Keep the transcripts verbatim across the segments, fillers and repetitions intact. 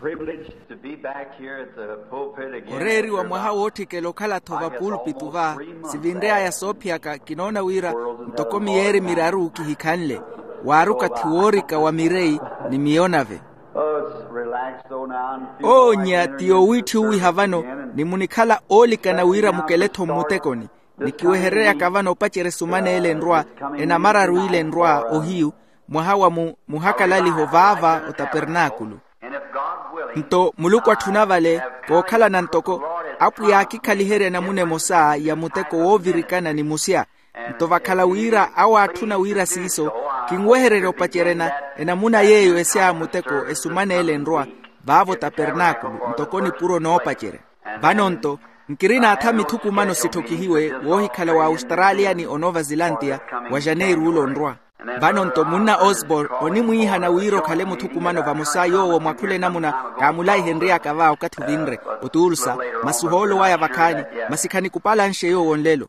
Privileged to be back here at the pulpit again. Oreeriwa mwaha wootthikela okhala-tho vapuulpitu va, sivinrey'aya soophiyaka kinoona wira ntoko miyeeri miraru kihikhanle, waari okathi woorika wa mireyi ni miyo nave. Onya ti yowiitthiwiha vano, ni munikhala oolikana wira mukele-tho mmutekoni. Ni kiwehereryaka vano opacerya esumana ele enrwa, enamararu ile enrwa ohiyu, mwaha wa mu muhakalaliho vaava otapernaakulu. Nto muluku atthuna vale, kookhalana ntoko apwiya aakikhaliherya enamuna emosa ya muteko woovirikana ni musya. Nto vakhala wira awo aatthuna wira siiso, kinwehererya opacerya enamuna yeeyo esya muteko esumana ele enrwa, vaavo tapernaakulu ntoko nipuro noopacerya. Vano nto nkirina atha mithukumano sitthokihiwe woohikhala wa australia ni onova zilantiya wa janeiro ula onrwa. Vano nto munna osborn onimwiihana wira okhale muthukumano vamosa yoowo mwakhule namuna kaamulaihenry'aka va okathi ovinre, otuulsa masi ohoolo waya vakhaani, masi khanikupalanxe yoowo nlelo.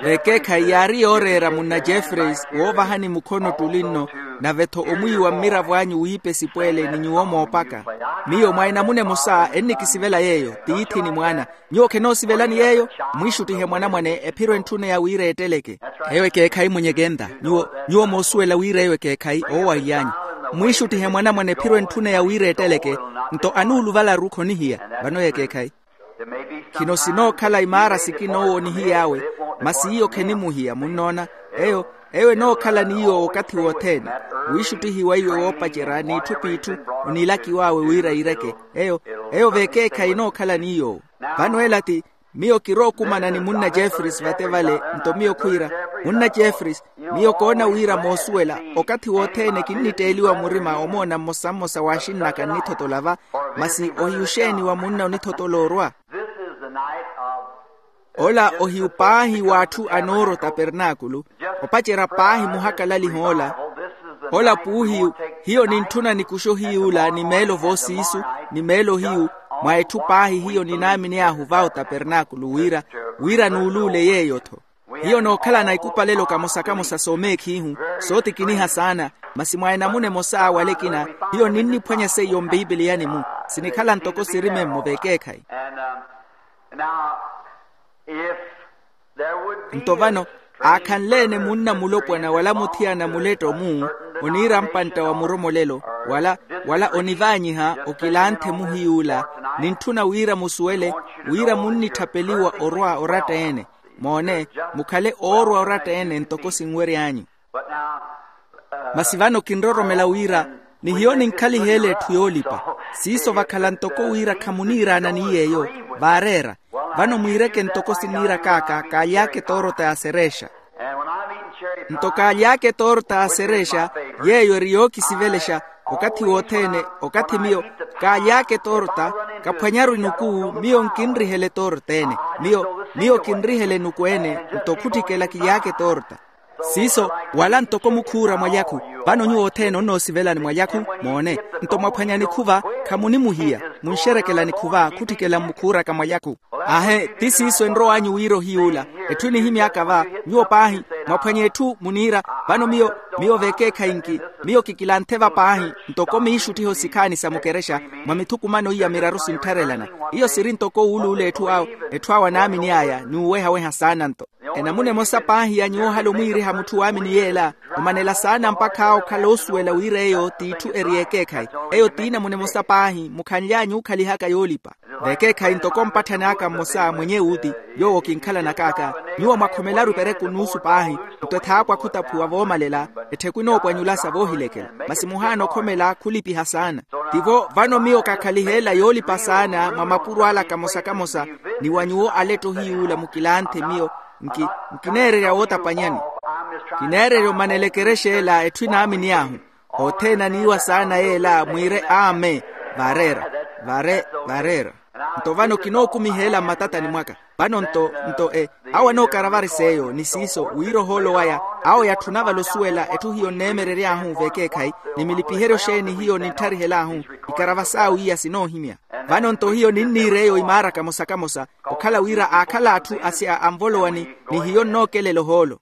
Vekeekhayi yaari yooreera munna jeffreys woovahani mukhono ttuli nno, nave-tho omwiiwa mmiravo anyu wiipa esipweele ni nyuwo moopaka. Miyo mwa enamuna emosa ennikisivela yeeyo, tiithi ni mwaana. Nyuwo khenoosivelani yeeyo? Mwiixuttihe mwanamwane ephiro entthuneya wira eetteleke. Eyo ekeekhayi mwenyekenta. Nyuwo moosuwela wira eyo ekeekhayi oowaily'anyu. Mwiixuttihe mwanamwane ephiro entthuneya wira eetteleke. Nto anuuluvalaru khonihiya. Vano eyo ekeekhayi. Khino sinookhala imaara sikina owo onihiy'awe, masi iyo khenimuhiya munnoona. Eyo eyo enookhala ni yoowo okathi wothene. Wiixuttihiwa iwe woopacerya n'itthu p'itthu onilakiw'awe wira iireke. Eyo eyo vekeekhayi enookhala ni yoowo. Vano ela ti miyo kirookumana ni munna jeffreys vate vale. Nto miyo khwiira, munna jeffreys, miyo koona wira moosuwela okathi wothene kinnitteeliwa murima omoona mmosa mmosa waaxinn'aka nnithotola va. Masi ohiyu xeeni wa munna onithotola orwa? Ola ohiyu paahi w'atthu a nooro tapernaakulu, opacerya paahi muhakalaliho ola. Ola puuhiyu, hiyo nintthuna nikuxe ohiy'ula ni meelo voosiisu, ni meelo hiyu, mwa etthu paahi hiyo ninaamin'ahu va otapernaakulu wira, wira nuuluule yeeyo-tho. Hiyo nookhalana ikupalelo kamosa-kamosa soomeekhihu, sootikiniha saana. Masi mwa enamuna emosa wala ekina, hiyo ninniphwanya seiyo mpiipiliyani-mu, sinikhala ntoko siri memmo vekeekhayi. Nto vano, aakhanle-ene munna mulopwana wala muthiyana muletto-mu, oniira mpantta wa muromolelo, wala wala onivaanyiha okilanthe muhiy'ula, nintthuna wira musuwele wira munnitthapeliwa orwa oratta-ene. Moone, mukhale oorwa oratta-ene ntoko sinwery'anyu. Masi vano kinroromela wira, ni hiyo ninkhaliheela etthu yoolipa. Siiso vakhala ntoko wira khamuniiraana ni yeeyo, vaareera. Vano mwiireke ntoko siniirak'aka kaaly'aka etoorota ya serexa. Nto kaaly'aka etoorota ya serexa, yeeyo eri yookisivelexa okathi wothene. Okathi miyo kaaly'aka etoorota, kaphwanyaru inukuu miyo nkinrihela etoorota ene. Miyo miyo kinrihela enuku ene. Nto khutthikela kily'aka etoorota. Siiso, wala ntoko mukhuura mwalyakhu. Vano nyuwo othene onnoosivelani mwalyakhu. Moone, nto mwaphwanya nikhuva, khamunimuhiya. Munxerekela nikhuva khutthikela mmukhuuraka mwalyakhu. Aahe ti siiso enrow'anyu wira ohiy'ula. Etthu enihimy'aka va, nyuwo paahi mwaphwanya etthu muniira. Vano miyo miyo vekeekhayi nki, miyo kikilanthe va paahi ntoko miixuttiho sikhaani sa mukerexa, mwa mithukumano iya miraru sinttharelana. Iyo siri ntoko wuuluula etthu awo, etthu awo anaamin'aya ni uwehaweha saana nto. Enamuna emosa paahi ya nyuwo ohala omwiiriha mutthu waamini yeela, omanela saana mpakha awo okhala oosuwela wira eyo t'itthu eri y'ekeekhayi. Eyo t'inamuna emosa paahi mukhanly'anyu okhalihaka yoolipa. Vekeekhayi ntoko mpatthani aka mmosa mwenye wuuti, yoowo kinkhalanak'aka. Nyuwo mwakhomelaru ipereku nuusu paahi, nto ethaapwa khutaphuwa voomalela, ettheku enoopwanyula sa voohilekela. Masi muhaana okhomela khulipiha saana. Tivo vano miyo kakhaliheela yoolipa saana mwa mapuro ala kamosa-kamosa, ni wa nyuwo aletto hiy'ula mukilanthe miyo. Nki nkineererya wootapanyani. Kineererya omanela ekerexa ela etthu enaamin'ahu. Othene aniiwa saana yeela mwiire amen. Vaareera. Vaareera. Nto vano kinookumiheela mmatatani mwaka. Vano nto nto e awo anookaravari s'eyo ni siiso wira ohoolo waya, awo yatthuna vale osuwela etthu hiyo nneemerery'ahu v'ekeekhayi, ni milipiheryo xeeni hiyo ninttharihel'ahu. Ikarava saawiiya sinoohimya. Vano nto hiyo ninniir'eyo imaara kamosa-kamosa, okhala wira aakhala atthu asya anvolowani, ni hiyo nnookelela ohoolo.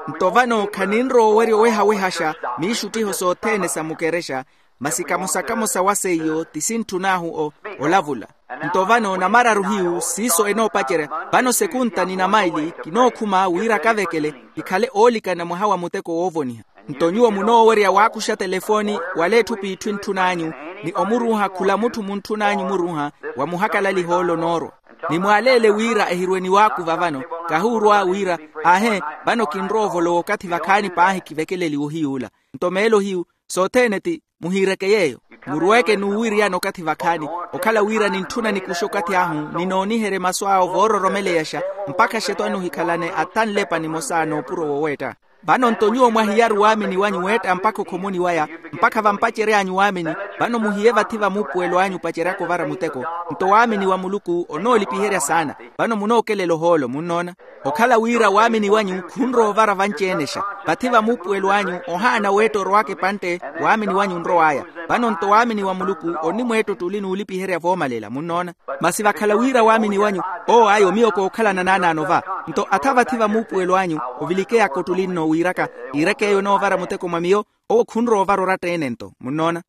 Nto vano khaninrowa owerya owehawehaxa miixuttiho sothene sa mukerexa, Masi kamosa-kamosa wa seiyo ti sintthun'ahu olavula. Nto vano namararu hiyu siiso enoopacerya. Vano sekunta ni namaili kinookhuma wira kavekele kikhale oolikana mwaha wa muteko woovoniha. Nto nyuwo munoowerya waakuxa telefooni wala etthu p'itthu entthun'anyu, ni omuruuha khula mutthu muntthun'anyu muruuha, wa muhakalaliha ole onoorwa. Ni mwaaleele wira ehirwe niwaakuva vano, kahuurwa wira, aahe, vano kinrowa ovolowa okathi vakhaani paahi kivekeleliwe ohiy'ula. Nto meelo hiyu sothene ti muhiireke yeeyo. Murweeke n'uwiriyana okathi vakhaani, okhala wira nintthuna nikuxe okathi ahu ninooniherye masu awo voororomeleyaxa, mpakha xeto anuhikhalane ata nlepa nimosa n'upuro woweetta. Vano nto nyuwo mwahiyaru waamini wanyu weetta mpakha okhomoni waya, mpakha vampacery'anyu waamini. Vano muhiye vathi va muupuwelo anyu opaceryaka ovara muteko. Nto waamini wa muluku onoolipiherya saana. Vano munookelela ohoolo munnoona. Okhala wira waamini wanyu khunrowa ovara vanci-enexa, vathi va muupuwelo anyu ohaana weetta orowaka epantte. Waamini wanyu onrow'aya. Vano nto waamini wa muluku onnimweetta ottuli n'ulipiherya voomalela munnoona. Masi vakhala wira waamini wanyu, owo ayo miyo kookhalana naanaano va. Nto atha vathi va muupuwelo anyu ovilikeyaka ottuli nno wiiraka, iireke eyo enoovara muteko mwa miyo. Owo khunrowa ovara oratta-ene nto munnoona.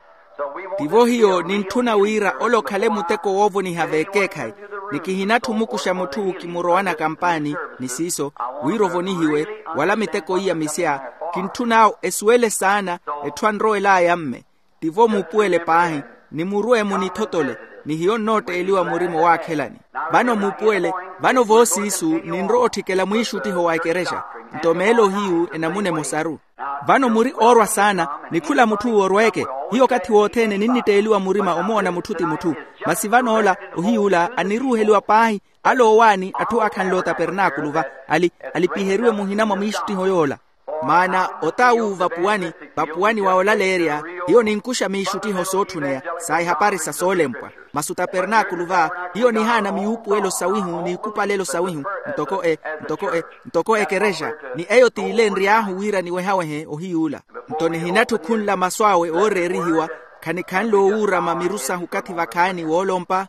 Tivo hiyo nintthuna wira ole okhale muteko woovoniha veekeekhayi, ni kihinatthi omukuxa mutthu kimurowanaka mpaani ni siiso, wira ovonihiwe, wala miteko iya misya. Kintthun'awo esuwele saana etthu anrowel'aya mme. Tivo muupuwele paahi, ni murwe munithotole, ni hiyo nnootteeliwa murima owaakhelani. Vano muupuwele, vano voosiisu ninrowa otthikela mwiixuttiho wa ekerexa. Nto meelo hiyu enamuna emosaru. Vano muri oorwa saana, ni khula mutth'uwo orweeke. Hiyo okathi wothene ninnitteeliwa murima omoona mutthu ti mutthu. Masi van'ola ohiy'ula aniruuheliwa paahi, ale oowaani atthu aakhanle otapernaakulu va, ali alipiheriwe muhina mwa mwiixuttiho yoola. Maana ota awu vapuwani, vapuwani wa olaleerya, hiyo ninkuxa miixuttiho sootthuneya sa ehapari sa soolempwa. Masi otapernaakulu va, hiyo nihaana miyuupuwelo sawihu n'ikupalelo sawihu, ntoko e ntoko e ntoko ekerexa. Ni eyo t'ile enry'ahu wira niwehawehe ohiy'ula. Nto nihinatthu khunla masu awe ooreerihiwa, khanikhanle owuurama miru sahu okathi vakhaani woolompa.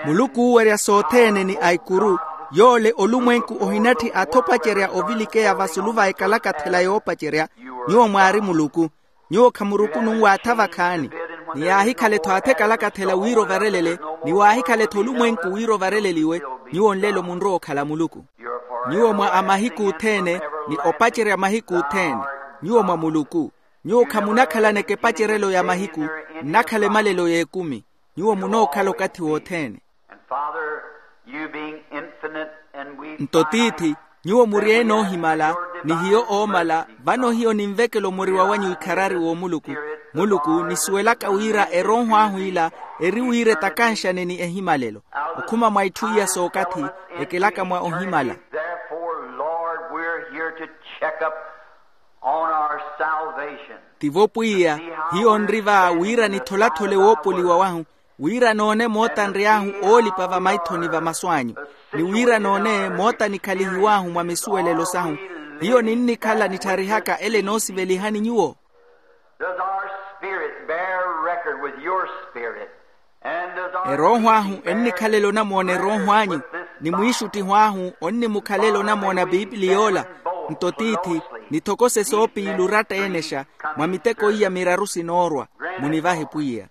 Muluku oowerya sothene ni aikuru, yoole olumwenku ohinatthi athopacerya ovilikeya vasulu va ekalakathela yoopacerya. Nyuwo mwaari muluku. Nyuwo khamurukununw'atha vakhaani. Ni yaahikhala-tho atha ekalakathela wira ovarelele, ni waahikhala-tho olumwenku wira ovareleliwe, nyuwo nlelo munrowa okhala muluku. Nyuwo mwa a mahiku othene, ni opacerya mahiku othene. Nyuwo mwa muluku. Nyuwo khamunakhalaneke epacerelo ya mahiku, nnakhala emalelo y'ekumi. Nyuwo munookhala okathi wothene. Nto tiithi, nyuwo muri ene oohimala, ni hiyo oomala. Vano hiyo ninvekela omuriwa wanyu ikharari w'omuluku. Muluku nisuwelaka wira erooho ahu ila eri wira etakanxane ni ehimalelo, okhuma mwa itthu iya sookathi, ekelaka mwa ohimala. Tivo pwiya, hiyo nri va wira nitholathole woopoliwa wahu, wira noone moota nry'ahu oolipa vamaithoni va masu anyu, ni wira noone moota nikhalihiw'ahu mwa misuwelelo sahu. Hiyo ninnikhala nittharihaka ele enoosivelihani nyuwo? Does our spirit bear record with your spirit? Erooho ahu ennikhalela onamoona erooho anyu, ni mwiixuttiho ahu onnimukhalela onamoona piipili yoola? Nto tiithi, nithokose soopiili oratta-enexa mwa miteko iya miraru sinoorwa. Munivahe pwiya.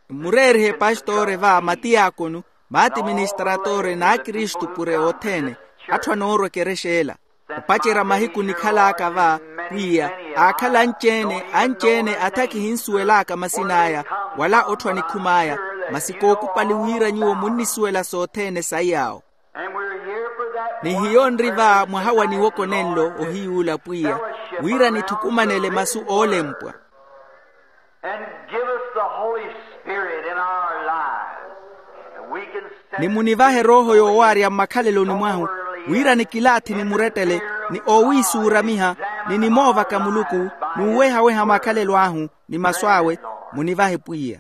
Mmureerihe epastore va matiyakonu, maatiministratore n'akristu pure othene, atthu anoorwa ekerexa ela. Opacerya mahiku nikhal'aka va, pwiya, aakhala anci-ene anci-ene atha kihinsuwel'aka masin'aya, wala otthu anikhum'aya, masi kookupali wira nyuwo munnisuwela sothene saiy'awo. Ni hiyo nri va mwaha wa niwoko nenlo ohiy'ula pwiya, wira nithukumanele masu oolempwa. Ni munivahe erooho yoowaarya mmakhaleloni mwahu, wira nikilaathi nimurettele, ni oowiisuuramiha, ni nimoovaka muluku, n'uwehaweha makhalelo ahu ni masu awe. Munivahe pwiya.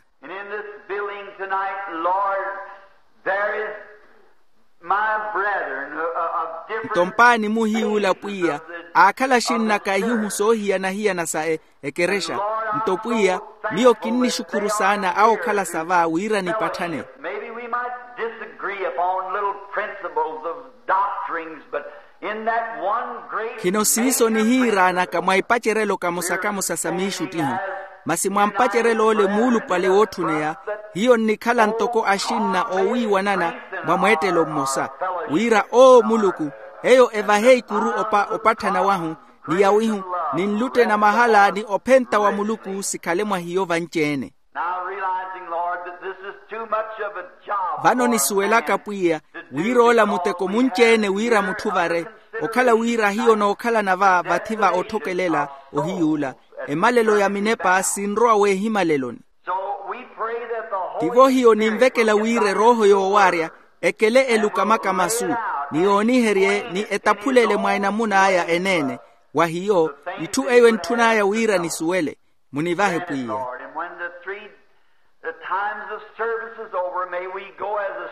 Nto mpaani muhiy'ula pwiya, aakhala axinn'aka ihuhu soohiyana-hiyana sa ekerexa. Nto pwiya, miyo kinnixukhuru saana awo okhala sa va wira nipatthane. Maybe we might disagree upon little principles of doctrines, but Khino siiso nihiiraanaka mwa ipacerelo kamosa-kamosa sa miixuttiho, masi mwa mpacerelo ole muulupale wootthuneya, hiyo nnikhala ntoko axinna oowiiwanana mwa mweettelo mmosa, wira oo muluku eyo evahe ikuru opa opatthana wahu, ni yawihu, ni nlutte na mahala ni ophenta wa muluku sikhale mwa hiyo vanci-ene. Vano nisuwelaka pwiya, wira ola muteko munci-ene wira mutthu vare, okhala wira hiyo nookhalana va vathi va otthokelela, ohiyuula emalelo ya minepa sinrowa weehimaleloni. Tivo hiyo ninvekela wira erooho yoowaarya ekele elukamaka masu, ni yooniherye ni etaphulele mwa enamun'aya eneene. Wa hiyo, itthu eyo entthun'aya wira nisuwele. Munivahe pwiya.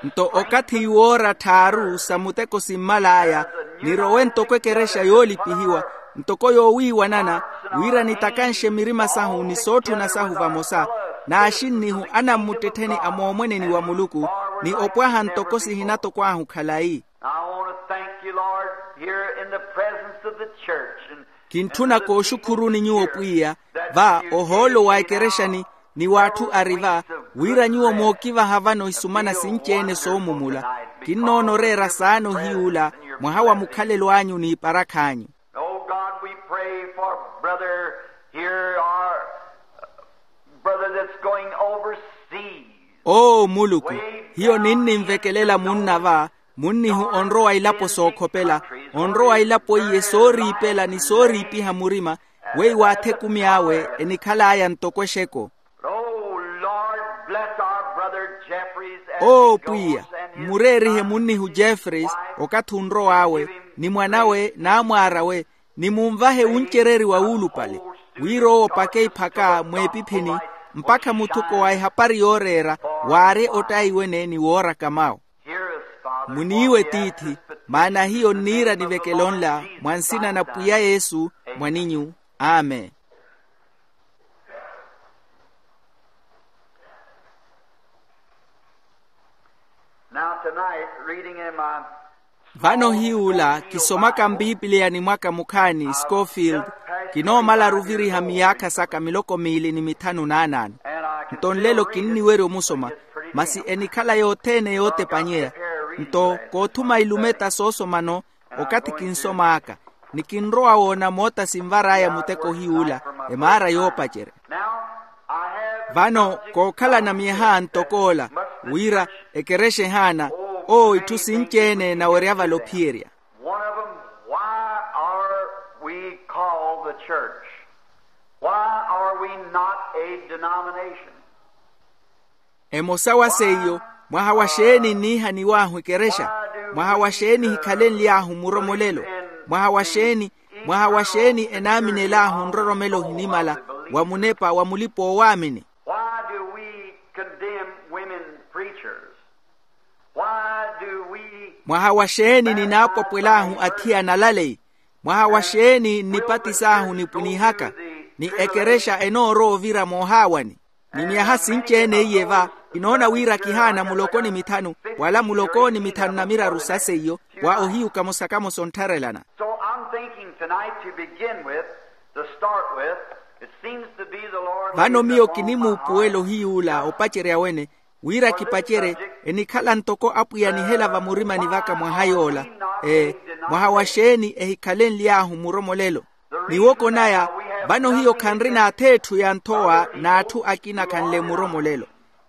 Nto okathi woora tthaaru sa muteko simmal'aya, nirowe ntoko ekerexa yoolipihiwa, ntoko yoowiiwanana, wira nitakanxe mirima sahu ni sootthuna sahu vamosa, n'axinnihu anammuttettheni a moomweneni wa muluku, ni opwaha ntoko sihina toko ahu khalayi. Kintthuna kooxukhuruni nyuwo pwiya, va ohoolo wa ekerexani, ni w'atthu ari va, wira nyuwo mookivaha vano isumana sinci-ene soomumula. Kinnoona oreera saana ohiyuula, mwaha wa mukhalelo anyu n'iparakha anyu. Oh God, we pray for brother here, our brother that's going overseas. Oo muluku, hiyo ninninvekelela munna va, munnihu onrowa ilapo sookhopela, onrowa ilapo iye sooriipela ni sooriipiha murima, weiwo athekumi awe enikhal'aya ntoko exeko. Oh Lord, bless our brother Jeffries as oo pwiya, mmureerihe munnihu jeffreys, okathi onrow'awe, ni mwan'awe n'amwaar'awe, ni munvahe wuncereriwa wuulupale, wira owo opake iphaka mweepiphini, mpakha muthuko wa ehapari yooreera, waari ottaiwene ni wooraka mawu. Muniiwe tiithi, maana hiyo nniira nivekelo nla mwa nsina na pwiya yesu, mwaninyu. Amen. Now tonight, reading in my vano hiyuula kisomaka mpiipiliya ni mwaka mukhaani scofield, kinoomalaru oviriha miyaakha saka miloko miili ni mithanu n'anaano. Nto nlelo kinniwerya omusoma, masi enikhala yothene yootepanyeya. Nto koothuma ilumeta soosomano, okathi kinsom'aka, ni kinrowa woona moota sinvar'aya muteko hiyuula, emaara yoopacerya. Vano kookhalana myaha ntok'ola, wira ekerexa ehaana, oo itthu sinci-ene enawerya vale ophiyerya. One of them, why are we called the church? Why are we not a denomination? Emosa wa seiyo, mwaha wa xeeni nniihaniw'ahu ekerexa? Mwaha wa xeeni ehikhalenly'ahu muromolelo? Mwaha wa xeeni, mwaha wa xeeni enaaminel'ahu nroromelo ohinimala wa munepa wa mulipa-oowaamini? Why do we condemn women preachers? Why do we mwaha wa xeeni ninaapwapwel'ahu athiyana alaleyi? Mwaha wa xeeni nnipatis'ahu nipwinihaka, ni ekerexa enoorowa ovira moohaawani? Ni myaha sinci-ene iye va, kinoona wira kihaana muloko ni mithanu, wala muloko ni mithanu na miraru sa seiyo, wa ohiyuka mosakamo sonttharelana. So I'm thinking tonight to begin with, to start with, it seems to be the Lord vano miyo kinimuupuwela ohiyuula opacerya wene, wira kipacere, enikhala ntoko apwiya anihela vamurimani vaka mwaha yoola. Ee, mwaha wa xeeni ehikhalenly'ahu muromolelo? Miwoko naya, vano hiyo khanrina ath'etthu ya nthowa n'atthu akina khanle muromolelo.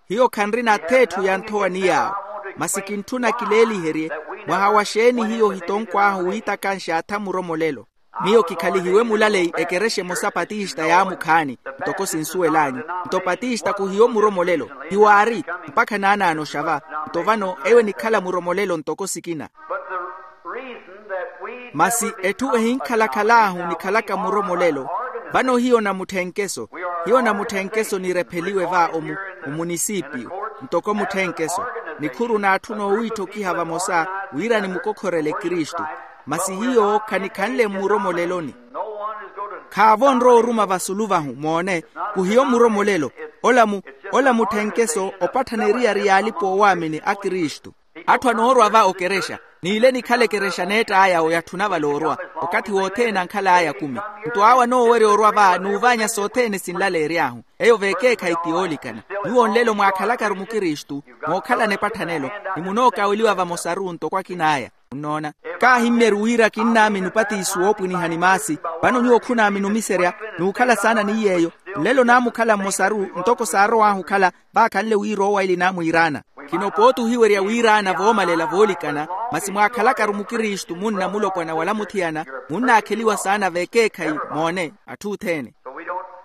Hiyo khanrina ath'etthu ya nthowa ni yaawo. Masi kintthuna kileeliherye, mwaha wa xeeni hiyo ohitonk'ahu wiitakanxa atha muromolelo? Miyo kikhalihiwe mulaleyi ekerexa emosa patista yaamukhaani, ntoko sinsuwel'anyu. Nto patista khuhiyo muromolelo, hiwaari, mpakha naanaanoxa va. Nto vano eyo enikhala muromolelo ntoko sikina. Masi etthu ehinkhalakhal'ahu nikhalaka muromolelo, vano hiyo namutthenkeso. Hiyo namutthenkeso nirepheliwe va omu, omunisipiyu, ntoko mutthenkeso, nikhuru n'atthu noowiitthokiha vamosa, wira nimukokhorele kristu. Masi hiyo khanikhanle mmuromoleloni. Khaavo onrowa oruma vasulu vahu moone, khuhiyo muromolelo. Ola mu, ola mutthenkeso opatthana eriyari y'alipa-oowaamini a kristu. Atthu anoorwa va okerexa, N'ile nikhala ekerexa neett'aya oyatthuna vale orwa. Okathi wothene ankhal'aya kumi. Nto awo anoowerya orwa va n'uvaanya sothene sinlaleery'ahu. Eyo veekeekhayi ti yoolikana. Nyuwo nlelo mwaakhalakaru mukristu, mookhalana epatthanelo, ni munookaweliwa vamosaru ntoko akin'aya. Nnoona, kaahimmyeri wira kinnaamini opatiso woopwiniha ni maasi. Vano nyuwo khunaamini omiserya, n'ukhala saana ni yeeyo. Nlelo naamukhala mmosaru ntoko saarow'ahu okhala, vaakhanle wira owaili naamwiiraana. Khino pooti ohiwerya wiiraana voomalela voolikana, masi mwaakhalakaru mukristu munna mulopwana wala muthiyana, munnaakheliwa saana veekeekhayi. Moone atthu othene.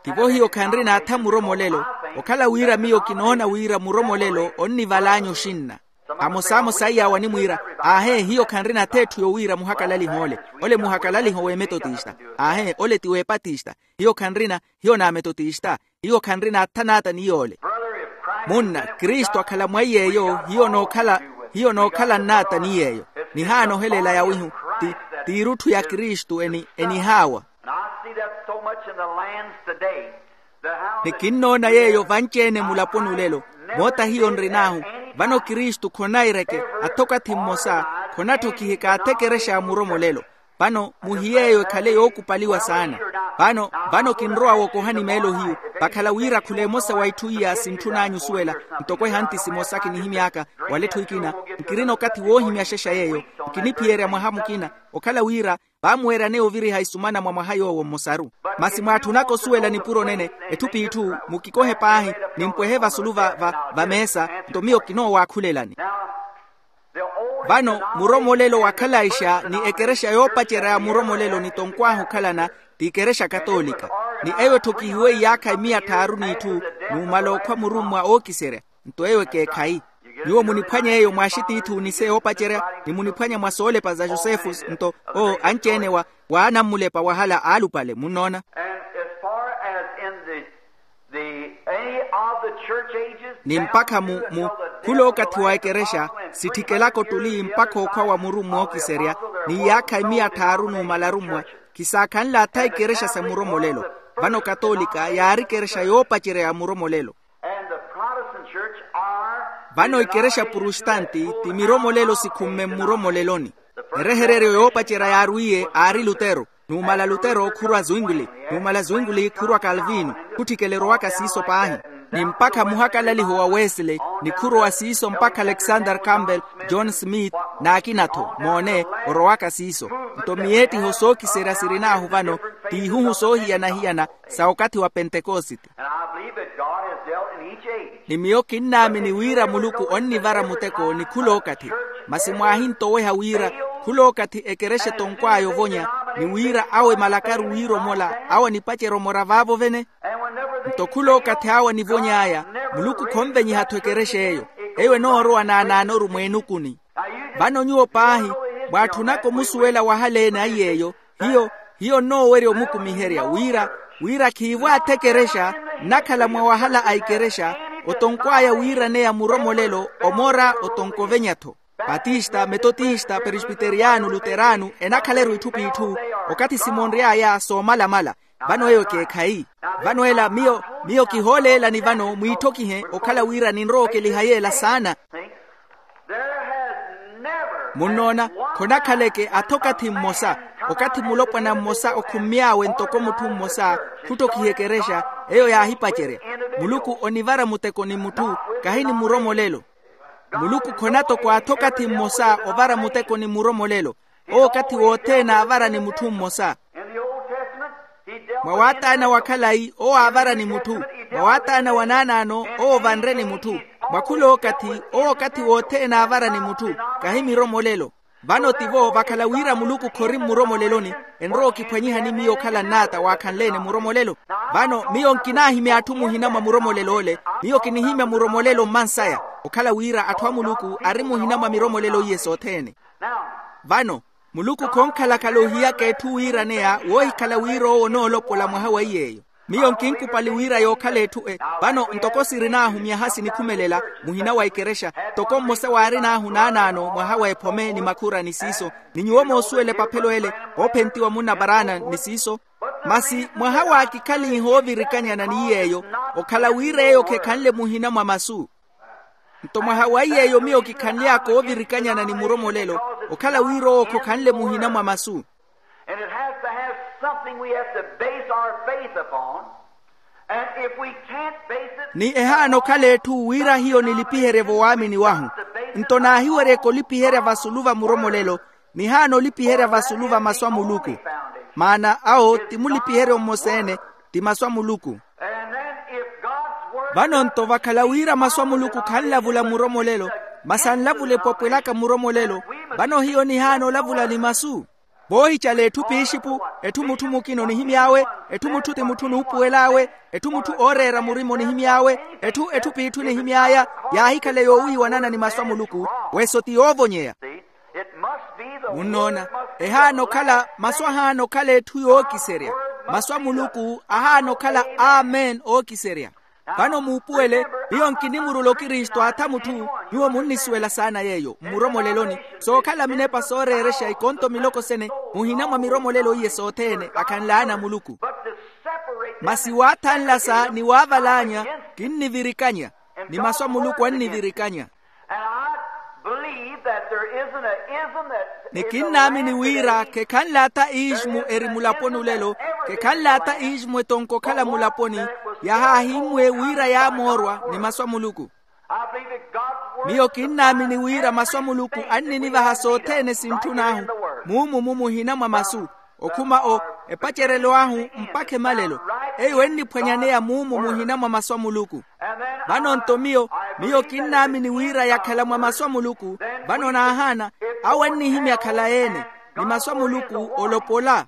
Tivo hiyo khanrina atha muromolelo. Okhala wira miyo kinoona wira muromolelo onnivalaanya oxinna. Amosamosa iyaawo animwiira, aahe hiyo khanrina atha etthu yowiira muhakalaliho ole. Ole muhakalaliho w'emetotista. Aahe ole ti w'epatista. Hiyo khanrina, hiyo n'ametotista. Hiyo khanrina atha n'ata ni yoole. Munna, kristu akhala mwa iy'eyo. Hiyo nookhala hiyo nookhala n'ata ni yeeyo. Nihaana ohelela yawihu, ti t'irutthu ya kristu eni enihaawa. And I see that so much in the lands today. Ni kinnoona yeeyo vanci-ene mulaponi olelo. Moota hiyo nrin'ahu, vano kristu khonaireke, athokathi mmosa, khonatthokiheka athekerexa a muromolelo. Vano muhiyeeyo ekhale yookupaliwa saana. Vano vano kinrowa wookohani meelo hiyu, vakhala wira khula emosa wa itthu iya sintthun'anyu osuwela, ntoko ehanti simosa kinihimy'aka wala etthu ekina. Nkirina okathi woohimya axexa yeeyo, nkiniphiyerya mwaha mukina, okhala wira vaamuweryaneya oviriha isumana mwa mwaha yoowo mmosaru. Masi mwaatthunaka osuwela nipuro nene, etthu p'itthu, mukikohe paahi, nimpwehe vasulu va va meesa. Nto miyo kinoowakhulelani. Vano muromolelo wa khalaixa ni ekerexa yoopacerya ya muromolelo ni tonkw'ahu okhalana, ti ekerexa katolika. Ni eyo etthokihiwe iyaakha emiya tthaaru n'itthu, numala okhwa murummwa ookiserya. Nto eyo ekeekhayi. Nyuwo muniphwanye eyo mwaaxitiithi onise yoopacerya, ni muniphwanya mwa soolepa za josefu. Nto oo anci-ene wa waanammulepa wahala aalupale munnoona. And as far as in the the any of the church ages, ni mpakha mu mu khula okathi wa ekerexa, sitthikela kottuli mpakha okhwa wa muru mmookiserya, ni iyaakha emiya tthaaru numala arummwa, khisaakhanle atha ikerexa sa muromolelo. Vano katolika yaari ikerexa yoopacerya ya muromolelo. And the Protestant church are vano ikerexa prustanti ti miromolelo sikhumme mmuromoleloni. Erehereryo yoopacerya yaarwiye aari lutero, numala lutero khurwa zwingli, numala zwingli khurwa kalvino, khutthikela erowaka siiso paahi. Ni mpakha muhakalaliho wa wesley, ni khurowa siiso mpakha alexander campbell, john smith, n'akina-tho moone, orowaka siiso. Nto miyeettiho sookiserya sirin'ahu vano, t'ihuhu soohiyana-hiyana sa okathi wa pentekosite. And I believe that God has dealt in each age. Ni miyo kinnaamini wira muluku onnivara muteko ni khulookathi. Masi mwaahintoweha wira khulookathi ekerexa etonkw'aya ovonya, ni wira awo emalakaru wiiromola awo anipacerya omora vaavo vene. Nto khulookathi awo anivony'aya, muluku khonvenyiha-tho ekerexa eyo. Eyo enoorowa naanaanoru mweenukuni. Vano nyuwo paahi mwaatthunaka omusuwela wahaleene aiy'eyo. Hiyo hiyo nnoowerya omukumiherya wira wira khiivo athekerexa nnakhala mwa wahala a ikerexa, otonkw'aya wiiraneya muromolelo omora otonkovenya-tho. Patista, metotista, perisbiteriyano, luterano, enakhaleru itthu p'itthu. Okathi simonry'aya soomalamala. Vano eyo ekeekhayi. Vano ela miyo miyo kihooleelani vano mwiitthokihe okhala wira ninrowa okeliha yeela saana. Munnoona, khonakhaleke atha okathi mmosa, okathi mulopwana mmosa okhummy'awe ntoko mutthu mmosa, khutthokiha ekerexa eyo yaahipacerya. Muluku onivara muteko ni mutthu, kahi ni muromolelo. Muluku khonatoko atha okathi mmosa ovara muteko ni muromolelo. Owo okathi wothene aavara ni mutthu mmosa. Mwa waataana wa khalayi owo aavara ni mutthu. Mwa waataana wa naanaano owo ovanre ni mutthu. Mwa khulookathi owo okathi wothene aavara ni mutthu, kahi miromolelo. Vano tivo vakhala wira muluku khori mmuromoleloni, enrowa okiphwanyihani miyo okhala nnaata waakhanleene muromolelo. Vano miyo nkinaahimya atthu muhina mwa muromolelo ole. Miyo kinihimya muromolelo mmansaya, okhala wira atthu a muluku ari muhina mwa miromolelo iye sothene. Vano muluku khonkhalakhala ohiyaka etthu wiiraneya woohikhala wira owo onoolopola mwaha wa iy'eyo. Miyo nkinkupali wira yookhala etthu e. Vano ntoko sirin'ahu myaha sinikhumelela, muhina wa ikerexa ntoko mmosa waarin'ahu naanaano mwaha wa ephome ni makhura ni siiso, ni nyuwo moosuwela epaphelo ele, oophentiwa munna barana ni siiso. Masi mwaha w'akikhalihi oovirikanyana ni iy'eyo, okhala wira eyo khekhanle muhina mwa masu. Nto mwaha wa iy'eyo miyo kikhanly'aka oovirikanyana ni muromolelo, okhala wira owo khokhanle muhina mwa masu. And it has to have something we have to base our faith upon. And if we can't base it, ni ehaana okhala etthu wira hiyo nilipiherye-vo waamini wahu. Nto naahiweryeke olipiherya vasulu va muromolelo, nihaana olipiherya vasulu va masu a muluku. Maana awo ti mulipiheryo mmosa-ene, ti masu a muluku. And then if God's word vano nto vakhala wira masu a muluku khanlavula muromolelo, masi anlavula epwapwelaka muromolelo, vano hiyo nihaana olavula ni masu. Voohicala etthu pixipu, etthu mutthu mukina onihimy'awe, etthu mutthu ti mutthu onuupuwel'awe, etthu mutthu ooreera murima onihimy'awe, etthu etthu p'itthu enihimy'aya, yaahikhala yoowiiwanana ni masu a muluku. Weso ti yoovonyeya. Munnoona, ehaana okhala masu ahaana okhala etthu yookiserya. Masu a muluku ahaana okhala amen ookiserya. Vano muupuwele, miyo nkinimurula okristu atha mutthu. Nyuwo munnisuwela saana yeeyo mmuromoleloni, sookhala minepa sooreerexa ikonto miloko sene muhina mwa miromolelo iye sothene akhanlaana muluku. Masi waathanlasa ni waavalaanya, kinnivirikanya, ni masu a muluku annivirikanya. And I believe that there isn't a ism that ni kinnaamini wira khekhanle ata iixmu eri mulaponi olelo, khekhanle ata iixmu etonko okhala mulaponi, yahaahimmwe wira yaamoorwa ni masu a muluku. I believe that God's word miyo kinnaamini wira masu a muluku anninivaha sothene sintthun'ahu, muumu mu muhina mwa masu, okhuma o epacerelo ahu mpakha emalelo. Eyo enniphwanyaneya muumu muhina mwa masu a muluku. Vano nto miyo, miyo kinnaamini wira yakhala mwa masu a muluku. Vano naahaana, awo annihimya khalayi-ene, ni masu a muluku olopola.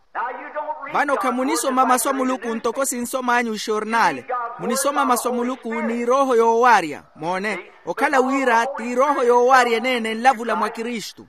Vano khamunisoma masu a muluku ntoko sinsom'anyu ixornale. Munisoma masu a muluku n'irooho yoowaarya. Moone, okhala wira t'irooho yoowaarya eneene enlavula mwa kristu.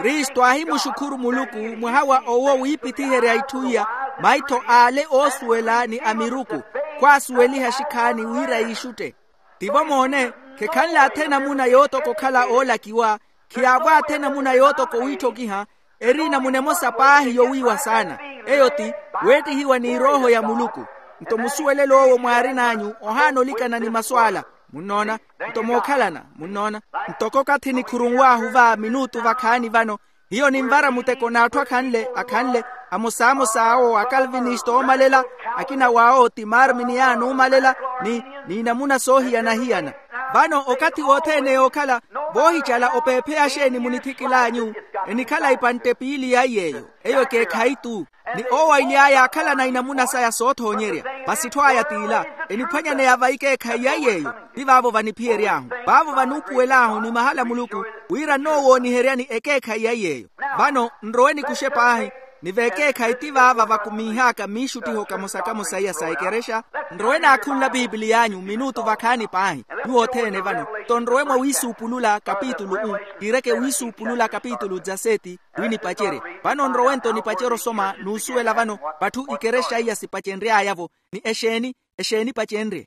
Kristu aahimuxukhuru muluku mwaha wa owo wiipithiherya itthu iya, maitho ale oosuwela ni a miruku, khwaasuweliha xikhaani wira yiixutte. Tivo moone, khekhanle athe enamuna yootoka okhala oolakiwa, khiyaavo athe enamuna yootoka owiitthokiha, eri enamuna emosa paahi yowiiwa saana. Eyo ti weettihiwa n'irooho ya muluku. Nto musuwelelo owo mwaarin'anyu ohaana olikana ni masu ala. Munnoona? Nto mookhalana, munnoona? Ntoko okathi nikhurunw'ahu va minutu vakhaani vano, hiyo ninvara muteko n'atthu akhanle akhanle, amosaamosa awo akalvinisto oomalela, akina w'awo ti marminiyaani oomalela, ni n'inamuna soohiyana-hiyana. Vano okathi wothene yookhala voohicala opeepheya axeeni munithikil'anyu, enikhala ipantte piili ya iy'eyo. Eyo ekeekhayi-tu. Ni owo aily'aya akhalana inamuna saya soothoonyerya. Masi etthu aya t'ila, eniphwanyaneya va ikeekhayi ya iy'eyo. Ti vaavo vaniphiyery'ahu, vaavo vanuupuwel'ahu ni mahala muluku, wira nnoowooniheryani ekeekhayi ya iy'eyo. Vano nrowe nikuxe paahi, ni vekeekhayi ti vaava vakumiih'aka miixuttiho kamosa-kamosa iya sa ekerexa. Nrowe naakhunla pipiliy'anyu minutu vakhaani paahi, nyuwo othene vano. Nto nrowe mwa wiisuupulula kapitulu u, kiireke wiisuupulula kapitulu dza seti, wi nipacerye. Vano nrowe nto nipacerye osoma n'usuwela vano, vatthu ikerexa iya sipacenry'aya-vo. Ni exeeni? Exeeni pacenrye?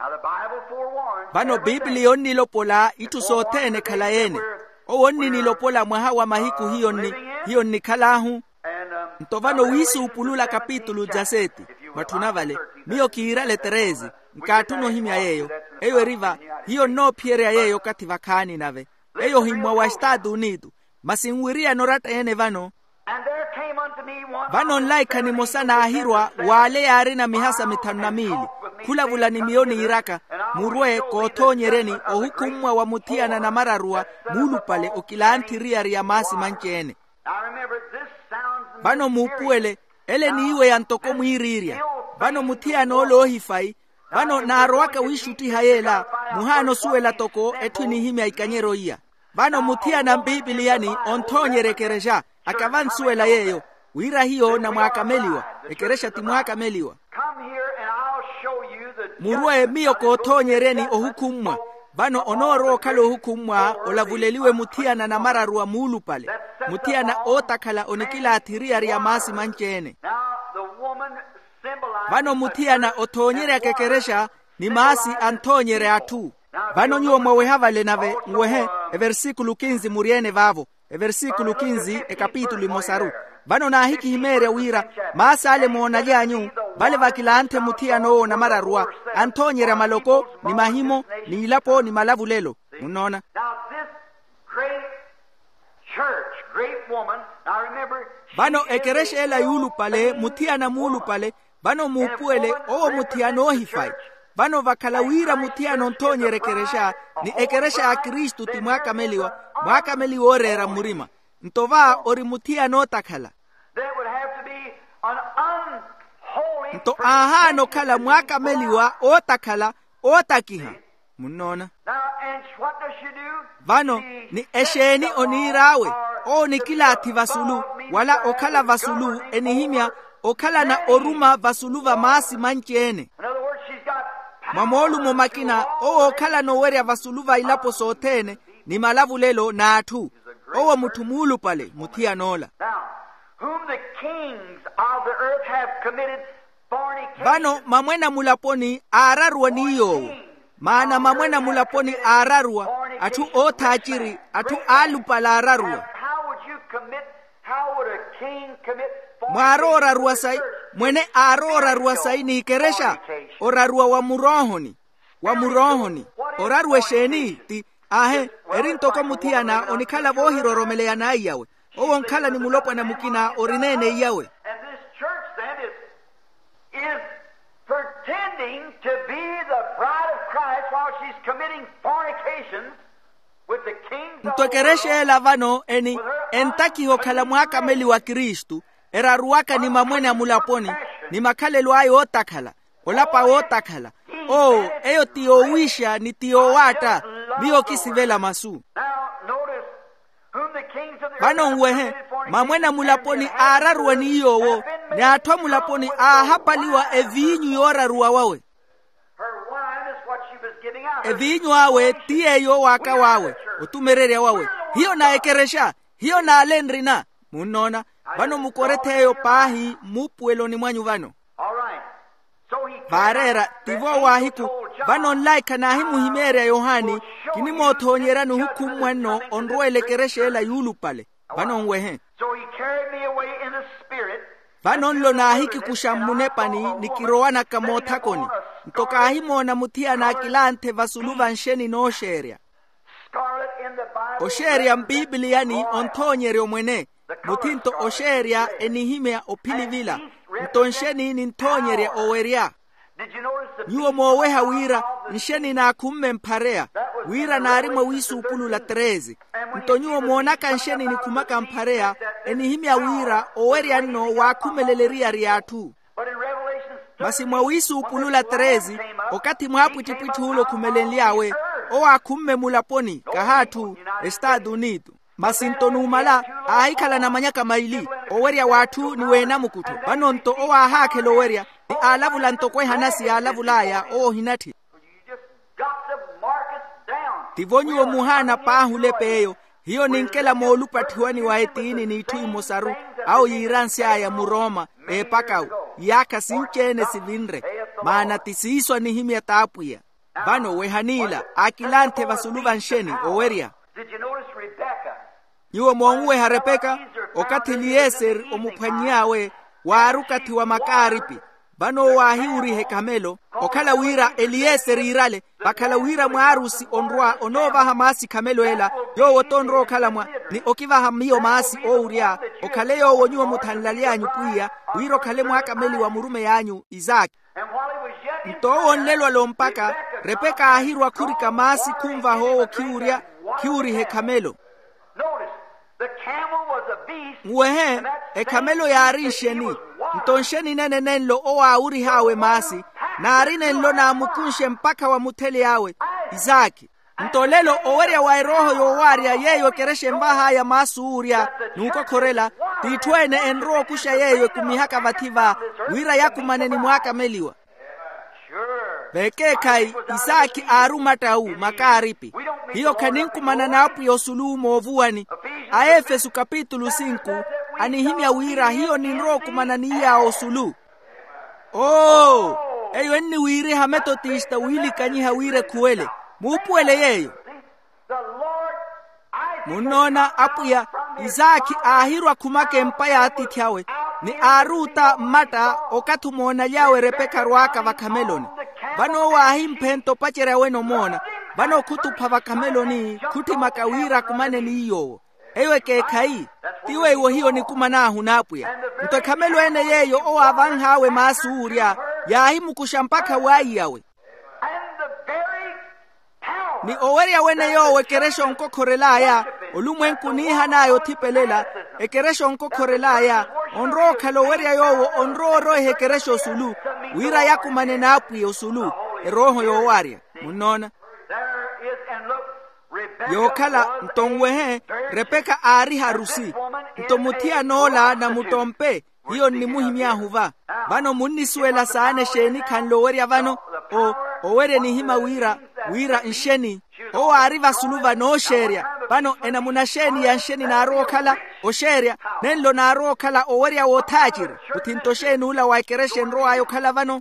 Vano pipiliya onnilopola itthu sothene ekhalayi-ene. Owo onninilopola mwaha wa mahiku hiyo nni hiyo nnikhal'ahu. Nto vano wiisuupulula kapitulu dza seti, mwatthuna vale, miyo kiirale treze. Nkaatthuna ohimya yeeyo. Eyo eri va, hiyo nnoophiyerya yeeyo okathi vakhaani nave. Eyo ohimmwa wa estaatu unitu. Masi nwiriyana oratta-ene vano. Vano nlaikha nimosa naahirwa w'ale yaarina mihasa mithanu na miili, khulavula ni miyo niiraka, murwe koothoonyeryeni ohukhummwa wa muthiyana namararuwa muulupale okilanthi eriyari ya maasi manci-ene. Vano muupuwele, ele eniiweya ntoko mwiiriirya. Vano muthiyana ole oohifayi, vano naarowaka wiixuttiha yeela, muhaana osuwela toko etthu enihimya ikanyeryo iya. Vano muthiyana mpipiliyani onthoonyerya ekerexa, akavansuwela yeeyo, wira hiyo namwaakameliwa, ekerexa ti mwaakameliwa. Murwe miyo koothoonyeryeni ohukhummwa. Vano onoorowa okhala ohukhummwa olavuleliwe muthiyana namararuwa muulupale, muthiyana ootakhala onikilaathi eriyari ya maasi manci-ene. Vano muthiyana othoonyeryaka ekerexa, ni maasi anthoonyerya atthu. Vano nyuwo mwaweha vale nave nwehe, eversikulu kinzi muri-ene vaavo. Eversikulu kinzi ekapitulu emosaru. Vano naahikihimeerya wira, maasi ale moonaly'anyu, vale vakilanthe muthiyana owo namararuwa, anthoonyerya maloko ni mahimo n'ilapo ni malavulelo. Munnoona? Church, great woman. Now remember, she vano is ekerexa the ela yuulupale, muthiyana muulupale. Vano muupuwele, owo muthiyana oohifayi. Vano vakhala wira muthiyana onthoonyerya ekerexa, ni ekerexa ya kristu ti mwaakameliwa, mwaakameliwa ooreera mmurima. Nto va ori muthiyana ootakhala. There would have to be an unholy nto aahaana okhala mwaakameliwa ootakhala, ootakiha. Munnoona? Now, and what does she do? Vano, ni exeeni oniir'awe? Owo nikilaathi vasulu, wala okhala vasulu enihimya okhalana oruma vasulu va maasi manci-ene. Mwa moolumo makina, owo okhalana owerya vasulu va ilapo sothene, ni malavulelo n'atthu. Owo mutthu muulupale muthiyan'ola. Now, whom the kings of the earth have committed fornication. Vano mamwene a mulaponi aararuwa ni yoowo. Maana mamwene a mulaponi aararuwa, atthu oothaaciri, atthu aalupale aararuwa. How would you commit, how would a king commit fornication? Mwaarooraruwa sayi, mwene aarooraruwa sayi n'ikerexa? Oraruwa wa muroohoni. Wa muroohoni. Oraruwa exeeni? Ti, aahe, eri ntoko muthiyana onikhala voohiroromeleya n'aiyawe. Owo onkhala ni mulopwana mukina ori neeneiyawe. And this church then is, is pretending to be the bride of Christ while she's committing fornications with the kings of the world. Nto ekerexa ela vano eni entakiha okhala mwaakameli wa kristu, eraruwaka ni mamwene a mulaponi, ni makhalelo aya ootakhala, olapa wootakhala. Oo, eyo ti yoowiixa ni ti yoowaatta. Miyo kisivela masu. Now notice, whom the kings of the earth have committed fornication. Vano nwehe, mamwene a mulaponi aararuwa ni yoowo, ni atthu a mulaponi aahapaliwa eviinyu yooraruwa wawe. Her wine is what she was giving out. Eviinyu awe ti yeeyo owaaka wawe, otumererya wawe. Hiyo na ekerexa, hiyo n'ale nrina. Munnoona? Vano mukorethi eyo paahi mmuupuweloni mwanyu vano. All right. Vaareera, tivo waahiku. Vano nlaikha naahimuhimeerya yohani, kinimoothoonyerya nuhukhu mmwanno onrweela ekerexa ela yuulupale. Vano nwehe. So he carried me away in the spirit. Vano nlo naahikikuxa mmunepani ni kirowanaka moothakoni. Nto kaahimoona muthiyana akilanthe vasulu va nxeni nooxeerya. Oxeerya mpipiliyani onthoonyerya omwene. Muthi nto oxeerya enihimya ophilivila. Nto nxeni ninthoonyerya owerya. Nyuwo mooweha wira nxeni naakhumme mphareya, wira naari mwa wiisuupulula treze. Nto nyuwo moonaka nxeni nikhumaka mphareya, enihimya wira owerya nno waakhumelela eriyari y'atthu. Masi mwa wiisuupulula treze, okathi mwaapwittipwitthi ule okhumelenly'awe, owo aakhumme mulaponi kahaatthu, estaatu unitu. Masi nto numala aahikhala namanyaka maili, owerya w'atthu ni w'enamukuttho. Vano nto owo aahaakhela owerya, ni aalavula ntoko ehanasi yaalavul'aya owo ohinatthi. Tivo nyuwo muhaana paahi olepa eyo. Hiyo ninkela moolupatthiwani wa etiini n'itthu imosaru, awo yiiransy'aya murooma, eepakawu, iyaakha sinci-ene sivinre. Maana ti siiso anihimya t'apwiya. Vano wehan'ila akilanthe vasulu va nxeni owerya. Nyuwo moonweha repeka, okathi eliyeseri omuphwanny'awe, waari okathi wa makaaripi. Vano owo aahiwuriha ekhamelo, okhala wira eliyeseri iirale, vakhala wira mwaarusi onrwa onoovaha maasi khamelo ela. Yoowo t'onrowa okhala mwa, ni okivaha miyo maasi oowurya. Okhale yoowo nyuwo muthanlaly'anyu pwiya, wira okhale mwaakameli wa murumeyi anyu isaaki. Nto owo onlelwala ompakha, repeka aahirwa khurika maasi khunvaha owo khiwurya, khiwuriha ekhamelo. Nwehe, ekhamelo yaari nxeni? Nto nxeni nene nenlo owo aawurih'awe maasi, naari nenlo naamukunshe mpakha wamuthely'awe isaaki. Nto lelo owerya wa erooho yoowaarya yeeyo ekerexa envah'aya maasi owurya, n'ukokhorela, t'itthu-ene enrowa okuxa yeeyo ekumihaka vathi-va, wira yakumane ni mwaakameliwa. Vekeekhayi isaaki aari omatta awu makaaripi. Hiyo khaninkumana n'apwiya osulu moovuwani. Aefesu kapitulu sinku, anihimya wira hiyo ninrowa okumana ni yaawo osulu. Oo, eyo enniwiiriha metotista wiilikanyiha wira ekhuwele. Muupuwele yeeyo. Munnoona apwiya, isaakhi aahirwa khumaka empa y'atiithi awe, ni aaruuta mmatta okathi omoonaly'awe repeka arwaaka vakhameloni. Vano owo aahimphe nto opacerya wene omoona. Vano khutupha vakhameloni khutthimaka wira akumane ni yoowo. Eyo ekeekhayi. Ti weiwo hiyo nikuman'ahu n'apwiya. Nto ekhamelo ene yeeyo owo aavanh'awe maasi owurya, yaahimukuxa mpakha w'aiyawe. Ni owerya wene yoowo ekerexa onkokhorel'aya, olumwenku oniihan'aya othipelela, ekerexa onkokhorel'aya, onrowa okhala owerya yoowo onrowa oroiha ekerexa osulu, wira yakumane n'apwiya osulu, erooho yoowarya. Munnoona? Yookhala nto nwehe, repeka aari harusi. Nto muthiyan'ola na muttompe, hiyo nnimuhimy'ahu va. Vano munnisuwela saana exeeni khanle owerya vano? O, owerya enihimya wira, wira nxeni. Owo aari vasulu va nooxeerya. Vano enamuna xeeni ya nxeni naarowa okhala? Oxeerya. Nenlo naarowa okhala owerya w'othaaciri. Muthinto xeeni ula wa ekerexa enrow'aya okhala vano?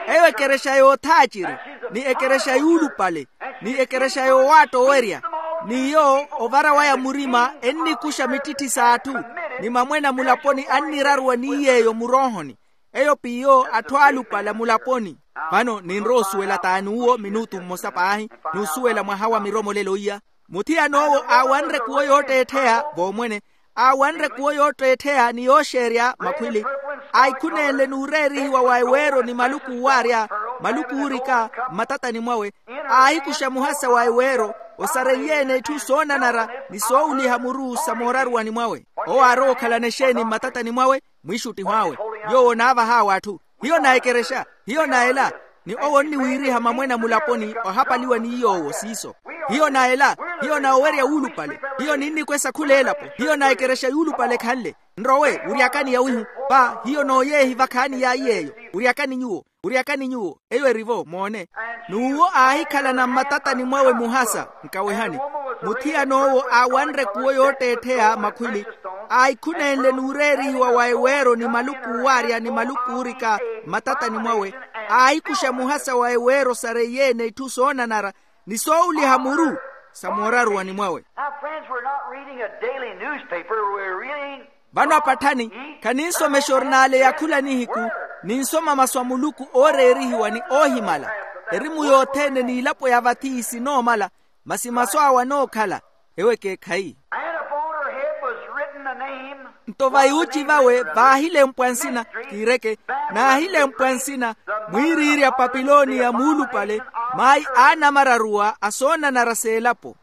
Eyo ekerexa yoothaaciri, ni ekerexa yuulupale, ni ekerexa yoowaatta owerya. N'iyo ovara waya murima ennikuxa mittitthi s'atthu, ni mamwene a mulaponi anniraruwa ni yeeyo muroohoni. Eyo p'iyo atthu aalupale a mulaponi. Vano ninrowa osuwela t'ani uwo minutu mmosa paahi, n'usuwela mwaha wa miromolelo iya. Muthiyan'owo aawanre kuwo yootteettheya voomwene, aawanre kuwo yootteettheya ni yooxeerya makhwili. Aahikhunenle n'ureerihiwa wa eweero ni maluku uwaarya, maluku uurika mmatatani mwawe. Aahikuxa muhasa wa eweero, osareiye-ene itthu soonanara ni soowuliha muru sa mooraruwani mwawe. Owo aarowa okhalana exeeni mmatatani mwawe? Mwiixuttiho awe. Yoowo onaavah'awe atthu. Hiyo na ekerexa, hiyo na ela. Ni owo onniwiiriha mamwene a mulaponi ohapaliwa ni yoowo siiso. Hiyo na ela, hiyo na owerya wuulupale, hiyo ninnikwesa khul'elapo, hiyo na ekerexa yuulupale khanle. Nrowe wuryakani yawihu. Pa hiyo nooyeehi vakhaani yaayi yeeyo. Wuryakani nyuwo, wuryakani nyuwo. Eyo eri-vo moone. N'uwo aahikhalana mmatatani mwawe muhasa. Nkawehani. Muthiyan'owo aawanre kuwo yootteettheya makhwili, aahikhunenle n'ureerihiwa wa eweero ni maluku uwaarya ni maluku uurika mmatatani mwawe. Aahikuxa muhasa wa eweero sareiye-ene itthu soonanara ni soowuliha muru sa mooraruwani mwawe. Now, friends, we're not reading a daily newspaper, we're reading. Vano apatthani, khaninsomexa orinaale ya khula nihiku, ninsoma masu a muluku ooreerihiwa ni oohimala. Erimu yothene n'ilapo ya vathi sinoomala, masi masu awe anookhala. Ewo ekeekhayi. And upon her head was written the name. Nto va yuuci vawe vaahilempwa nsina, kiireke, naahilempwa nsina, mwiiriirya papiloniya muulupale, mayi aanamararuwa a soonanara s'elapo.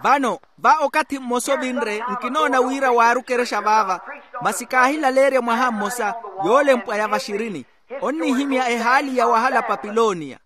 Vano, va okathi mmosa ovinre nkinoona wira waari okerexa vaava, masi kaahilaleerya mwaha mmosa, yoolempwa ya vaxirini, onnihimya ehaali ya wahala papiloniya.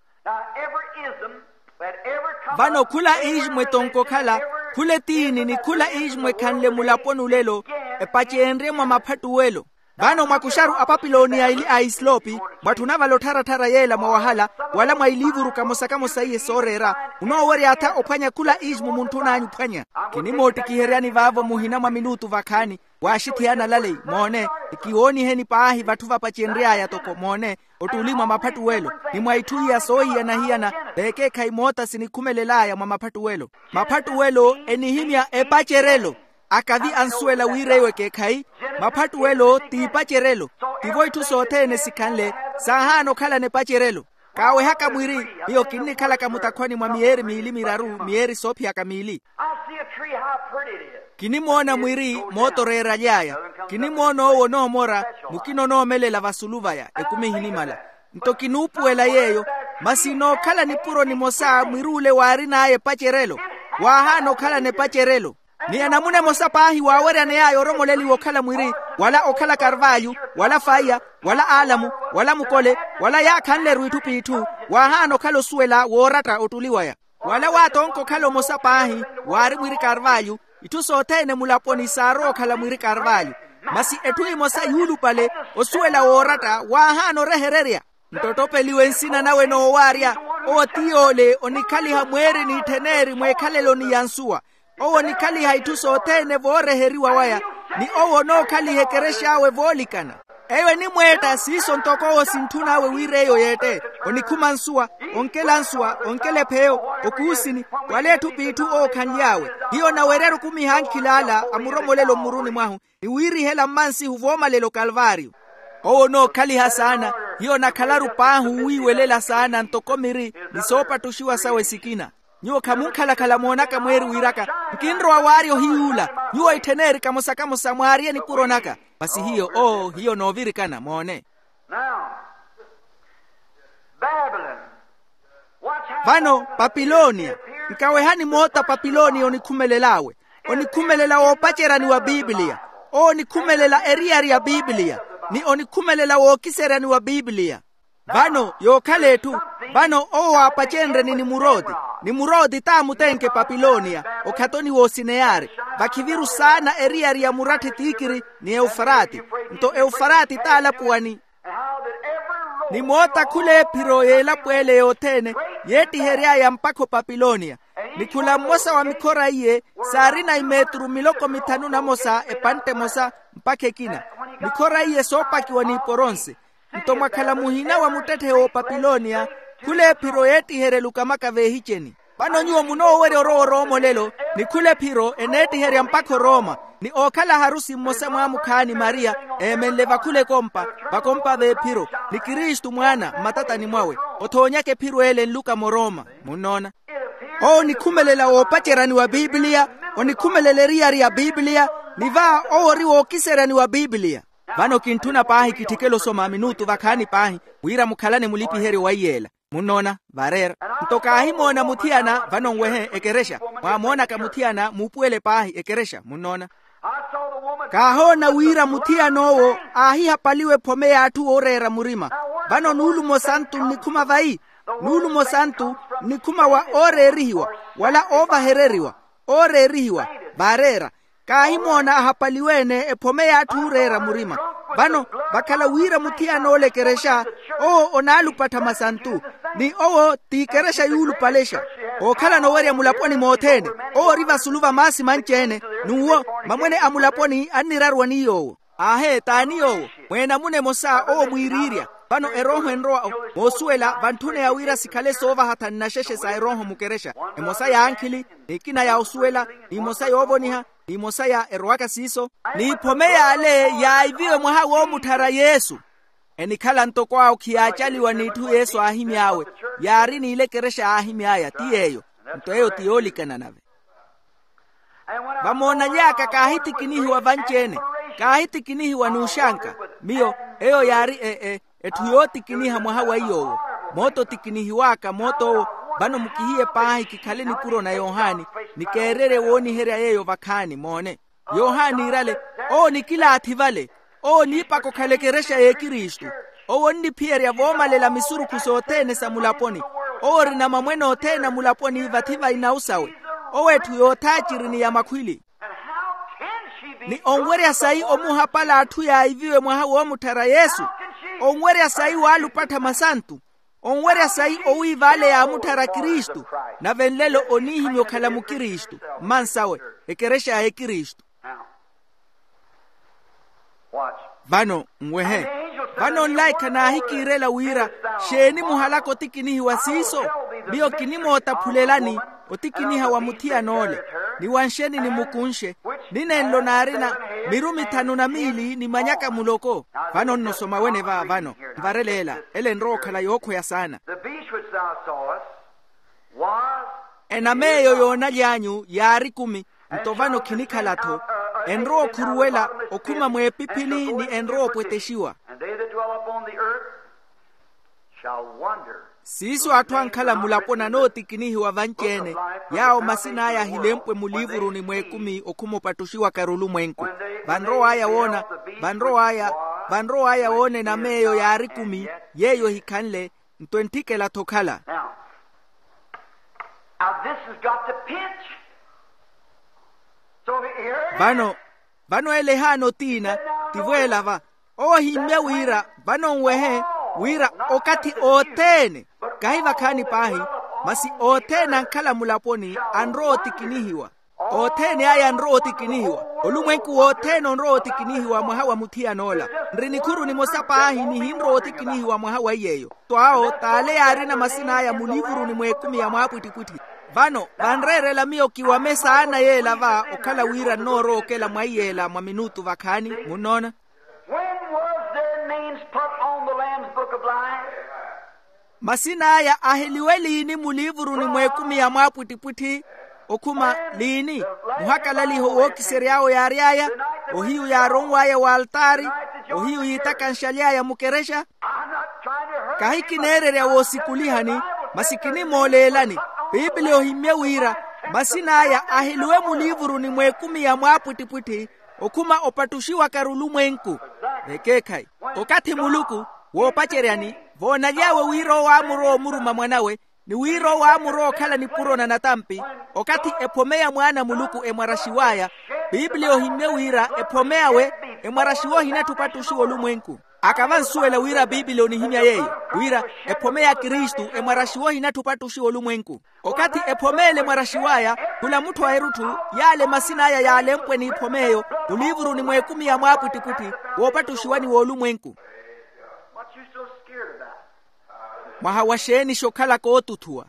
Vano khula iiximwe tonkokhala, khula etiini ni khula iiximwe khanle mulaponi olelo, epaceenrye mwa maphattuwelo. Vano mwakuxaru apapiloniya ili a isilopi, mwatthuna vale ottharatthara yeela mwa wahala, wala mwa iliivuru kamosa kamosa iye sooreera, munoowerya-tha ophwanya khula iiximwe muntthun'anyu ophwanya. Kinimoottikiheryani vaavo muhina mwa minutu vakhaani, waaxitthiyana laleyi moone, ekiwooniheni paahi vatthu vapacenry'aya toko moone, ottuli mwa maphattuwelo, ni mwa itthu iya soohiyana-hiyana, veekeekhayi moota sinikhumelel'aya mwa maphattuwelo. Maphattuwelo enihimya epacerelo. Akavi ansuwela wira eyo ekeekhayi. Maphattuwelo t'ipacerelo. Tivo itthu sothene sikhanle, saahaana okhalana epacerelo. Kaawehaka mwiri, miyo kinnikhalaka mutakhwani mwa miyeeri miili miraru miyeeri soophiyaka miili. I see a tree, how pretty it is. Kinimoona mwiri mootoreera aly'aya. Kinimoona owo onoomora, mukina onoomelela vasulu vaya ekumi ehinimala. Nto kinuupuwela yeeyo. Masi nookhala nipuro nimosa mwiri ule waarin'aya epacerelo. Waahaana okhalana epacerelo. Ni anamuna emosa paahi waaweryaney'aya oromoleliwa okhala mwiri, wala okhala karvalyu, wala faiya, wala aalamu, wala mukole, wala yaakhanle-ru itthu p'itthu. Waahaana okhala osuwela wooratta ottuli waya. Wala waatonka okhala omosa paahi, waari mwiri karvalyu. Itthu sothene mulaponi saarowa okhala mwiri karvalyu. Masi etthu emosa yuulupale, osuwela wooratta waahaana orehererya. Nto ottopeliwe nsina nawe noowaarya. Owo ti yoole onikhaliha mweeri n'itthen'eri mw'ekhaleloni ya nsuwa. Owo onikhaliha itthu sothene vooreheriwa waya, ni owo onookhaliha ekerex'awe voolikana. Eyo enimweetta siiso ntoko owo sintthun'awe wira eyo yeette. Onikhuma nsuwa, onkela nsuwa, onkela epheyo, okuusini, wala etthu p'itthu owo okhanly'awe. Hiyo onawerya-ru okumiha ankhilaala a muromolelo mmuruni mwahu, ni wiirihela mmansihu voomalela okalvaariyo. Owo onookhaliha saana. Hiyo onakhalaru paahi owiiwelela saana ntoko miri ni soopattuxiwa sawe sikina. Nyuwo khamunkhalakhala moonaka mweeri wiiraka, nkinrowa waarya ohiyuula. Nyuwo ittheneeri kamosa kamosa mwaarye nikuro naka. Masi hiyo oo hiyo noovirikana moone. Now, Babylon. Vano, papilonia. Nkawehani moota papilonia onikhumelel'awe. Onikhumelela woopaceryani wa pipiliya. Owo onikhumelela eriyari ya pipiliya, ni onikhumelela wookiseryani wa pipiliya. Vano yookhala etthu. Vano owo waapacenrye ni nimuroti. Nimuroti t'amutenke papilonia, okhatoni w'osineyari. Vakhiviru saana eriyari ya muratthe tikiri, ni eufarati. Nto eufarati t'alapuwani. Ni moota khul'ephiro y'elapo ele yothene, yeettihery'aya mpakha opapilonia. Ni khula mmosa wa mikhora iye, saarina imetru miloko mithanu namosa epantte emosa, mpakha ekina. Mikhora iye soopakiwa n'iporonse. Nto mwakhala muhina wa muttetthe w'opapilonia, khul'ephiro yeettiherya elukamaka veehiceni. Vano nyuwo munoowerya orowa orooma olelo, ni khul'ephiro eneettiherya mpakha orooma. Ni ookhala harusi mmosa mwaamukhaani mariya, eemenle vakhul'ekompa, vakompa v'ephiro, ni kristu mwaana mmatatani mwawe. Othoonyaka ephiro ele nluka morooma. Munnoona? Owo onikhumelela woopaceryani wa pipiliya, onikhumelela eriyari ya pipiliya, ni va owo ori wookiseryani wa pipiliya. Vano kintthuna paahi kitthikele osoma minutu vakhaani paahi, wira mukhalane mulipiheryo wa iyeela. Munnoona? Vareera. Nto kaahimoona muthiyana. Vano nwehe ekerexa. Mwaamoonaka muthiyana muupuwele paahi ekerexa. Munnoona? Kaahoona wira muthiyan'owo aahihapaliwa ephome y'atthu ooreera murima. Vano nuulumo santu nnikhuma vayi? Nuulumo santu nnikhuma wa ooreerihiwa, wala oovahereriwa. Ooreerihiwa. Vaareera. Kaahimoona ahapaliwe-ene ephome y'atthu ooreera murima. Vano, vakhala wira muthiyan'ole ekerexa, owo onaalupattha masantu. Ni owo t'ikerexa yuulupalexa. Ookhalana owerya mulaponi mothene. Owo ori vasulu va maasi manci-ene. N'uwo, mamwene a mulaponi anniraruwa ni yoowo. Aahe t'ani yoowo? Mweenamuna emosa owo mwiiriirya. Vano erooho enrowa, moosuwela vantthuneya wira sikhale soovaha thanu na xexe sa erooho mukerexa. Emosa ya ankhili, n'ikina ya osuwela, n'imosa yoovoniha, n'imosa ya erowaka siiso. N'iphome y'ale yaayiviwe mwaha woomutthara yesu. Enikhala ntoko awo khiyaacaliwa n'itthu yesu aahimy'awe. Yaari n'ile ekerexa aahimy'aya ti yeeyo. Nto eyo ti yoolikana nave. Vamoonany'aka kaahittikinihiwa vanci-ene. Kaahittikinihiwa n'uxanka. Miyo, eyo yaari e e etthu yoottikiniha mwaha wa iy'owo. Moota otikinihiw'aka moot'owo. Vano mukihiye paahi kikhale nikuro na yohani, ni keererye wooniherya yeeyo vakhaani moone. Yohani iirale, owo nikilaathi vale. Owo oniipaka okhala ekerexa y'ekristu. Owo onniphiyerya voomalela misurukhu sothene sa mulaponi. Owo orina mamwene othene a mulaponi vathi va inawu sawe. Owo etthu yoothaaciri ni ya makhwili. Ni onwerya sayi omuhapala atthu yaayiviwe mwaha woomutthara yesu? Onwerya sayi waalupattha masantu? Onwerya sayi owiiva ale yaamutthara kristu? Nave nlelo oniihimya okhala mukristu. Mmansawe, ekerexa ya ekristu. Vano nwehe. Vano nlaikha naahikiirela wira, xeeni muhalaka otikinihiwa siiso? Miyo kinimootaphulelani otikiniha wa muthiyan'ole, ni wanxeni nimukunxe, ni nenlo naarina mirumi thanu na miili ni manyaka muloko. Vano nnosoma wene va vano, nvareleela. Ele enrowa okhala yookhoya saana. The beast which thou sawest was enama eyo yoonaly'anyu yaari kumi. Nto vano khinikhala-tho. Enrowa okhuruwela okhuma mweepiphini ni enrowa opwetexiwa. And they that dwell upon the earth shall wonder. Siiso atthu ankhala mulaponi anootikinihiwa vanci-ene, yaawo masin'aya ahilempwe mulivuruni mw'ekumi okhuma opattuxiwaka-ru olumwenku. Vanrow'aya woona, vanrow'aya vanrow'aya woona enama eyo yaari kumi, yeeyo ehikhanle. Nto entthikela-tho okhala. Now, now this has got to pinch. So here it is. Vano, vano ele ehaana otiina, tivo ela va. Owo ohimmye wira vano nwehe, wira okathi othene, kahi vakhaani paahi, masi othene ankhala mulaponi anrowa otikinihiwa. Othene aya anrowa otikinihiwa. Olumwenku wothene onrowa otikinihiwa mwaha wa muthiyan'ola. Nri nikhuru nimosa paahi nihinrowa otikinihiwa mwaha wa iy'eyo. Twawo t'ale yaarina masin'aya mulivuruni mw'ekumi ya mwaapwittipwitthi. Vano vanreerela miyo kiwame saana yeela va okhala wira nnoorowa okela mwa iyeela mwa minutu vakhaani. Munnoona? When was their names put on the Lamb's Book of Life? Masin'aya aheliwe liini muliivuruni mw'ekumi ya mwaapwittipwitthi? Okhuma liini? Muhakalaliho wookisery'awe yaary'aya, ohiyu yaaronw'aya w'altaari, ohiyu yiitakanxaly'aya mukerexa. Kahi kineererya woosukulihani, masi kinimooleelani. Piipili ohimmye wira masin'aya aheliwe muliivuruni mw'ekumi ya mwaapwittipwitthi, okhuma opattuxiwaka-ru olumwenku. Vekeekhayi, okathi muluku, woopaceryani, voonaly'awe wira owo aamurowa omuruma mwan'awe, ni wira owo aamurowa okhala nipuro na natampi, okathi ephome ya mwaana a muluku emwaraxiw'aya. Piipili ohimmye wira ephome awe emwaraxiwa ohinatthu opattuxiwa olumwenku. Akava ansuwela wira piipili onihimya yeeyo, wira ephome ya kristu emwaraxiwa ohinatthu opattuxiwa olumwenku. Okathi ephome ele emwaraxiw'aya, khula mutthu a erutthu, yaale masin'aya yaalempwe n'iphome eyo muliivuruni mw'ekumi ya mwaapwittipwitthi, woopattuxiwani w'olumwenku. What you so scared about? Mwaha wa xeeni xokhalaka ootuthuwa?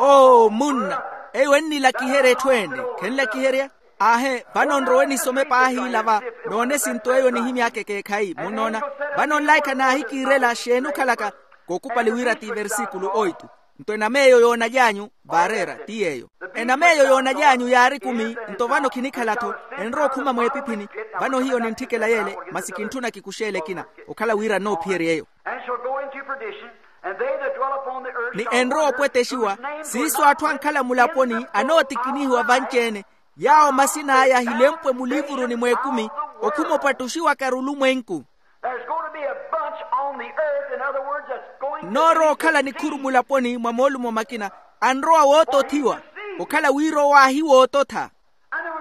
Oo munna, eyo ennilakiherya etthu ene. Khenlakiherya? Aahe, vano nrowe nisome paahi ila va, noone esinto eyo nihimy'aka ekeekhayi munnoona. Vano nlaikha naahikiirela xeeni okhalaka, kookupali wira ti versikulu oitu. Nto enam'eyo yoonaly'anyu, vaareera ti yeeyo. Enam'eyo yoonaly'anyu yaari ekumi. Nto vano khinikhala-tho, enrowa okhuma mw'epiphini. Vano hiyo nintthikela yeele, masi kintthuna kikuxeele ekina, okhala wira nnoophiyerya eyo. And shall go into perdition, and they that dwell upon the earth. Ni shall enrowa wonder opwetexiwa, whose name siiso atthu ankhala mulaponi anootikinihiwa vanci-ene, yaawo masin'aya ahilempwe muliivuruni mw'ekumi, okhuma opattuxiwaka-ru olumwenku. There's going to be a bunch on the earth, in other words, that's going to be. Nnoorowa okhala nikhuru mulaponi mwa moolumo makina, anrowa wootothiwa, okhala wira owo aahiwoototha.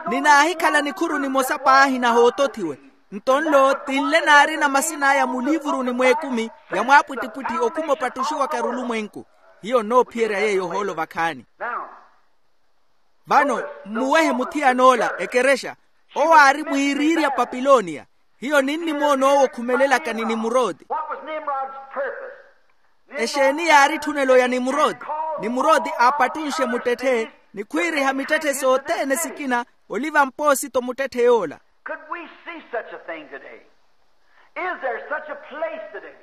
Ninaahikhala nikhuru nimosa paahi nahootothiwe. Nto nlo ti nle naarina masin'aya muliivuruni mw'ekumi ya mwaapwittipwitthi okhuma opattuxiwaka-ru olumwenku. Hiyo nnoophiyerya yeeyo ohoolo vakhaani. Vano mmuwehe muthiyan'ola ekerexa, owo aari mwiiriirya papilonia. Hiyo ninnimoona owo okhumelelaka ni nimurodi. What was Nimrod's purpose? Exeeni yaari etthunelo ya nimurodi? Nimurodi aapattunxe muttetthe, ni khwiiriha mittetthe sothene sikina, oliva mpoosito muttetthe yoola. Could we see such a thing today? Is there such a place today?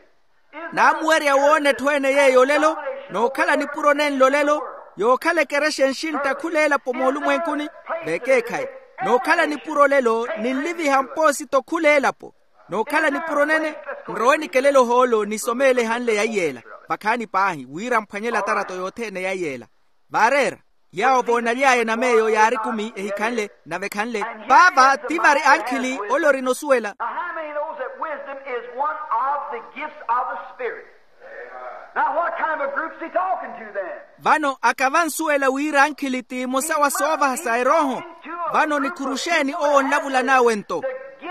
Naamuwerya woona etthu ene yeeyo olelo, nookhala nipuro nenlo olelo, yookhala ekerexa enxintta khula elapo moolumwenkuni? Vekeekhayi. Nookhala nipuro olelo ninliviha mpoosito khula elapo. Nookhala nipuro nene, nrowe nikelele ohoolo nisomeele ehanle ya iyeela. Vakhaani paahi wira mphwanyele atarato yothene ya iyeela. Vaareera, yaawo voonaly'aya enam'eyo yaari ekumi ehikhanle, nave khanle. Vaava ti vari ankhili ole orina osuwela. Now, how many knows that wisdom is one of the gifts of the Spirit? Now, what kind of a group's he talking to then? Vano akava ansuwela wira ankhili ti emosa wa soovaha sa erooho. Vano nikhuru xeeni owo onlavulan'awe nto?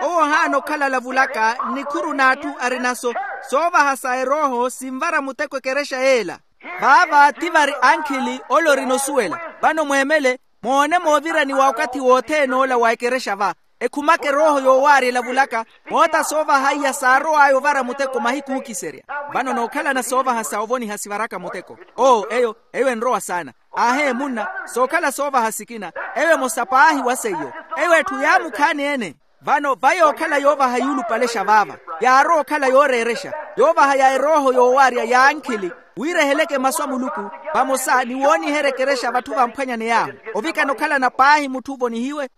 Owo ohaana okhala alavulaka nnikhuru n'atthu arina-so. Soovaha sa erooho sinvara muteko ekerexa yeela. Vaava ti vari ankhili ole orina osuwela. Vano mweemele, moone mooviraniwa okathi wothene ola wa ekerexa va. Ekhumaka erooho yoowaarya elavulaka, moota soovaha iya saarow'aya ovara muteko mahiku ookiserya. Vano nookhalana soovahasa ovoniha sivaraka muteko. Oo eyo, eyo enrowa saana. Aahe munna, sookhala soovaha sikina. Eyo emosa paahi wa seiyo. Eyo etthu yaamukhaani ene. Vano va yookhala yoovaha yuulupalexa vaava, yaarowa okhala yooreerexa, yoovaha ya erooho yoowaarya ya ankhili, wira eheleke masu a muluku, vamosa ni wooniherya ekerexa vatthu vamphwanyaney'ahu, ovikana okhalana paahi mutthu ovonihiwe.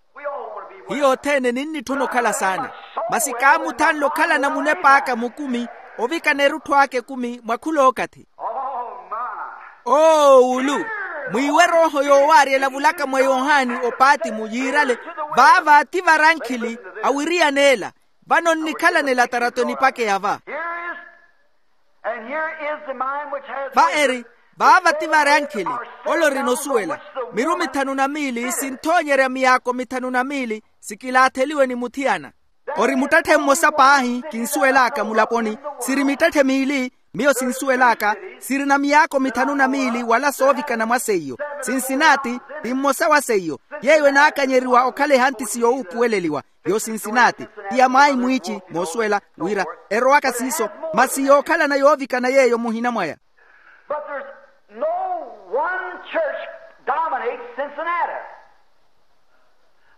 Hiyo othene ninnitthuna okhala saana. Masi kaamuthanle okhalana munep'aka mukumi, ovikana erutthu aka ekumi mwa khul'okathi. Oo wulu, mwiiwe erooho yoowaarya elavulaka mwa yohani opaatimu yiirale. Vaava ti vari ankhili awiriyan'ela. Vano nnikhalanela atarato enipakeya va. Va eri, vaava ti vari ankhili, ole orina osuwela, miru mithanu na miili sinthoonyerya miyaako mithanu na miili, sikilaatheliwe ni muthiyana. Ori muttetthe mmosa paahi kinsuwel'aka mulaponi. Siri mittetthe miili, miyo sinsuwel'aka. Sirina miyaako mithanu na miili wala soovikana mwa seiyo. Sinsinaati ti mmosa wa seiyo. Yeeyo enaakanyeriwa okhala ehantisi yoowuupuweleliwa. Yo sinsinaati ti ya mwayi mwiici moosuwela, wira erowaka siiso. Masi yookhalana yoovikana yeeyo muhina mwaya. But there's no one church dominates Cincinnati.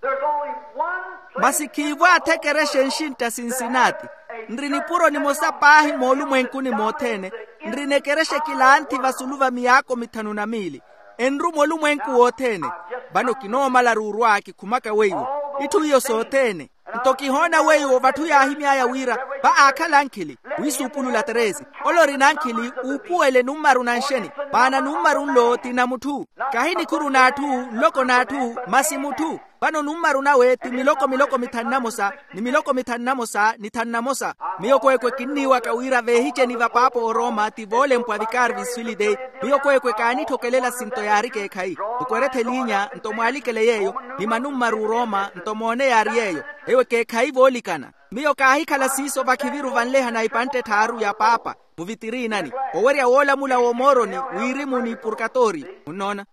There's only one place. Masi khiivo athekerexa enxintta sinsinaati. Nri nipuro nimosa paahi moolumwenkuni mothene. nrina ekerexa ekilanthi vasulu va miyaako mithanu na miili. Enruma olumwenku wothene. Vano kinoomala ruurwa kikhumaka weiwo. Itthu iyo sothene. Nto kihoona weiwo vatthu yaahimy'aya wira va aakhala ankhili, wiisuupulula treze. Ole orina ankhili uupuwele nummaru na nxeni. Maana nummaru nlo ti na mutthu. Kahi nikhuru n'atthu, nloko n'atthu, masi mutthu. Vano nummaru nawe ti miloko miloko mithanu na mosa, ni miloko mithanu na mosa ni thanu na mosa. Miyo kweekwe kinniiwaka wira veehiceni va paapa orooma ti voolempwa vikari viswili dei. Miyo kweekwe kaanitthokelela sinto yaari ekeekhayi. Mukwerethe eliinya nto mwaalikele yeeyo, ni manummaru orooma nto moone yaari yeeyo. Eyo ekeekhayi voolikana. Miyo kaahikhala siiso vakhiviru vanleha na ipantte etthaaru ya paapa muvitirinani, owerya woolamula w'omooroni, wirimu ni purkatoriyo. Munnoona?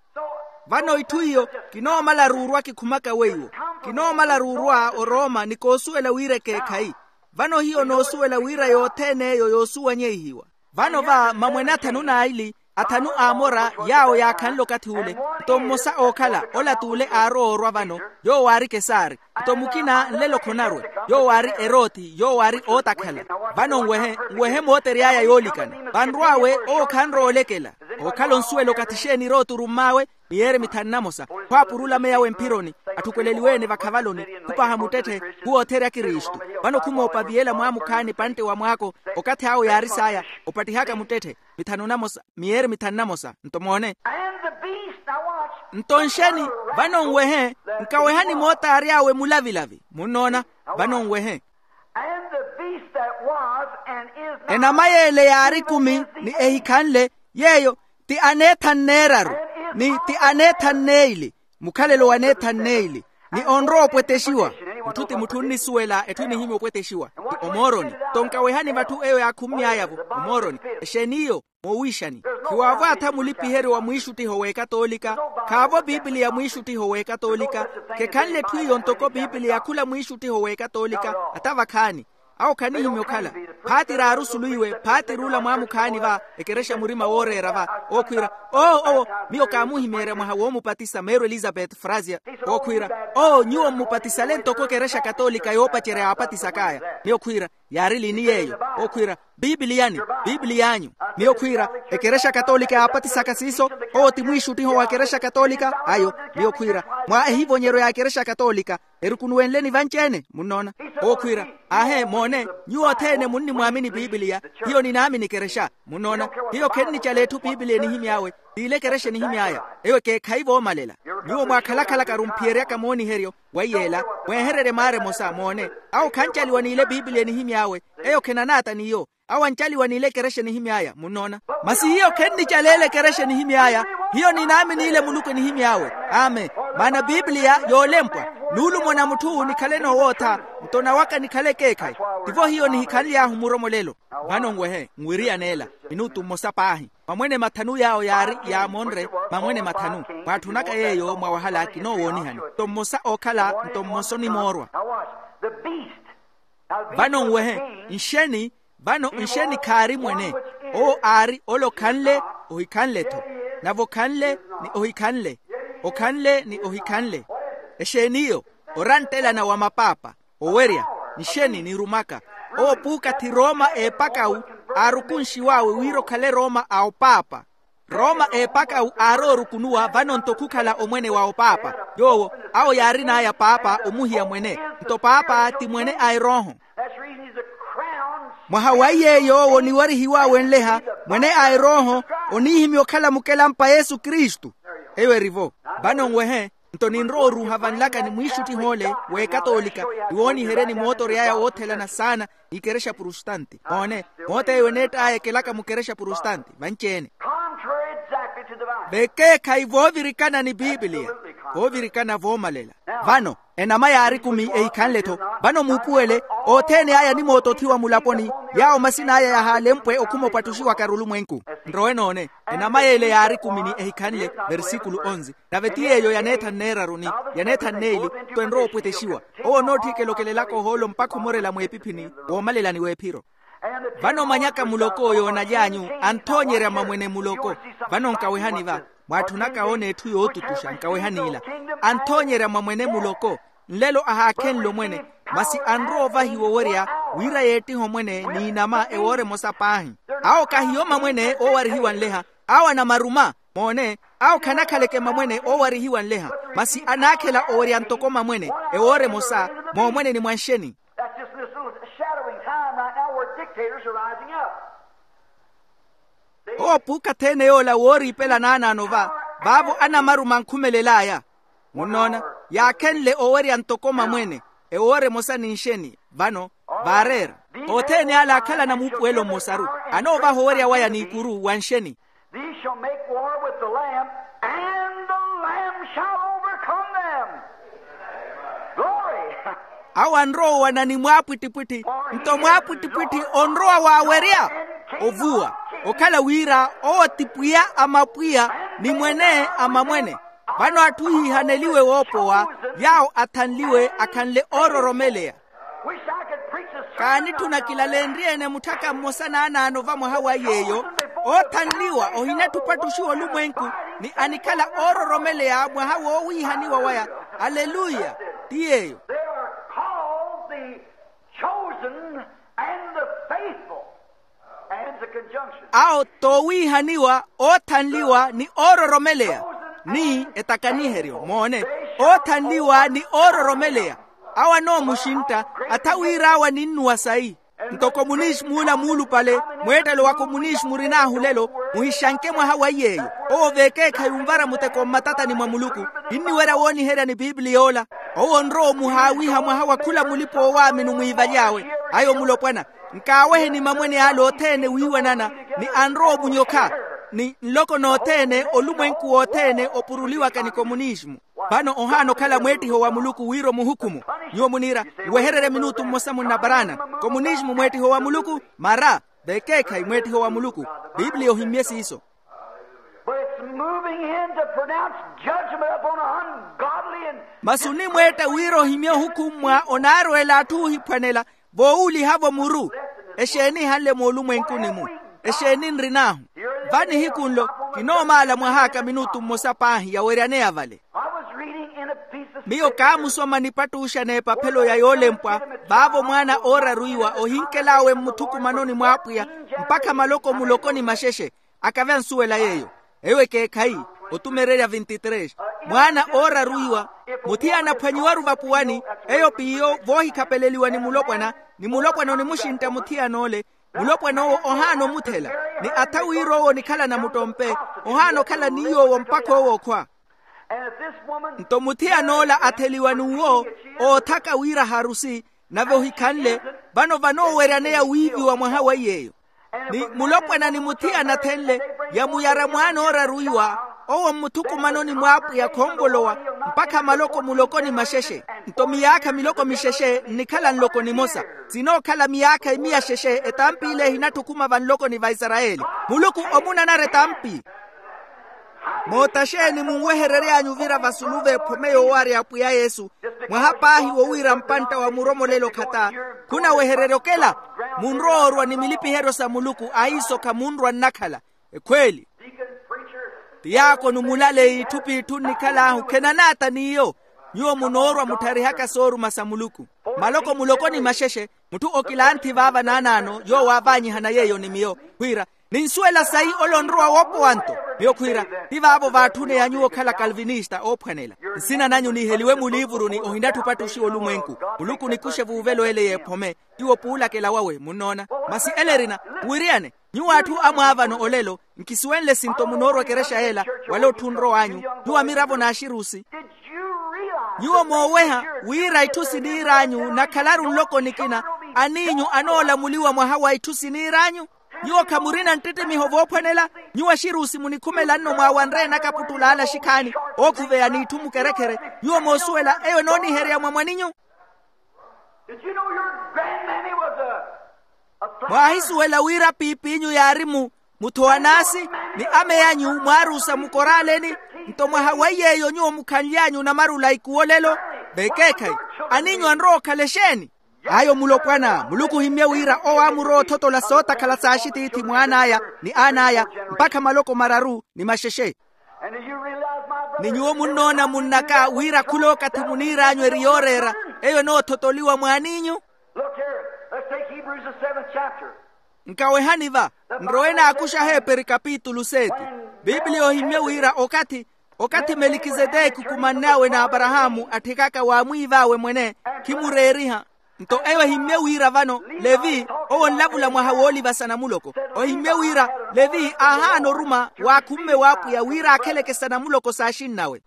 Vano itthu iyo kinoomala ruurwa kikhumaka weiwo. Kinoomala ruurwa orooma ni koosuwela wira ekeekhayi. Vano hiyo noosuwela wira yothene eyo yoosuwanyeihiwa. Vano va mamwene athanu n'aili, athanu a amora, yaawo yaakhanle okathi ule. Nto mmosa ookhala ola t'ule aarowa orwa vano, yoowo aari kesari. Nto mukina nlelo khonarwe, yoowo aari eroti yoowo aari ootakhala. Vano nwehe, nwehe mootery'aya yoolikana. Vanrw'awe owo khanrowa olekela. Ookhala onsuwela okathi exeeni eroti orumm'awe? Miyeeri mithanu na mosa. Khwaapurula meya awe mphironi, atthukweleliwe-ene vakhavaloni, khupaha muttetthe, khuwootheerya kristu. Vano khumoopaviyela mwaamukhaani pantte wa mwaako. Okathi awo yaari saya, opattihaka muttetthe. Mithanu na mosa, miyeeri mithanu na mosa nto moone. Nto nxeni, vano nwehe, nkawehani mootaary'awe mulavilavi. Munnoona? Vano nwehe. Enama y'ele yaari ekumi ni ehikhanle, yeeyo ti aneethanu n'eraru, ni ti aneethanu n'eili, mukhalelo w'aneethanu n'eili, ni onrowa opwetexiwa. Mutthu ti mutthu onnisuwela etthu enihimya opwetexiwa, ti omooroni. Nto nkawehani vatthu eyo yaakhumy'aya-vo, omooroni. Exeeni iyo? Moowiixani. Khiwaavo atha mulipiheryo wa mwiixuttiho w'ekatoolika. Khaavo pipiliya mwiixuttiho w'ekatoolika. Khekhanle etthu iyo ntoko pipiliya khula mwiixuttiho w'ekatoolika. Ata vakhaani awo khanihimya okhala. Phaati raaru sulu iwe, phaati ruula mwaamukhaani va, ekerexa murima wooreera va. Ookhwiira, oo owo, miyo kaamuhimeerya mwaha woomupatisa meerwe elizapeti frasia. Ookhwiira, oo nyuwo mmupatisale ntoko ekerexa katoolika yoopacerya yaapatisak'aya. Miyo khwiira, yaari liini yeeyo? Ookhwiira, pipiliyani, pipiliy'anyu. Miyo khwiira, ekerexa katoolika yaapatisaka siiso. Owo ti mwiixuttiho wa ekerexa katoolika ayo. Miyo khwiira, mwa ehivonyeryo ya ekerexa katoolika, erukunuwenleni vanci-ene. Munnoona? Ookhwiira, aahe moone, nyuwo othene munnimwaamini pipiliya. Hiyo ninaamini ekerexa. Munnoona? Hiyo khennicala etthu pipiliya enihimy'awe, t'ile ekerexa enihimy'aya. Eyo ekeekhayi voomalela. Nyuwo mwaakhalakhalaka arumphiyeryaka mooniheryo. Weiyeela, mweehererye maara emosa moone. Awo khancaliwa n'ile pipiliya enihimy'awe. Eyo khenanaata n'iyo. Awo ancaliwa n'ile ekerexa enihimy'aya. Munnoona? Masi hiyo khennicaleela ekerexa enihimy'aya. Hiyo ninaamini ile muluku enihimy'awe. Amen. Maana pipiliya yoolempwa, nuulumo na mutthu nikhale noowootha, nto nawaka nikhale ekeekhayi. Tivo hiyo nihikhanly'ahu muromolelo. Vano nwehe nwiriyaneela minutu mmosa paahi. Mamwene mathanu yaawo yaari yaamonre, mamwene mathanu. Mwaatthunaka yeeyo mwawahala kinoowoonihani. Nto mmosa ookhala nto mmosa onimoorwa. Vano nwehe, nxeni, vano nxeni khaari mwene. Owo aari ole okhanle, ohikhanle-tho. Nave okhanle, ni ohikhanle. Okhanle ni ohikhanle. Exeeni iyo? Oranttelana wa mapaapa, owerya, nxeni nirumaka. Owo puukathi rooma eepakawu, aarukunxiw'awe wira okhale rooma a opaapa. Rooma eepakawu aaroorukunuwa vano-nto khukhala omwene wa opaapa. Yoowo, awo yaarin'aya paapa omuhiya mwene. Nto paapa ti mwene a erooho. Mwaha wa iye yoowo niwarihiw'awe nleha, mwene a erooho, oniihimya okhala mukelampa yesu kristu. Eyo eri-vo. Vano nwehe, nto ninrowa oruuha vanlaka ni mwiixuttiho ole w'ekatoolika, niwooniheryeni mootory'aya woothelana saana, n'ikerexa prustanti. Moone, moot'eyo eneett'aya ekelaka mukerexa prustanti vanci-ene. Vekeekhayi voovirikana ni pipiliya. Voovirikana voomalela. Vano enama yaari ekumi ehikhanle-tho. Vano muupuwele, othene aya animoota othiwa mulaponi, yaawo masin'aya yahaalempwe okhuma opwatthuxiwaka arulumwenku. Nrowe noone. Enama y'ele yaari ekumi ni ehikhanle, versikulu onzi. Nave ti yeeyo yaneethanu n'eraru ni yaneethanu n'eili, nto enrowa opwetexiwa. Owo onootthikela okelelaka ohoolo mpakha omorela mweepiphini, woomalelani w'ephiro. Vano manyaka muloko yoonaly'anyu, anthoonyerya mamwene muloko. Vano nkawehani va, mwaatthunaka oona etthu yootutuxa nkawehani ila. Anthoonyerya mamwene muloko. Nlelo ahaakhenle omwene, masi anrowa ovahiwa owerya, wira yeettihe omwene n'inama ewoora emosa paahi. Awo kahiyo mamwene oowarihiwa nleha. Awo anamaruma. Moone, awo khanakhaleke mamwene oowarihiwa nleha, masi anaakhela owerya ntoko mamwene ewoora emosa. Moomwene ni mwanxeni? That's just this little shadowing time right now where dictators are rising up. Owo puukathi-ene yoola wooriipela naanaano va, vaavo anamaruma ankhumelel'aya. Munnoona, yaakhenle owerya ntoko mamwene ewoora emosa ni nxeni. Vano vaareera, othene ale akhalana muupuwelo mmosaru, anoovaha owerya waya n'ikuru wa nxeni. These shall make war with the Lamb, and the Lamb shall overcome them. Glory. Awo anrowa owana ni mwaapwittipwitthi, nto mwaapwittipwitthi onrowa waawerya. Ovuwa, okhala wira owo ti pwiya a mapwiya, ni mwene a mamwene. Vano atthu hiihaneliwe woopowa, yaawo athanliwe akhanle oororomeleya. Kaanitthuna kilalenrye-ene mutthaka mmosa naanaano va mwaha wa iy'eyo, oothanliwa ohinatthi opattuxiwa olumwenku, ni anikhala oororomeleya mwaha woowiihaniwa waya. Aleluya. Ti yeeyo. They are called the chosen and the faithful. And the conjunction. Awo toowiihaniwa, oothanliwa ni oororomeleya, ni etakaniheryo moone, oothanliwa ni oororomeleya. Awo anoomuxintta, atha wir'awe aninnuwa sayi. Ntoko muniixi muula muulupale, mweettelo wa komuniixi murin'ahu lelo, muhixanke mwaha wa iy'eyo. Owo veekeekhayi onvara muteko mmatatani mwa muluku. Kinniwerya wooniherya ni pipili yoola. Owo onrowa omuhaawiha mwaha wa khula mulipa oowaamini omwiivaly'awe. Ayo mulopwana, nkaaweheni mamwene ale othene wiiwanana, ni anrowa omunyokha, ni nloko nothene olumwenku wothene opuruliwaka ni komuniisimu. Vano ohaana okhala mweettiho wa muluku wira omuhukumu. Nyuwo muniira, nwehererye minutu mmosa munnaparaana. Komuniisimu mweettiho wa muluku? Mara. Vekeekhayi mweettiho wa muluku. Pipiliya ohimmye siiso. But it's moving in to pronounce judgment upon an ungodly and. Masi onimweetta wira ohimye ohukummwa onaarweela atthu oohiphwanela, voowuuliha-vo muru. Exeeni ehanle moolumwenkuni-mu? Exeeni nrin'ahu? Va nihiku nlo, kinoomaala mwah'aka minutu mmosa paahi yaweryaneya vale. I was reading in a piece of. Miyo kaamusoma nipattuxa n'epaphelo ya yoolempwa, vaavo mwaana ooraru iwa ohinkel'awe mmuthukumanoni mw'apwiya, mpakha maloko muloko ni maxexe. Akave ansuwela yeeyo. Eyo ekeekhayi. Otumererya vinti tres. Mwaana ooraru iwa, muthiyana aphwanyiwaru vapuwani, eyo p'iyo voohikhapeleliwa ni mulopwana, ni mulopwana onimuxintta muthiyan'ole. Mulopwan'owo ohaana omuthela, ni atha wira owo onikhalana muttompe, ohaana okhala ni yoowo mpakha owo okhwa. Nto muthiyan'ola atheliwa n'uwo, oothaka wira harusi, nave ohikhanle. Vano vanooweryaneya wiiviwa mwaha wa iy'eyo. Ni mulopwana ni muthiyana athenle, yamuyara mwaana ooraru iwa, owo mmuthukumanoni mw'apwiya khonvolowa, mpakha maloko muloko ni maxexe. Nto miyaakha miloko mixexe nnikhala nloko nimosa. Sinookhala miyaakha imiya xexe etampi ile ehinatthukuma vanlokoni va isarayeli. Muluku omunanara etampi. Moota xeeni munweherery'anyu ovira vasulu v'ephome yoowarya apwiya yesu? Mwaha paahi wo wira mpantta wa muromolelo khata. Khunawehererya okela. Munrowa orwa ni milipiheryo sa muluku ahiiso khamunrwa nnakhala. Ekhweeli. Tiyaakoni omulale itthu p'itthu nnikhal'ahu khenanaata n'iyo. Nyuwo munoorwa mutharihaka sooruma sa muluku. Maloko muloko ni maxexe. Mutthu okilanthi vaava naanaano yoowo aavaanyihana yeeyo ni miyo, khwiira, ninsuwela sayi ole onrowa woopowa nto. Miyo khwiira, ti vaavo vaatthuneya nyuwo okhala kalvinista oophwanela. Nsina nanyu niiheliwe muliivuruni ohinatthi opattuxiwa olumwenku. Muluku onikuxe vuuvelo ele y'ephome. Tiwo puulakela wawe munnoona. Masi ele erina, muwiriyane. Nyuwo atthu amwaavano olelo, nkisuwenle sinto munoorwa ekerexa yeela, wala otthu onrow'anyu. Nyuwo amiravo n'axirusi. Nyuwo mooweha wira itthu siniir'anyu nakhalaru nloko nikina, aniinyu anoolamuliwa mwaha wa itthu siniir'anyu? Nyuwo khamurina nttittimiho voophwanela? Nyuwo axirusi munikhumela nno mwaawanre enakaputtula ala axikhaani, ookhuveya n'itthu mukerekhere. Nyuwo moosuwela eyo enooniherya mwa mwaninyu? Did you know your grandmammy was a, a flat. Mwaahisuwela wira piip'inyu yaari mu, muthowa n'asi, ni ame anyu mwaaruusa mukoraaleni? Nto mwaha wa iy'eyo nyuwo mukhanly'anyu onamarula ikuwo olelo. Vekeekhayi, aninyu anrowa okhala exeeni? Ayo mulopwana muluku ohimmye wira owo aamurowa othotola sootakhala s'axitiithi mw'an'aya, ni aan'aya, mpakha maloko mararu ni maxexe. Ni nyuwo munnoona munn'aka wira khul'okathi muniir'anyu eri yooreera, eyo enoothotoliwa mw'aniinyu. Nkawehani va, nrowe naakuxa aheeperi kapitulu seti. Pipiliya ohimmye wira okathi okathi melikiseteki okumann'awe n'aparahaamu atthikaka waamwiiv'awe mwene, khimureeriha. Nto eyo ehimmye wira vano, levi, owo onlavula mwaha woolivasa namuloko. Ohimmye wira levi aahaana oruma waakhumme w'apwiya wira aakheleke sa namuloko s'axinn'awe.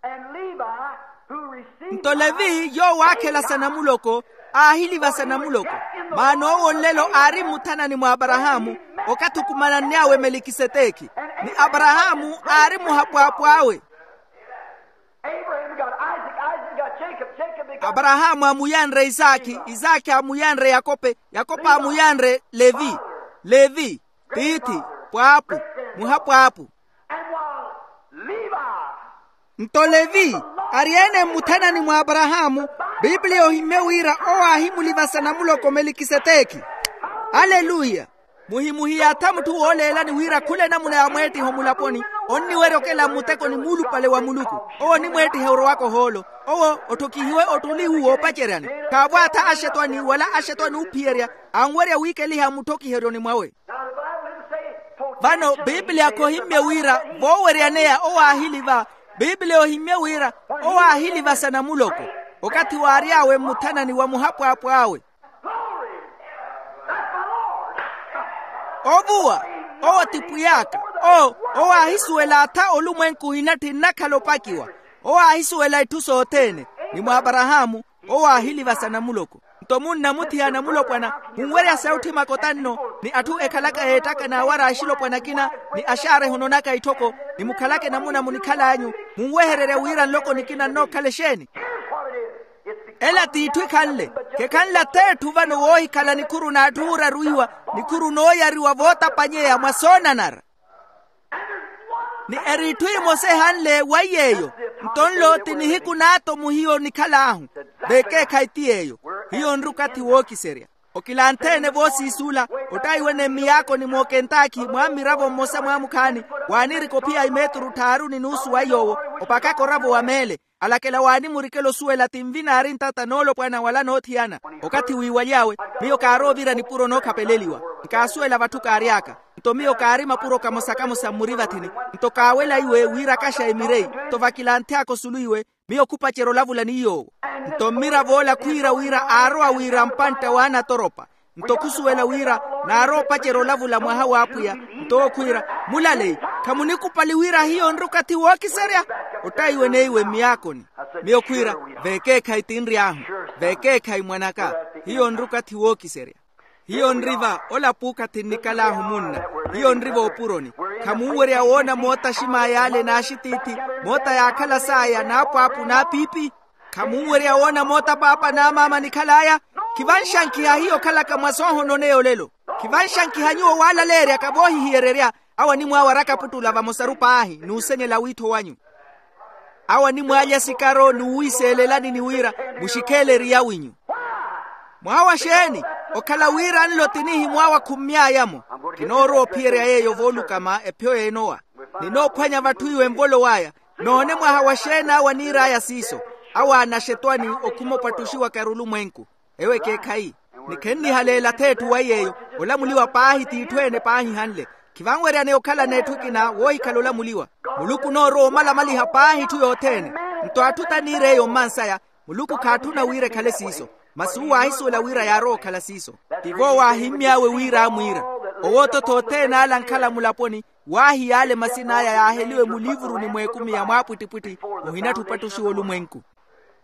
Nto levi yoowo aakhela sa namuloko, aahiliva sa namuloko. Maana owo nlelo aari mmuthanani mw'aparahaamu, okathi okumananny'awe melikiseteki. Ni aparahaamu aari muhapwaapw'awe. Aparahaamu aamuyanre isaakhi, isaakhi aamuyanre yakope, yakope aamuyanre levi. Levi, tiithi, pwaapu, muhapwaapu. Nto levi, ari-ene mmuthanani mw'aparahaamu. Pipiliya ohimmye wira owo aahimuliva sa namuloko melikiseteki. Aleluya. Muhimuhiyatha mutthu wooleelani wira khula enamuna ya mweettiha omulaponi, onniwerya okela mmutekoni muulupale wa muluku. Owo onimweettiha orowaka ohoolo. Owo otthokihiwe ottuli uwo oopaceryani. Khaavwaatha axetwani wala axetwani oophiyerya, anwerya wiikeliha mmutthokiheryoni mwawe. Vano pipiliya khohimmye wira vooweryaneya owo aahiliva. Pipiliya ohimmye wira owo aahiliva sa namuloko, okathi waary'awe mmuthanani wa muhapwaapw'awe. Ovuwa, owo ti pwiy'aka. Owo, owo aahisuwela atha olumwenku ohina ttinnakhala opakiwa. Owo aahisuwela itthu sothene, ni mw'aparahaamu, owo aahiliva sa namuloko. Nto munna muthiya anamulopwana, munwerya sautthi makotanno, ni atthu ekhalaka eettaka naawara axilopwana akina, ni axaareha ononaka itthoko, ni mukhalaka enamuna munikhal'anyu, munwehererya wira nloko nikina nnookhala exeeni. Ela t'itthu ekhanle, khekhanle ath'etthu vano woohikhala nikhuru n'atthu ooraruwiwa, nikhuru nooyariwa vootapanyeya mwa soonanara. Ni eri itthu emosa ehanle wa iy'eyo. Nto nlo ti nihiku n'atomu hiyo onikhal'ahu. Vekeekhayi ti yeeyo. Hiyo nri okathi wookiserya. Okilanthe-ene voosiisuula, ottayiwe-ene mmiyaakoni mwa okentaakhi mwa mmiravo mmosa mwaamukhaani, waanirika ophiya imeeturu tthaaru ni nuusu wa iy'owo, opakaka oravo wa meele. Alakela waanimurikela osuwela ti nvinaari ntata noolopwana wala noothiyana. Okathi wiiwaly'awe, miyo kaaroovirya nipuro nookhapeleliwa. Nkaasuwela vatthu kaary'aka. Nto miyo kaari mapuro kamosa-kamosa mmurivathini. Nto kaawela iwe wira akaxa emireyi. Nto vakilanthe aka osulu iwe, miyo khupacerya olavula ni yoowo. Nto mmirav'ola khwiira wira aarowa wira mpantta w'anatoropa. Nto khusuwela wira naarowa opacerya olavula mwaha w'apwiya. Nto owo khwiira, mulaleyi, khamunikupali wira hiyo nri okathi wookiserya? Ottayiwe neiwe mmiyaakoni. Miyo khwiira, vekeekhayi tinry'ahu. Vekeekhayi mwan'aka. Hiyo nri okathi wookiserya. Hiyo nri va ola puukathi nnikal'ahu munna. Hiyo nri voopuroni. Khamunwerya woona moota axim'aya ale n'axitiithi, moota yaakhala s'aya n'apwaapu n'apiipi? Khamunwerya woona moota paapa n'amaama anikhal'aya? Khivanxankiha hiyo okhalaka mwa soohononeya olelo. Khivanxankiha nyuwo waalaleeryaka voohihiyererya. Awo animwaawaraka aputtula vamosaru paahi n'usenyela wiitho wanyu. Awo animwaalya sikaro n'uwiiseelelani ni wira, muxikheele eriya winyu. Mwaha wa xeeni? Okhala wira nlo ti nihimwaawa khummy'aya-mo. Kinoorowa ophiyerya yeeyo voolukama ephiyo y'enowa. Ninoophwanya vatthu iwe nvolow'aya. Noone mwaha wa xeeni awo aniir'aya siiso. Awo aanaxetwani okhuma opattuxiwaka erulumwenku. Ewo ekeekhayi. Ni khennihaleela ath'etthu wa iy'eyo. Olamuliwa paahi t'itthu ene paahihanle. Khivanweryaneya okhalana etthu ekina woohikhala olamuliwa. Muluku onoorowa omalamaliha paahi etthu yothene. Nto atthu taniir'eyo mmansaya, muluku khaatthuna wira ekhale siiso. Masi uwo aahisuwela wira yaarowa okhala siiso. Tivo waahimmy'awe wira aamwiira. Owoototho othene ale ankhala mulaponi, waahiyaale masin'aya yaaheliwe muliivuruni mw'ekumi ya mwaapwittipwitthi. Ohinatthu opattuxiwa olumwenku.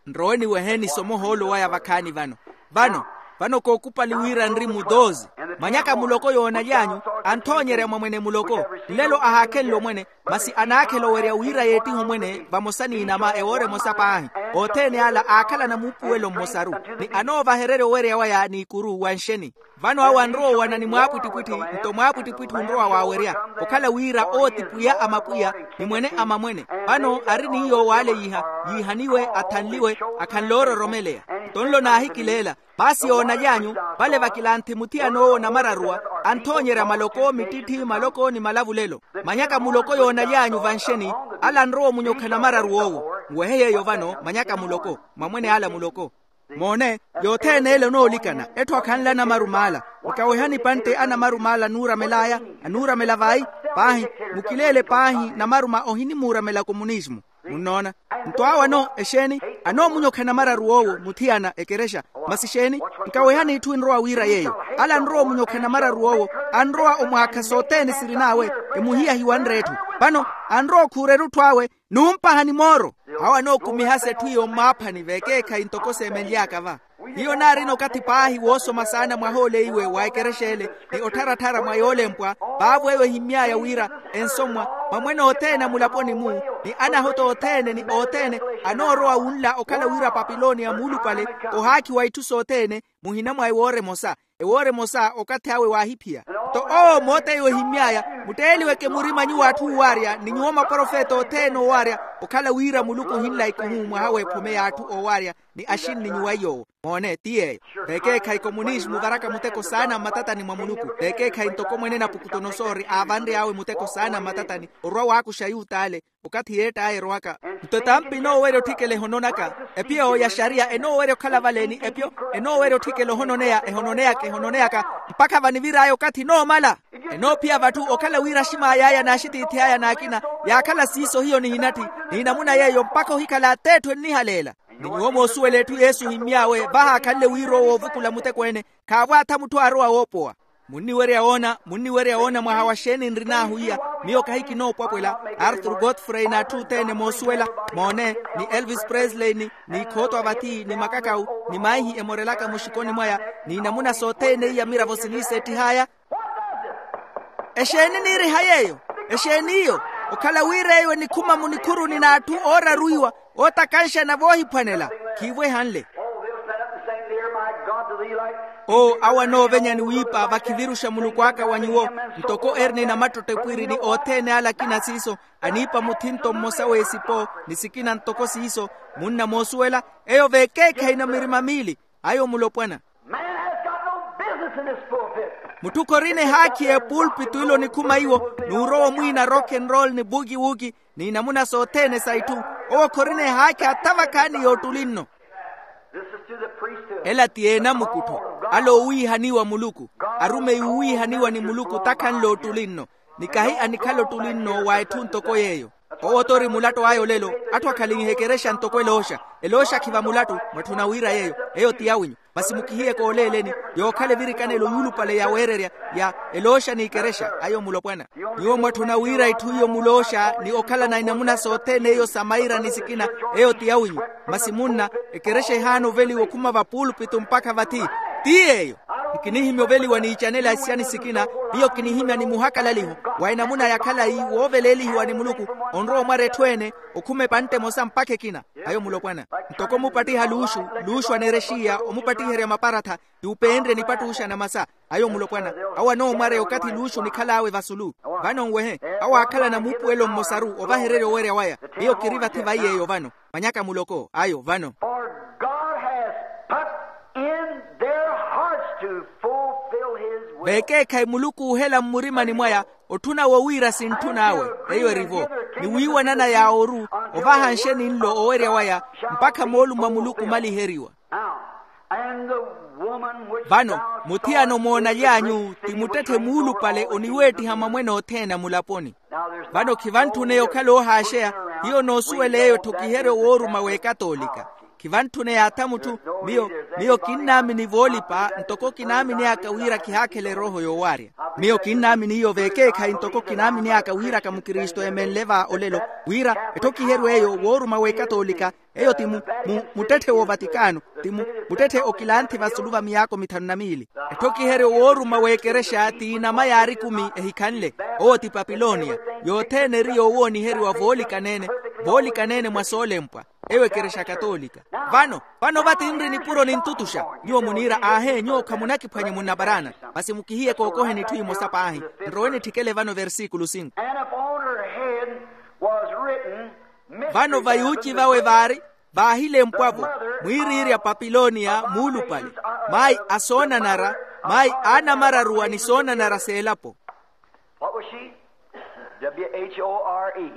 Nrowe niweheni somo ohoolo waya vakhaani vano. Vano, vano kookupali wira nri mudoozi. Manyaka muloko yoonaly'anyu, anthoonyerya mwa mwene muloko. Nlelo ahaakhenle omwene, masi anaakhela owerya wira yeettihe omwene vamosa n'inama ewoora emosa paahi. Othene ala aakhalana muupuwelo mmosaru, ni anoovahererya owerya waya n'ikuru wa nxeni. Vano awo anrowa owana ni mwaapwittipwitthi. Nto mwaapwittipwitthi onrowa waawerya, okhala wira owo ti pwiya a mapwiya, ni mwene a mamwene. Vano ari ni yoowo ale yiiha, yiihaniwe, athanliwe, akhanle oororomeleya. Nto nlo naahikileela. Paasi yoonaly'anyu, vale vakilanthi muthiyan'owo namararuwa, anthoonyerya maloko, mittitthi, maloko ni malavulelo. Manyaka muloko yoonaly'anyu vanxeni, ala anrowa omunyokha namararuw'owo. Nwehe yeeyo vano manyaka muloko, mwamwene ala muloko. Moone, yothene ele onoolikana etthu akhanle anamarumaala. Nkawehani pantte anamarumaala anuuramel'aya, anuuramela vayi. Paahi, mukileele paahi namaruma ohinimuuramela komunismu. Munnoona? Nto awo ano exeeni? Anoomunyokha namararu owo muthiyana ekerexa. Masi xeeni? Nkawehani itthu enrowa wiira yeeyo. Ale anrowa omunyokha namararu owo, anrowa omwaakha sothene sirin'awe, emuhiya hiwanre etthu. Vano anrowa okhuura erutthu awe, numpahani mooro. Awo anookumihasa etthu iyo mmaaphani vekeekhayi ntoko seemenly'aka va. Hiyo naarina okathi paahi woosoma saana mwaha ole iwe wa ekerexa ele, ni ottharattharya mwa yoolempwa, vaavo eyo ehimmy'aya wira, ensommwa, mamwene othene a mulaponi-mu, ni anahota othene ni othene, anoorowa wunla okhala wira papilonia muulupale, ohaakhiwa itthu sothene, muhina mwa ewoora emosa. Ewoora emosa okathi awe waahiphiya. Nto owo moota eyo ehimmy'aya, mutteeliweke murima nyuwo atthu oowaarya ni nyuwo maprofeta othene oowaarya, okhala wira muluku ohinla ikuhu mwaha w'ephome y'atthu oowaarya, ni axinni nyuwa iy'owo. Moone ti yeeyo. Vekeekhayi komunismu varaka muteko saana mmatatani mwa muluku. Vekeekhayi ntoko mwene napukutonosoori aavanry'awe muteko saana mmatatani, orwa waakuxa ayut'ale. Okathi yeett'aya erowaka, nto etampi enoowerya otthikela ehononaka. Epiyo ya xariya enoowerya okhala vale ni epiyo enoowerya otthikela ohononeya ehononeyaka ehononeyaka, mpakha vanivir'aya okathi enoomala. Enoophiya vatthu okhala wira axim'ay'aya n'axitiithi aya n'akina, yaakhala siiso hiyo nihinatthi, ni namuna yeeyo mpakha ohikhala at'etthu ennihaleela. Ni nyuwo moosuwela etthu yesu ohimmy'awe vahaakhanle wira owo oovukula muteko-ene. Khaavo atha mutthu aarowa woopowa. Munniwerya woona munniwerya woona mwaha wa xeeni nrin'ahu iya? Miyo kahi kinoopwapwela. Arthur godfrey n'atthu othene moosuwela, moone, ni elvis presley ni ni ikhootwa vathi ni makakawu, ni maihi emorelaka muxikoni mwaya, ni namuna sothene iya miravo siniisettih'aya. Exeeni niiriha yeeyo? Exeeni iyo? Okhala wira eyo enikhuma munikhuruni n'atthu ooraruiwa, ootakanxana voohiphwanela. Khiivo ehanle. Oh, they'll stand up and sing, "Dear my God, to thee like." Owo awo anoovenya ni wiipa vakhiviruxa muluku aka wa nyuwo, ntoko eri ni namattottepwiri ni othene ale akina siiso, aniipa muthinto mmosa w'esipo, ni sikina ntoko siiso. Munna moosuwela? Eyo vekeekhayi na mirima miili. Ayo mulopwana. Man has got no business in this pulpit. Mutthu khorina ehaakhi y'epulpito ilo onikhuma iwo, n'urowa omwiina rock and roll ni buki wuki, ni namuna sothene sa itthu. Owo khorina ehaakhi atha vakhaani yoottuli nno. This is to the priesthood. Ela ti eenamukuttho, ale oowiihaniwa muluku, arumeyi oowiihaniwa ni muluku takhanle ottuli nno, ni kahi anikhala ottuli nno wa etthu ntoko yeeyo. Owo t'ori mulatto aya olelo. Atthu akhalinhe ekerexa ntoko elooxa. Elooxa khiva mulatto, mwatthuna wira yeeyo, eyo ti yawinyu. Masi mukihiyeke ooleeleni, yookhala evirikanelo yuulupale yaweererya, ya elooxa n'ikerexa ayo mulopwana. Nyuwo mwatthuna wira itthu iyo mulooxa ni okhalana inamuna sothene eyo sa maira ni sikina, eyo ti yawinyu. Masi munna, ekerexa ehaana oveliwa okhuma vapuulupito mpakha vathi. Ti yeeyo. Nkinihimya oveliwa n'icanela sia ni sikina. Miyo kinihimya ni muhakalaliho wa enamuna ya khalayi wooveleelihiwa ni muluku, onrowa omwara etthu ene, okhuma epantte emosa mpakha ekina. Ayo mulopwana. Ntoko omupattiha luuxu, luuxu aneerexiya omupattiherya maparatha, ti upeenrye nipattuxa na masa. Ayo mulopwana. Awo anoomwareya okathi luuxu nikhal'awe vasulu. Vano nwehe. Awo aakhalana muupuwelo mmosaru ovahererya owerya waya. Miyo kiri vathi vai yeeyo vano. Manyaka muloko ayo vano. For God has put in their hearts to fulfill his will. Vekeekhayi muluku oohela mmurimani mwaya, otthuna wowiira sintthun'awe. Eyo erivo. Ni wiiwanana ya ooru, ovaha nxeni nlo owerya waya, mpakha moolumo a muluku omaliheriwa. Now, and the woman which thou sawest. Vano muthiyana omoonaly'anyu ti muttetthe muulupale oniweettiha mamwene othene a mulaponi. Vano khivantthune okhala oohaaxeya. Hiyo noosuwela eyo etthokiheryo wooruma w'ekatoolika. Khivantthune yaatha mutthu. Miyo, miyo kinnaamini voolipa ntoko kinaamin'aka wira khihaakhela erooho yoowaarya. Miyo kinnaamini iyo vekeekhayi ntoko kinaamin'aka wiraka mukristu eemenle va olelo, wira etthokiheryo eyo wooruma w'ekatoolika. Eyo ti mu, mu, muttetthe w'ovatikano, ti mu, muttetthe okilanthi vasulu va miyaako mithanu na miili. Etthokiheryo wooruma w'ekerexa t'inama yaari ekumi ehikhanle. Owo ti papilonia. Yothene eri yoowooniheriwa voolikanene, voolikanene mwa soolempwa. Eyo ekerexa katoolika. Vano, vano va tinri nipuro nintutuxa. Nyuwo muniira aahe nyuwo khamunakiphwanya munnaparaana. Masi mukihiyeke ookoheni itthu imosa paahi. Nrowe nitthikele vano versikulu sinku. And upon her head was written. Vano va yuuci vawe vaari, vaahilempwavo, mwiiriirya papilonia muulupale, mayi a soonanara, mayi aanamararuwa ni soonanara s'elapo. What was she? W H O R E.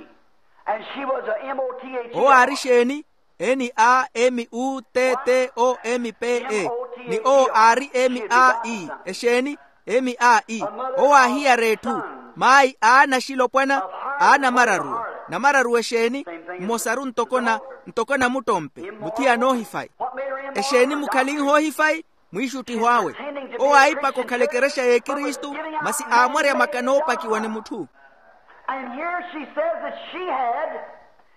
And she was a M O T H E R. Owo aari xeeni? N a m u t t o m p e. Ni owo aari m a e. Exeeni? M a e. Owo aahiyara etthu. Maayi aana axilopwana. Aana amararuwa. Namararuwa exeeni? Mmosaru ntoko na, ntoko namuttompe muthiya anoohifayi. Exeeni mukhalinha oohifayi? Mwiixuttiho awe. Owo aahipaka okhala ekerexa y'ekristu, masi aamwarya maka noopakiwa ni mutthu. And here she says that she had,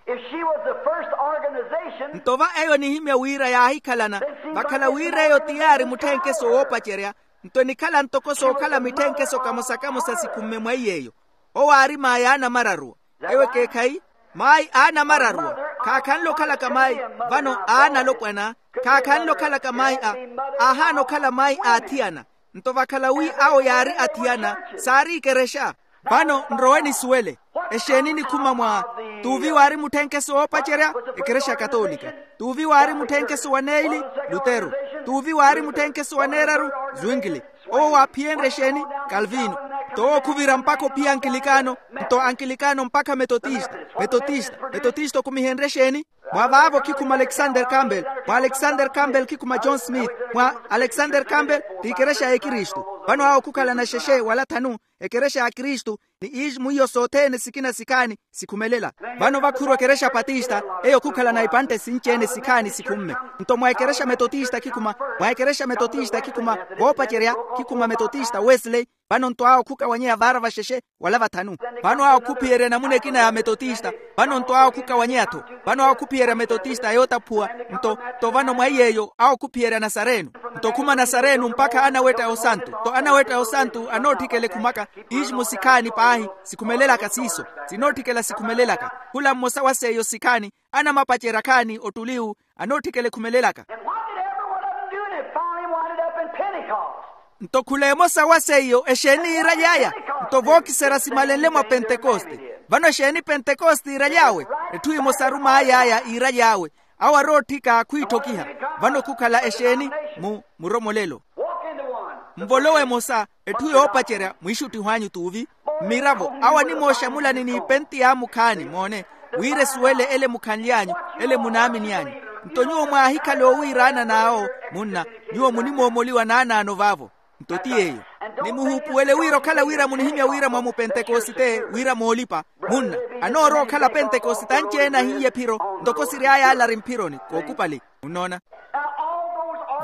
if she was the first organization. Nto va eyo enihimya wira yaahikhalana, vakhala wira eyo ti yaari mutthenkeso woopacerya. Nto enikhala ntoko sookhala mitthenkeso kamosa-kamosa sikhumme mwa iy'eyo. Owo aari maayi aana amararuwa. Ewo ekeekhayi. Maayi aana amararuwa. Khaakhanle okhalaka maayi. Vano aana alopwana. Khaakhanle okhalaka maayi a, aahaana okhala maayi a athiyana. Nto vakhala wi awo yaari athiyana, saari ikerexa. Vano nrowe nisuwele. Exeeni nikhuma mwa? Tuuvi waari mutthenkeso woopacerya? Ekerexa katoolika. Tuuvi waari mutthenkeso wa neeli? Lutero. Tuuvi waari mutthenkeso wa neeraru? Zwingli. Owo waaphiyenrye exeeni? Kalvino. Nto owo khuvira mpakha ophiya ankilikaano. Nto ankilikaano mpakha metotista. Metotista. Metotista okhumihenrye exeeni? Mwa vaavo khikhuma alexander campbell. Mwa alexander campbell khikhuma john smith. Mwa alexander campbell ti ekerexa ya ekristu. Vano awo khukhalana xexe wala thanu. Ekerexa ya kristu. Ni ixmu iyo sothene sikina sikhaani sikhumelela. Vano vakhuruwa ekerexa patista. Eyo khukhalana ipantte sinci-ene sikhaani sikhumme. Nto mwa ekerexa metotista khikhuma. Mwa ekerexa metotista khikhuma. Voopacerya. Khikhuma metotista wesley. Vano nto awo khukawanyeya vaara vaxexe wala vathanu. Vano awo khuphiyerya namuna ekina ya metotista. Vano nto awo khukawanyeya-tho. Vano awo khuphiyerya metotista yootaphuwa. Nto nto vano mwa iy'eyo awo khuphiyerya nasareno. Nto khuma nasareno mpakha anawetta ya osantu nto anawetta ya osantu anootthikela ekhumaka. Ixmu sikhaani paahi. Sikhumelelaka siiso. Sinootthikela sikhumelelaka. Khula mmosa wa seiyo sikhaani. Anamapacerya khaani ottuliwu. Anootthikela ekhumelelaka. And what did every one of them do? And it finally winded up in Pentecost. Nto khula emosa wa seiyo exeeni yiiraly'aya? Nto vookiserya simalenle mwa pentekoste. Vano exeeni pentekoste yiiraly'awe? Etthu emosaru maay'aya yiiraly'awe. Awo arootthika khwiitthokiha. Vano khukhala exeeni? Mu muromolelo. Nvolowe emosa. Etthu yoopacerya mwiixuttiho anyu tuuvi. Mmiravo awo animooxamulani n'ipenti y'amukhaani moone. Wira esuwele ele mukhanly'anyu, ele munaamini anyu. Nto nyuwo mwaahikhala oowiiraana n'awo. Munna, nyuwo munimoomoliwa naanaano vaavo. Nto ti yeeyo. Ni muhuupuwele wira okhala wira munihimya wira mwa mupentekosite wira moolipa. Munna, anoorowa okhala pentekosite anci-ene ahiye ephiro. Ntoko siry'aya alari mphironi kookupali. Munnoona?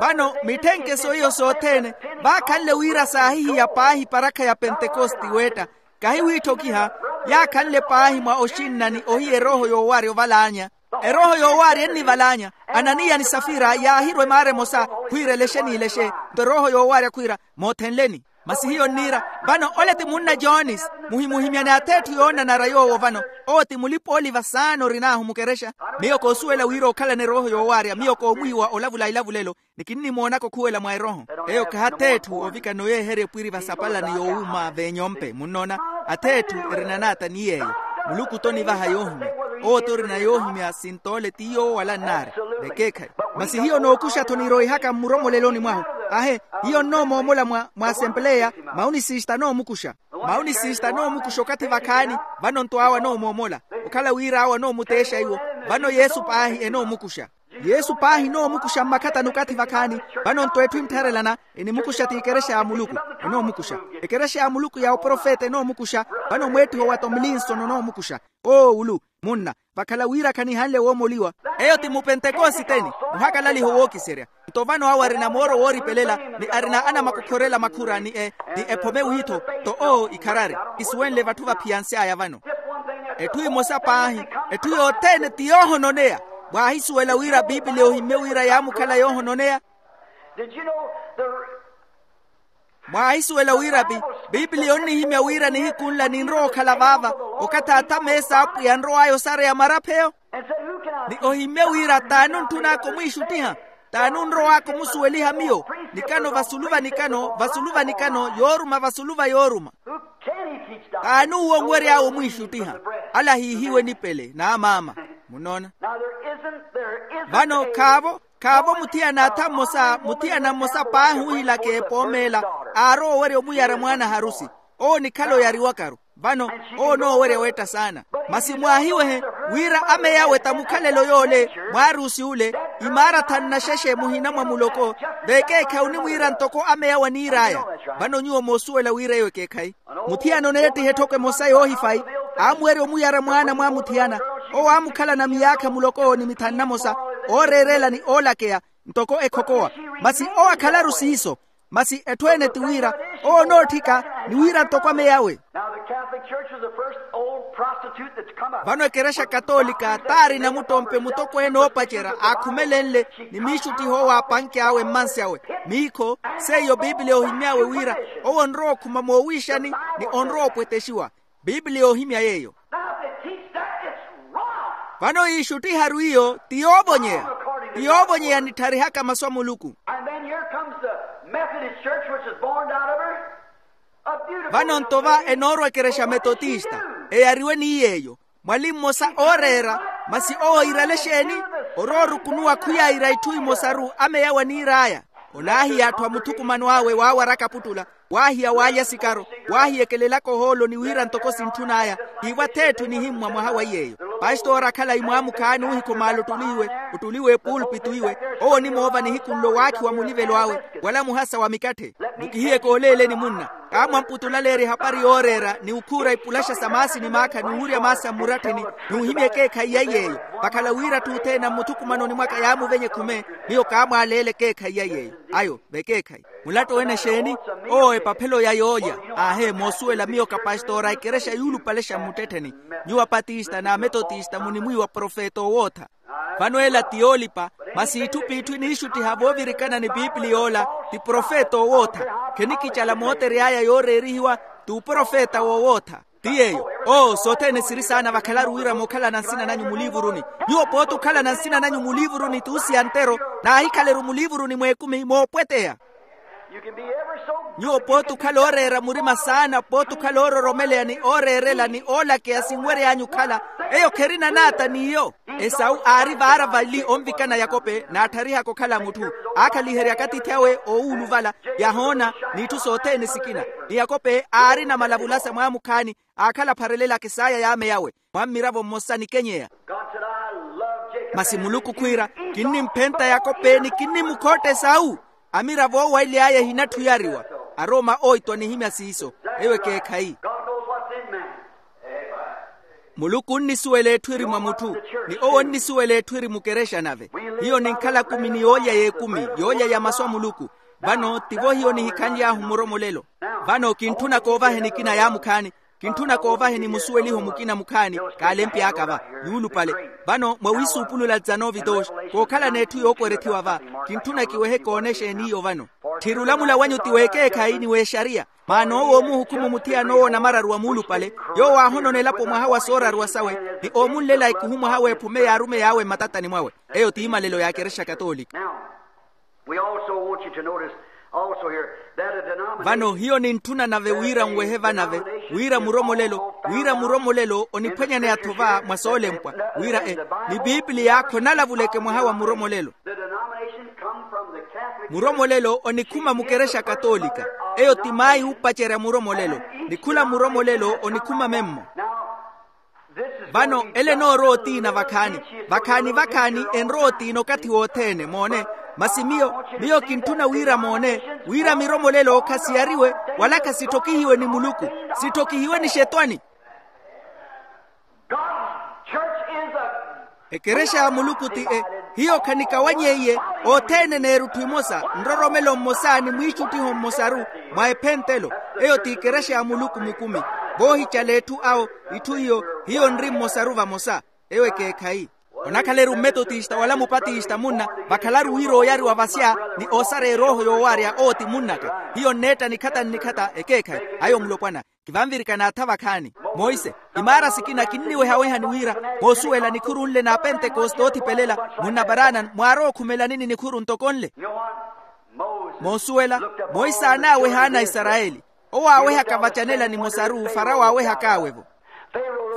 Vano mitthenkeso iyo sothene vaakhanle wira saahihiya paahi parakha ya pentekoste weetta. Kahi wiitthokiha. Yaakhanle paahi mwa oxinnani ohiya erooho yoowaarya ovalaanya. Erooho yoowaarya ennivalaanya. Ananiya ni safira yaahirwa emaara emosa khwiira elexe n'ilexe. Nto erooho yoowaarya khwiira moothenleni. Masi hiyo nniira. Vano ole ti munna jones. Muhimuhimyani atheetthu yoonanara yoowo vano. Owo ti mulipa-ooliva saana orin'ahu mukerexa. Miyo koosuwela wira okhalana erooho yoowaarya miyo koomwiiwa olavula ilavulelo. Ni kinnimoonaka okhuwela mwa erooho. Eyo khaha atheetthu ovikana oyeeherya epwiri vasapalani yoowuuma v'enyompe munnoona. Atheetthu erina naata ni yeeyo. Muluku t'onivaha yoohimya. Owo t'orina yoohimya sintoole ti yoowo wala nnaari. Vekeekhayi. Masi hiyo nookuxa-tho niroihaka mmuromoleloni mwahu. Ahe. Hiyo nnoomoomola mwa mwa asempeleya. Mauni sista anoomukuxa. Mauni sista anoomukuxa okathi vakhaani. Vano nto awo anoomoomola. Okhala wira awo anoomuteexa iwo. Vano yesu paahi enoomukuxa. Yesu paahi enoomukuxa mmakhatani okathi vakhaani. Vano nto etthu enttharelana enimukuxa ti ekerexa ya muluku. Enoomukuxa. Ekerexa ya muluku ya oprofeta enoomukuxa. Vano mweettiho wa tomlinson onoomukuxa. Oowulu. Munna. Vakhala wira khanihanle woomoliwa. Eyo ti mupentekositeni. Muhakalaliho wookiserya. Nto vano awo arina mooro wooripelela ni arina anamakokhorela makhura ni e ni ephome wiitho. Nto owo ikharari. Kisuwenle vatthu vaphiyansy'aya vano. Etthu emosa paahi. Etthu yothene ti yoohononeya. Mwaahisuwela wira piipiliya ohimmye wira yaamukhala yoohononeya? Mwaahisuwela wira piipiliya onnihimya wira nihiku nla ninrowa okhala vaava okathi athame s'apwiya anrow'aya osareya marapheyo? Ni ohimmye wira t'ani ontthun'aka omwiixuttiha? T'ani onrow'aka omusuweliha miyo? Nikano vasulu va nikano vasulu va nikano yooruma vasulu va yooruma. T'ani uwo onwery'awe omwiixuttiha? Ale ahiihiwe nipele n'amaama. Munnoona? Vano khaavo khaavo muthiyana atha mmosa muthiyana mmosa paahi oohilaka epoomeela aarowa owerya omuyara mwaana harusi. Owo onikhala oyariwakaru. Vano owo onoowerya weetta saana. Masi mwaahiwehe Wira ameyawe ta mukhalelo yoole mwaarusi ule, imaara thanu na xexe muhina mwa muloko. Vekeekhayi onimwiira ntoko ameyawe aniir'aya. Vano nyuwo moosuwela wira eyo ekeekhayi. Muthiyana oneettiha etthoko emosa yoohifayi, aamuwerya omuyara mwaana mwa muthiyana. Owo aamukhalana miyaakha muloko ni mithanu namosa, ooreerela ni oolakeya, ntoko ekhokowa. Masi owo akhalaru siiso. Masi etthu ene ti wira owo onootthika ni wira ntoko ameyawe. Now the Catholic Church was the first old prostitute that's come up. Vano ekerexa katolika taari namuttompe mutokweene oopacerya aakhumelenle ni miixuttiho owo aapanke awe mmansi awe. Miikho seiyo piipiliya ohimy'awe wira owo onrowa okhuma moowiixani ni onrowa opwetexiwa. Piipiliya ohimya yeeyo. Now if they teach that, it's wrong. Vano yiixuttiharu iyo ti yoovonyeya. Ti yoovonyeya nittharihaka masu a muluku. And then here comes the Methodist Church, which is born out of her. Vano nto va enoorwa ekerexa metotista, eyariwe ni yeeyo. Mwali mmosa ooreera, masi owo iirale exeeni? Oroorukunuwa khuyaira itthu imosaru ameyawe aniir'aya. Olaahiya atthu a muthukumano awe waawaraka aputtula, waahiya waalya sikaro, waahiya ekelelaka ohoolo ni wira ntoko sintthun'aya. Tiivo ath'etthu enihimmwa mwaha wa iy'eyo. Pastori akhala imwaamukhaani oohikhomaala ottuli iwe, ottuli w'epuulpitu iwe. Owo onimoova nihiku nlo waakhiwa mulivelo awe, wala muhasa wa mikatthe. Mukihiyeke oleeleni munna. Kaamwamputtulaleerya ehapari yooreera ni okhuura ipulaxa sa maasi ni maakha ni owurya maasi a mmuratthini, ni ohimya ekeekhayi ya iy'eyo. Vakhala wira atthu othene a mmuthukumanoni mwaka yaamuvenya ekhume. Miyo kaamwaaleela ekeekhayi ya iy'eyo. Ayo vekeekhayi. Mulatto wene exeeni? Owo epaphelo ya yoolya. Aahe moosuwela miyo kapastora a ekerexa yuulupale xa mmuttettheni. Nyuwo apatista n'ametotista munimwiiwa profeta owootha. Vano ela ti yoolipa. Masi itthu p'itthu eniixuttiha voovirikana ni piipiliya ola, ti profeta owootha. Khenikicala mootery'aya yooreerihiwa, t'uprofeta woowootha. Ti yeeyo. Oo sothene siri saana vakhalaru wira mookhalana nsina nanyu muliivuruni. Nyuwo pooti okhalana nsina nanyu muliivuruni t'usiya ntero, naahikhaleru muliivuruni mw'ekumi moopweteya. Nyuwo pooti okhala ooreera murima saana pooti okhala oororomeleya ni ooreerela ni oolakeya sinwery'anyu okhala. Eyo kherina naata n'iyo. Esau aari vaara vali onvikana yakope naatharihaka okhala mutthu. Aakhaliheryaka atiithi awe oowuluvala, yahoona, n'itthu sothene sikina. Ni yakope aarina malavulasa mwaamukhaani, aakhala apharelelaka esaya y'ame yawe, mwa mmiravo mmosa nikenyeya. Masi muluku khwiira, kinnimphenta yakope ni kinnimukhootta esau. Amiravo oowaly'aya ehinatthu oyariwa. Aroma oitwa nihimya siiso. Eyo ekeekhayi. Muluku onnisuwela etthu eri mwa mutthu, ni owo onnisuwela etthu eri mukerexa nave. Hiyo ninkhala kumi ni yoolya y'ekumi yoolya ya masu a muluku. Vano tivo hiyo nihikhanly'ahu muromolelo. Vano kintthuna koovahe nikina yaamukhaani. Kintthuna koovaheni musuweliho mukina mukhaani. Kaalempi aka va, yuulupale. Vano mwa wiisuupulula dizanove doxi, kookhalana etthu yookwerethiwa va. Kintthuna kiwehe koonexe eniiyo vano. Tthiri olamula wanyu ti w'ekeekhayi ni w'exariya. Maana owo oomuhukhumu muthiyana owo namararu wa muulupale, yoowo aahonona elapo mwaha wa sooraruwa sawe, ni oomunlela ikuhu mwaha w'ephume yaarume yaawe mmatatani mwawe. Eyo ti imalelo ya kerexa katolika. Vano hiyo nintthuna nave wira nwehe vanave, wira muromolelo wira muromolelo oniphwanyaneya-tho va mwa soolempwa, wira e ni pipiliya khonalavuleke mwaha wa muromolelo. Muromolelo onikhuma mukerexa katolika. Eyo ti mayi oopacerya muromolelo. Ni khula muromolelo onikhuma memmo. Vano ele enoorowa otiina vakhaani, vakhaani vakhaani enrowa otiina okathi wothene moone. Masi miyo miyo kintthuna wira moone wira miromolelo khasiyariwe, wala khasitthokihiwe ni muluku, sitthokihiwe ni xetwani. Ekerexa ya muluku ti e. Hiyo khanikawanyeiye. Othene neerutthu imosa, nroromelo mmosa ni mwiixuttiho mmosaru mwa ephentelo. Eyo ti ekerexa ya muluku mukumi. Voohicala etthu awo, itthu iyo hiyo nri mmosaru vamosa. Eyo ekeekhayi. Onakhala-eri mmetotista wala mupatista munna, vakhalaru wira oyariwa vasya ni oosara erooho yoowarya owo ti munn'aka. Hiyo nneetta nikhata nnikhata ekeekhayi. Ayo mulopwana. Kivanvirikana atha vakhaani. Monse, imaara sikina kinniwehaweha ni wira, moosuwela nikhuru nle na apentekoste oothipelela, munna paranan mwaarowa okhumelanini nikhuru ntoko nle? Moosuwela, monse aanaaweha ana a isarayeli. Owo aawehaka vacanela nimosaru farawo aawehak'awe-vo.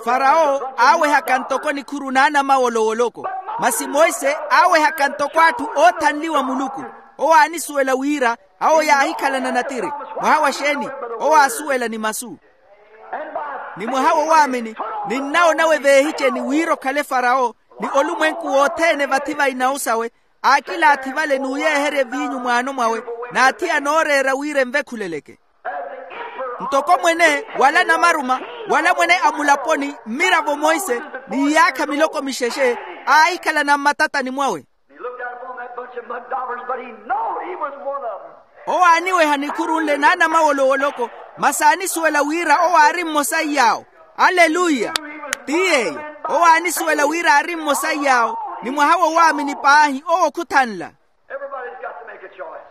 Farawo aawehaka ntoko nikhuru n'anamawolowoloko. Masi monse aawehaka ntoko atthu oothanliwa muluku. Owo aanisuwela wira awo yaahikhalana natiri. Mwaha wa xeeni? Owo aasuwela ni masu. Ni mwaha wo waamini. Ninnawo nawe veehicheni wira okhale farawo, ni olumwenku wothene vathi va inawu sawe, aakilaathi vale n'uyeeherya eviinyu mwaano mwawe, n'athi anooreera wira envekhuleleke. Ntoko mwene wala namaruma, wala mwene a mulaponi, mmiravo monse, n'iyaakha miloko mixexe, aahikhalana mmatatani mwawe. He looked out upon that bunch of mud daubers, but he knowed he was one of them. Owo aaniweha nikhuru nle n'anamawolowoloko, masi aanisuwela wira owo aari mmosa iy'awo. Aleluya. Ti yeeyo. Owo aanisuwela wira aari mmosa iy'awo, ni mwaha wowaamini paahi owo khuthanla. Everybody's got to make a choice.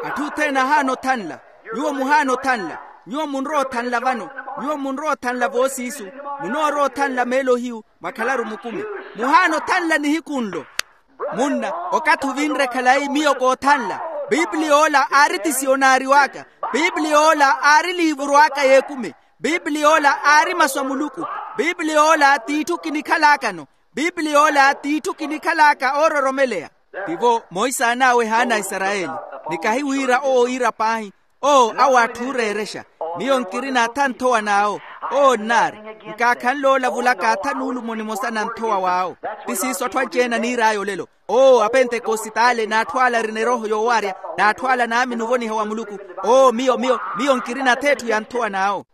Atthu othene ahaana othanla. Nyuwo muhaana othanla. Nyuwo munrowa othanla vano. Nyuwo munrowa othanla voosiisu. Munoorowa othanla meelo hiyu, mwakhalaru mukumi. Muhaana othanla nihiku nlo. Munna, okathi ovinre khalayi miyo koothanla. Pipiliy'ola aari tisiyonaari w'aka. Pipiliy'ola aari liivuru aka y'ekumi. Pipiliy'ola aari masu a muluku. Pipiliy'ola t'itthu kinikhal'akano. Pipiliy'ola t'itthu kinikhal'aka oororomeleya. Tivo moisaan'awe haana a isarayeli. Nikahi wira owo iira paahi. Owo awo atthu ooreerexa. Miyo nkirina atha nthowa n'awo. Owo nnaari. Nkaakhanle olavulaka atha nuulumo nimosa na nthowa w'awo. Ti siiso atthu anci-ene aniir'aya olelo. Owo apentekositaale n'atthu ala arina erooho yoowaarya, n'atthu ala naamini ovoniha wa muluku. Owo miyo miyo miyo nkirina atha etthu ya nthowa n'awo.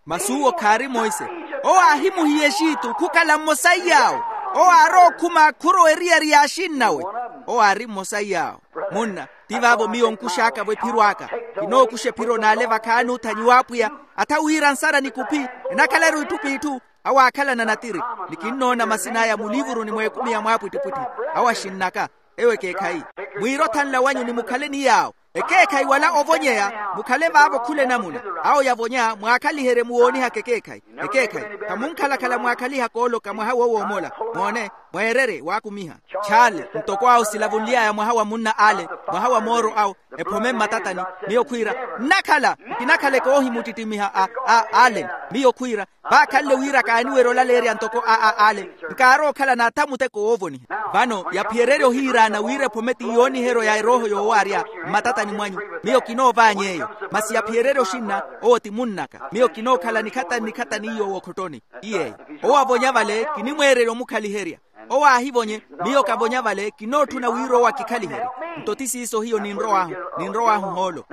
Masi uwo khaari monse. Owo aahimuhiya exitu khukhala mmosa iy'awo. Owo aarowa okhuma khurowa eriyari y'axinnawe. Owo aari mmosa iy'awo. Munna, ti vaavo miyo nkux'aka-vo ephiro aka. Kinookuxa ephiro n'ale vakhaani othanyiwa apwiya. Atha wira nsara nikuphi, enakhalaru itthu p'itthu. Awo aakhalana natiri. Ni kinnoona masin'aya muliivuruni mw'ekumi ya mwaapwittipwitthi. Awo axinn'aka. Ewo ekeekhayi. Mwiire othanla wanyu ni mukhale ni yaawo. Ekeekhayi wala ovonyeya, mukhale vaavo khula enamuna. Awo yavonya mwaakhaliherye muwoonihaka ekeekhayi. Ekeekhayi. Khamunkhalakhala mwaakhaliha kooloka mwaha woowomola. Moone, mweererye waakumiha. Chaale. Ntoko awo silavunly'aya mwaha wa munna ale, mwaha wa mooro awo, ephome mmatatani. Miyo khwiira, nnakhala. Nkinakhala ekoohimuttittimiha a ale. Miyo khwiira, vaakhanle wira kaaniwerya olaleerya ntoko a a ale. Nkaarowa okhala n'atha muteko woovoniha. Vano yaphiyererye ohiiraana wira ephome ti yooniheryo ya erooho yoowaarya. Mmatatani mwanyu. Miyo kinoovaanya eyo. Masi yaphiyererye oxinna. Owo ti munn'aka. Miyo kinookhala nikhatani nikhatani iyo w'okhottoni. Ti yeeyo. Owo avonya vale kinimweererya omukhaliherya. Owo aahivonye. Miyo kavonya vale kinootthuna wira owo akikhaliherye. Nto ti siiso hiyo ninrow'ahu. Ninrow'ahu hoolo.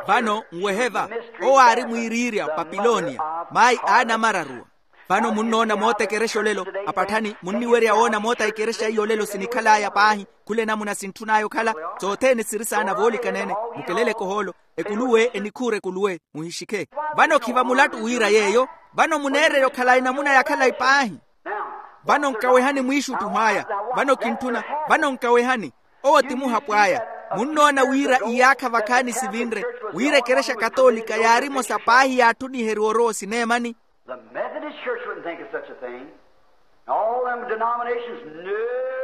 Vano nwehe va. Owo aari mwiiriirya papilonia. Mayi aanamararuwa. Vano munnoona moota ekerexa olelo. Apatthani munniwerya woona moota ekerexa iyo olelo sinikhal'aya paahi. Khula enamuna sintthun'aya okhala. Sothene siri saana voolikanene. Mukeleleke ohoolo. Ekuluwe enikhuura ekuluwe. Muhixikhe. Vano khiva mulattu wira yeeyo. Vano muneererya okhalayi namuna ya khalayi paahi. Vano nkawehani mwiixuttuh'aya. Vano kintthuna. Vano nkawehani. Owo ti muhapw'aya. Munnoona wira iyaakha vakhaani sivinre, wira ekerexa katoolika yaari emosa paahi yaatthuniheriwa orowa osineemani. The Methodist Church wouldn't think of such a thing. All them denominations, no.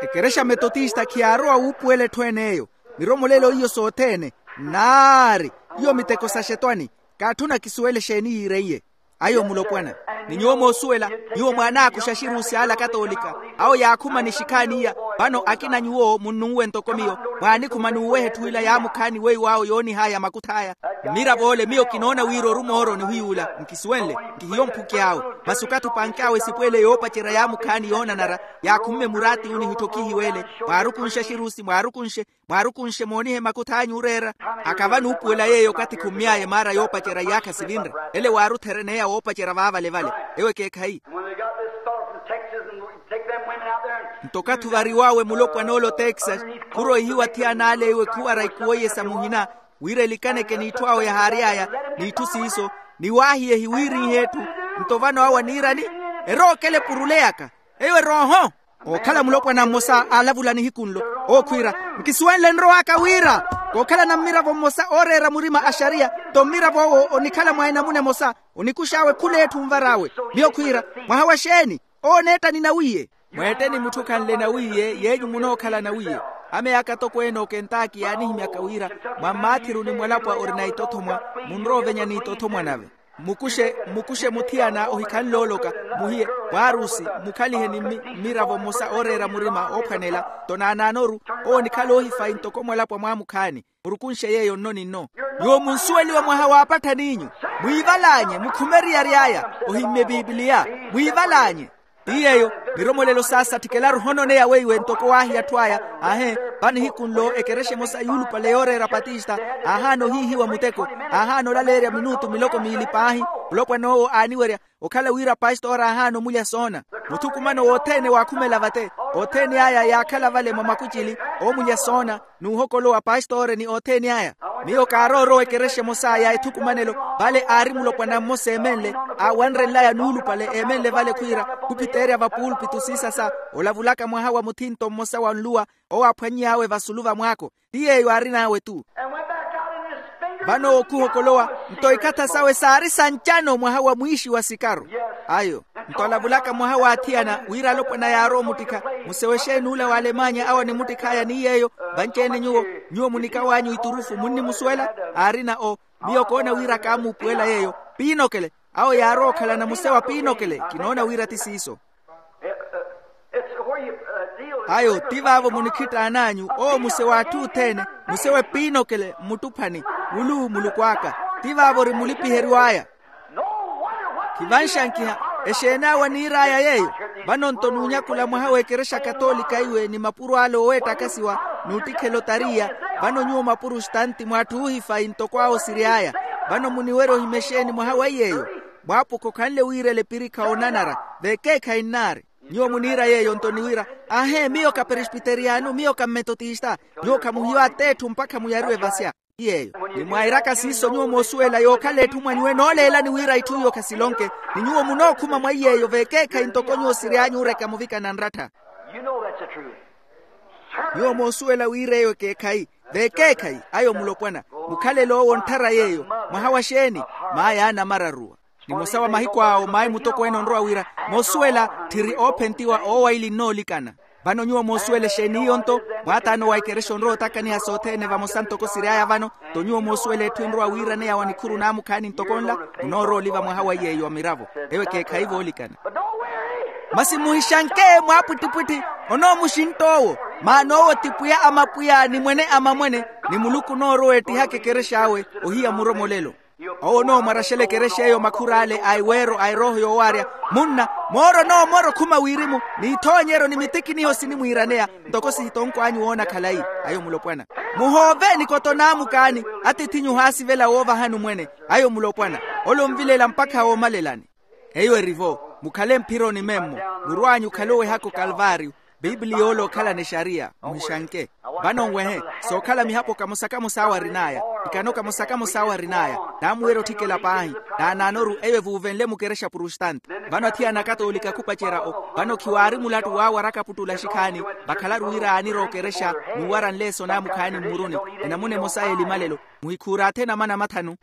Ekerexa metotista khiyaarowa wuupuwela etthu ene eyo. Miromolelo iyo sothene. Naari. Iyo miteko sa xetwani. Kaatthuna kisuwele exeeni yiireiye. Ayo mulopwana. Ni nyuwo moosuwela, nyuwo mwaanaakuxa axirusi ala katoolika. Awo yaakhuma ni xikhaani iya. Vano akina nyuwo munnunwe ntoko miyo. Mwaanikhuma n'uweha etthu ila yaamukhaani weiwo awo yoonih'aya makuth'aya. Mmirav'ole miyo kinoona wira orumooro onihiy'ula. Nkisuwenle. Nkihiyo mphuky'awe. Masi okathi opank'awe esipo ele yoopacerya yaamukhaani yoonanara. Yaakhumme muraati wu nihitthokhihiw'ele. Mwaarukunxe axirusi mwaarukunxe. Mwaarukunxe moonihe makuth'anyu oreera. Akava nuupuwela yeeyo okathi khummy'aya emaara yoopacerya iyaakha sivinre. Ele waaruthereneya woopacerya vaavale vale. Ewo ekeekhayi. Nto okathi ovariw'awe mulopwan'ole otexas, khuroihiwa athiyana ale iwe khuwara ikuwo iye sa muhina, wira elikaneke n'itthu awo yahaary'aya, n'itthu siiso, ni waahiyehi wiirinhe etthu. Nto vano awo aniirani? Erookela epurule yaka. Eyo erooho. Ookhala mulopwana mmosa aalavula nihiku nlo. Owo khwiira, nkisuwenle nrow'aka wira kookhalana mmiravo mmosa ooreera murima a xariya. Nto mmirav'owo onikhala mwa enamuna emosa. Onikux'awe khul'etthu onvar'awe. Miyo khwiira, mwaha wa xeeni? Owo oneetta ni nawiiye. Mweette ni mutthu khanle nawiiye yeenyu munookhala nawiiye. Ame aka atokweene okentaaki yaanihimyaka wira, mwa mmaathiruni mwalapwa orina itothomwa, munroovenya n'itothomwa nave. Mmukuxe mmukuxe muthiyana ohikhanle ooloka, muhiye, mwaarusi, mmukhalihe ni mmiravo mmosa ooreera murima oophwanela. Nto naanaanoru, owo onikhala oohifayi ntoko mwalapwa mwaamukhaani. Murukunxe yeeyo nno ni nno. Nyuwo munsuweliwe mwaha waapatthaniinyu. Mwiival'anye mukhume eriyari aya. Ohimmye pipiliya. Mwiival'anye. Ti yeeyo, miromolelo saasatthikelaru ohononeya weiwe ntoko waahiya atthu aya. Aahe, va nihiku nlo ekerexa emosa yuulupale yooreera patista, aahaana ohiihiwa muteko, aahaana olaleerya minutu miloko miili paahi. Mulopwana owo aaniwerya okhala wira pastora aahaana omulya soona. Muthukumano wothene waakhumela vate. Othene aya yaakhala vale mwa makucili, oomulya soona, n'uhokolowa pastora ni othene aya. Miyo kaaroorowa ekerexa emosa ya ethukumanelo, vale aari mulopwana mmosa eemenle, aawanrenlaya nuulupale eemenle vale khwiira, khupiteerya va pulpitu siisasa, olavulaka mwaha wa muthinto mmosa wa nluwa, owo aaphwany'awe vasulu va mwaako. Ti yeeyo aarin'awe-tu. Vano owo khuhokolowa, nto ikhatha sawe saari sa ncano mwaha wa mwiixi wa sikaru. Ayo. Nto alavulaka mwaha wa athiyana wira alopwana yaarowa omuttikha, musewe exeeni ula w'alemanya awo animuttikh'aya ni yeeyo. Vanci-ene nyuwo, nyuwo munikaw'anyu iturufu munnimusuwela? Aarina o, miyo koona wira kaamuupuwela yeeyo. Piinokele. Awo yaarowa okhalana musewa piinokele, kinoona wira ti siiso. Ayo ti vaavo munikhittaan'anyu owo muse w'atthu othene. Muse wepiinokele mmuttuphani. Muluku muluku aka, ti vaavo ori mulipiheryo aya. Khivanxankiha. Exeeni awo aniir'aya yeeyo? Vano nto nuunyakula mwaha w'ekerexa katolika iwe ni mapuro ale ooweettakasiwa, n'uttikhela otariya. Vano nyuwo mapurustanti mw'atthu oohifayi ntoko awo osiry'aya. Vano muniwerya ohimya exeeni mwaha wa iy'eyo? Mwaapukha okhanle wiirela epirikha onanara. Vekeekhayi nnaari. Nyuwo muniira yeeyo nto ni wira, aahe miyo ka presbiteriyanu miyo ka mmetotista. Nyuwo khamuhiyo at'etthu mpakha muyariwe vasya. Ti yeeyo. Ni mwairaka siiso nyuwo moosuwela yookhala etthu mwa nyuwo enooleelani wira itthu iyo khasilonke. Ni nyuwo munookhuma mwa iy'eyo vekeekhayi ntoko nyuwo siry'anyu oreka muvikana nrattha. Nyuwo moosuwela wira eyo ekeekhayi. Vekeekhayi. Ayo mulopwana. Mukhalelo owo ontthara yeeyo. Mwaha wa xeeni? Maaya anamararuwa. Nimosa wa mahiku awo mayi mutokweene onrowa wira, moosuwela tthiri oophentiwa oowaili nnoolikana. Vano nyuwo moosuwela exeeni iyo nto? Mwaataano wa ekerexa onrowa otakaniha sothene vamosa ntoko siry'aya vano. Nto nyuwo moosuwela etthu enrowa wiiraneya wa nikhuru naamukhaani ntoko nla? Munoorowa oliva mwaha wa iy'eyo wa miravo. Eyo ekeekhayi voolikana. Masi muhixanke mwaapwittipwitthi. Onoomuxintta owo. Maana owo ti pwiya a mapwiya ni mwene a mamwene. Ni muluku onoorowa eettihaka ekerex'awe. Ohiya muromolelo. Owo onoomwaraxela ekerex'eyo makhur'ale a eweero a erooho yoowaarya. Munna, mooro onoomora okhuma wirimu. N'ithoonyeryo ni mitikiniho sinimwiiraneya. Ntoko sihitonkw'anyu woona khalayi. Ayo mulopwana. Muhoove nikoto naamuk'ani. Atiith'inyu ohaasivela woovahani omwene. Ayo mulopwana. Ole onvilela mpakha woomalelani. Eyo eri-vo. Mukhale mphironi memmo. Murw'anyu okhale owehaka okalvaariyo. Pipiliya ole okhalana exariya. Muhixanke. Vano nwehe. Sookhala mihapo kamosa kamosa awo arin'aya. Ikano kamosa kamosa awo arin'aya. Naamuwerya otthikela paahi. Naanaanoru eyo evuuvenle mukerexa prustanti. Vano athiyana akatoolika khupacerya-o. Vano khiwaari mulattu waawaraka aputtula axikhaani. Vakhalaru wira aanira okerexa. N'uwara nleeso naamukhaani mmuruni. Enamuna emosa y'elimalelo. Muhikhuura athene amana mathanu.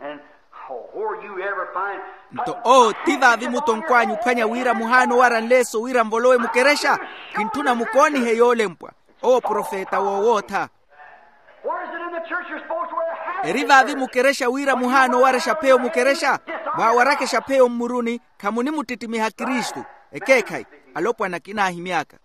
Nto oo ti vaavi mutonkw'anyu ophwanya wira muhaana owara nleeso wira nvolowe mukerexa? Khintthuna mukoonihe yoolempwa. Owo profeta woowootha. Eri vaavi mukerexa wira muhaana owarexa pheyo mukerexa? Mwaawarakhexa pheyo mmuruni. Khamunimuttittimiha kristu. Ekeekhayi. Alopwana kinaahimy'aka.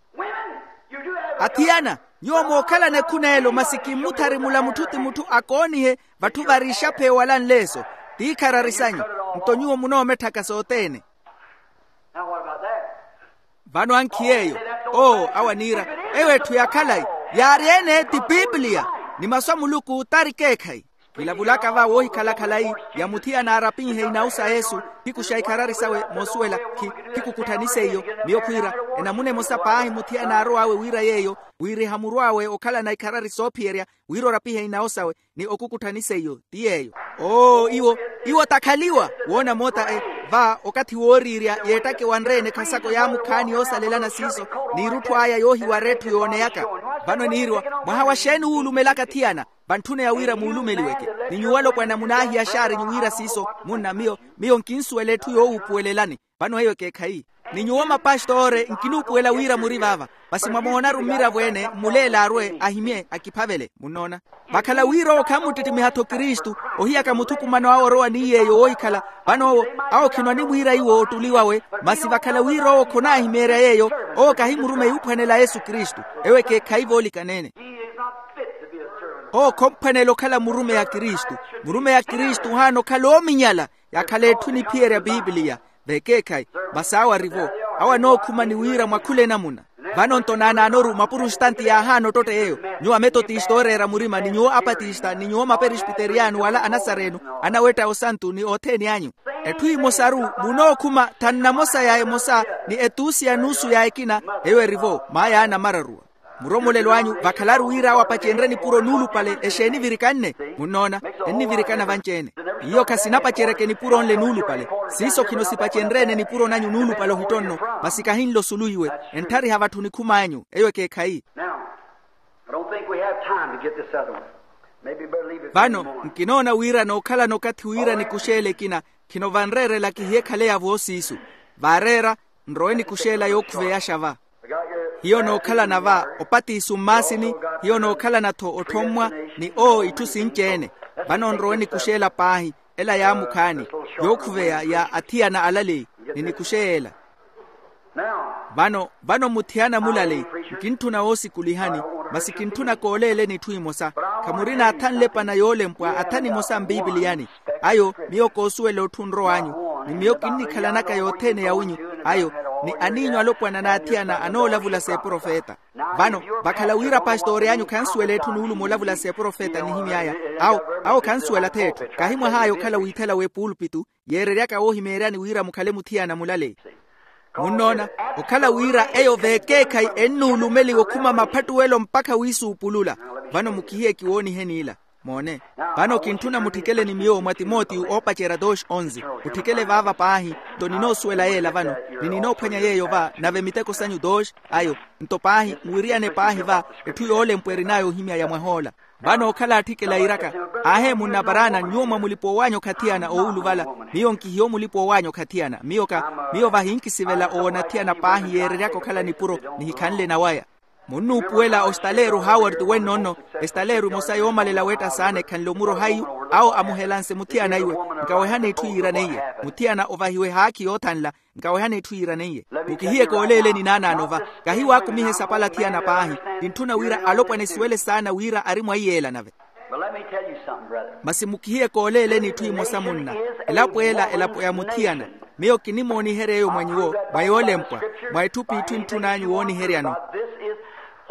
Athiyana, nyuwo mookhalana ekhun'elo masi kimmuthari mula mutthu ti mutthu akoonihe. Vatthu vari ixapheyo wala nleeso. Ti ikharari sanyu. Nto nyuwo munoometthaka sothene. Vano ankhi yeeyo. Oo awo aniira, eyo etthu ya khalayi. Yaari ene ti pipiliya. Ni masu a muluku tari keekhayi. Kilavulaka va woohikhala khalayi. Ya muthiyana aarapinhe inawu sa yesu. Thiku xa ikharari sawe moosuwela. Khikukutthanise iyo. Miyo khwiira, enamuna emosa paahi muthiyana aarow'awe wira yeeyo, wiiriha murw'awe okhalana ikharari soophiyerya, wira orapihe inawo sawe, ni okukutthanise iyo ti yeeyo. Oo iwo, iwo takhaliwa. Woona moota e, va okathi wooriirya yeettake wanre-ene khasako yaamukhaani yoosalelana siiso, n'irutthu aya yoohiwara etthu yooneyaka. Vano eniiriwa, mwaha wa xeeni wuulumelaka athiyana? Vantthuneya wira muulumeliweke. Ni nyuwo alopwana munaahiya xaarinyu wira siiso. Munna miyo, miyo nkinsuwela etthu yoowuupuwelelani. Vano eyo ekeekhayi. Ni nyuwo mapastore nkinuupuwela wira muri vaava. Masi mwamoonaru mmiravo-ene mmuleele arwe ahimye akiphavele munnoona. Vakhala wira owo khammuttittimiha-tho kristu, ohiyaka muthukumano awe orowa ni yeeyo woohikhala. Vano owo, awo khino animwiira iwo ottuli wawe. Masi vakhala wira owo khonaahimeerya yeeyo, owo kahi murumeyi uphwanela yesu kristu. Ewo ekeekhayi voolikaneene. Owo khomphwanela okhala murumeyi a kristu. Murumeyi a kristu ohaana okhala oominyala. Yakhala etthu eniphiyerya piipiliya. Vekeekhayi. Masi awo arivo, awo anookhuma ni wira mwakhula enamuna. Vano nto naanaanoru mapurustanti yaahaana ottotta yeeyo. Nyuwo ametotista ooreera murima ni nyuwo apatista ni nyuwo maperispiteriyano wala anasareno, anawetta osantu ni othene anyu. Etthu emosaru. Munookhuma thannamosa ya emosa, ni etuusi ya nuusu ya ekina. Eyo erivo maaya anamararuwa. Muromolelo anyu vakhalaru wira awo apacenrye nipuro nuulupale exeeni virikanne. Munnoona, ennivirikana vanci-ene. Iyo khasinapaceryaka enipuro nle nuulupale. Siiso khino sipacenrye-ene nipuro nanyu nuulupale ohitonno. Masi kahinle osuluwiwe. Entthariha vatthu nikhum'anyu eyo ekeekhayi. Now, I don't think we have time to get this other one. Maybe better leave it for vano any more. Nkinoona wira nookhalana okathi wira nikuxeela ekina. Khino vanreerela kihiye khale yavo siisu. Vaareera, nrowe nikuxeela yookhuveyaxa va. Hiyo nookhalana va opatiso mmaasini. Hiyo nookhalana-tho otthommwa, ni oo itthu sinci-ene. Vano nrowe nikuxeela paahi, ela yaamukhaani, yookhuveya ya athiyana alaleyi, ni nikuxeya ela. Vano vano muthiyana mulaleyi, nkintthuna woosikulihani, masi kintthuna kooleeleni itthu imosa. Khamurina atha nlepana yoolempwa atha nimosa mpipiliyani. Ayo, miyo koosuwela otthu nrow'anyu, ni miyo kinnikhalanaka yothene yawinyu. Ayo, ni aniinyu alopwana n'athiyana anoolavula s'eprofeta. Vano vakhala wira pastori anyu khansuwela etthu nuuluma olavula s'eprofeta nihimy'aya. Awo, awo khansuwela-tho etthu. Kahi mwah'aya okhala wiithela w'epulpitu, yeereryaka woohimeeryani wira mukhale muthiyana mulaleyi. Munnoona, okhala wira eyo vekeekhayi ennuulumeliwa okhuma maphattuwelo mpakha wiisuupulula. Vano mukihiye kiwooniheni ila. Moone. Vano kintthuna mutthikeleni miyo mwa timotiyo oopacerya dos onzi. Mutthikele vaava paahi. Nto ninoosuwela yeela vano, ni ninoophwanya yeeyo va nave miteko sanyu dos. Ayo, nto paahi mwiriyane paahi va etthu yoolempwa erin'aya ohimya ya mwah'ola. Vano okhala atthikela iiraka, aahe munna paraana nyuwo mwa mulipa owaanya okhathiyana owuluvala. Miyo nkihiyo mulipa owaanya okhathiyana miyo ka, miyo vahinkisivela owoona athiyana paahi yeereryaka okhala nipuro, nihikhanle nawaya. Munnuupuwela ostaleeru haward wenno-nno, estaleeru emosa yoomalela weetta saana ekhanle omuro haiyu. Awo amuhelanse muthiyana iwe, nkawehani etthu yiiraneiye. Muthiyana ovahiwe haakhi yoothanla, nkawehani etthu yiiraneiye. Mukihiye kooleeleni naanaano va. Kahi waakumiha esapala athiyana paahi. Kintthuna wira alopwana esuwele saana wira ari mwa iyeela nave. Masi mukihiye kooleeleni etthu emosa munna. Elapo ela elapo ya muthiyana. Miyo kinimooniherya eyo mwa nyuwo mwa yoolempwa, mwa etthu p'itthu entthun'anyu wooniheryano.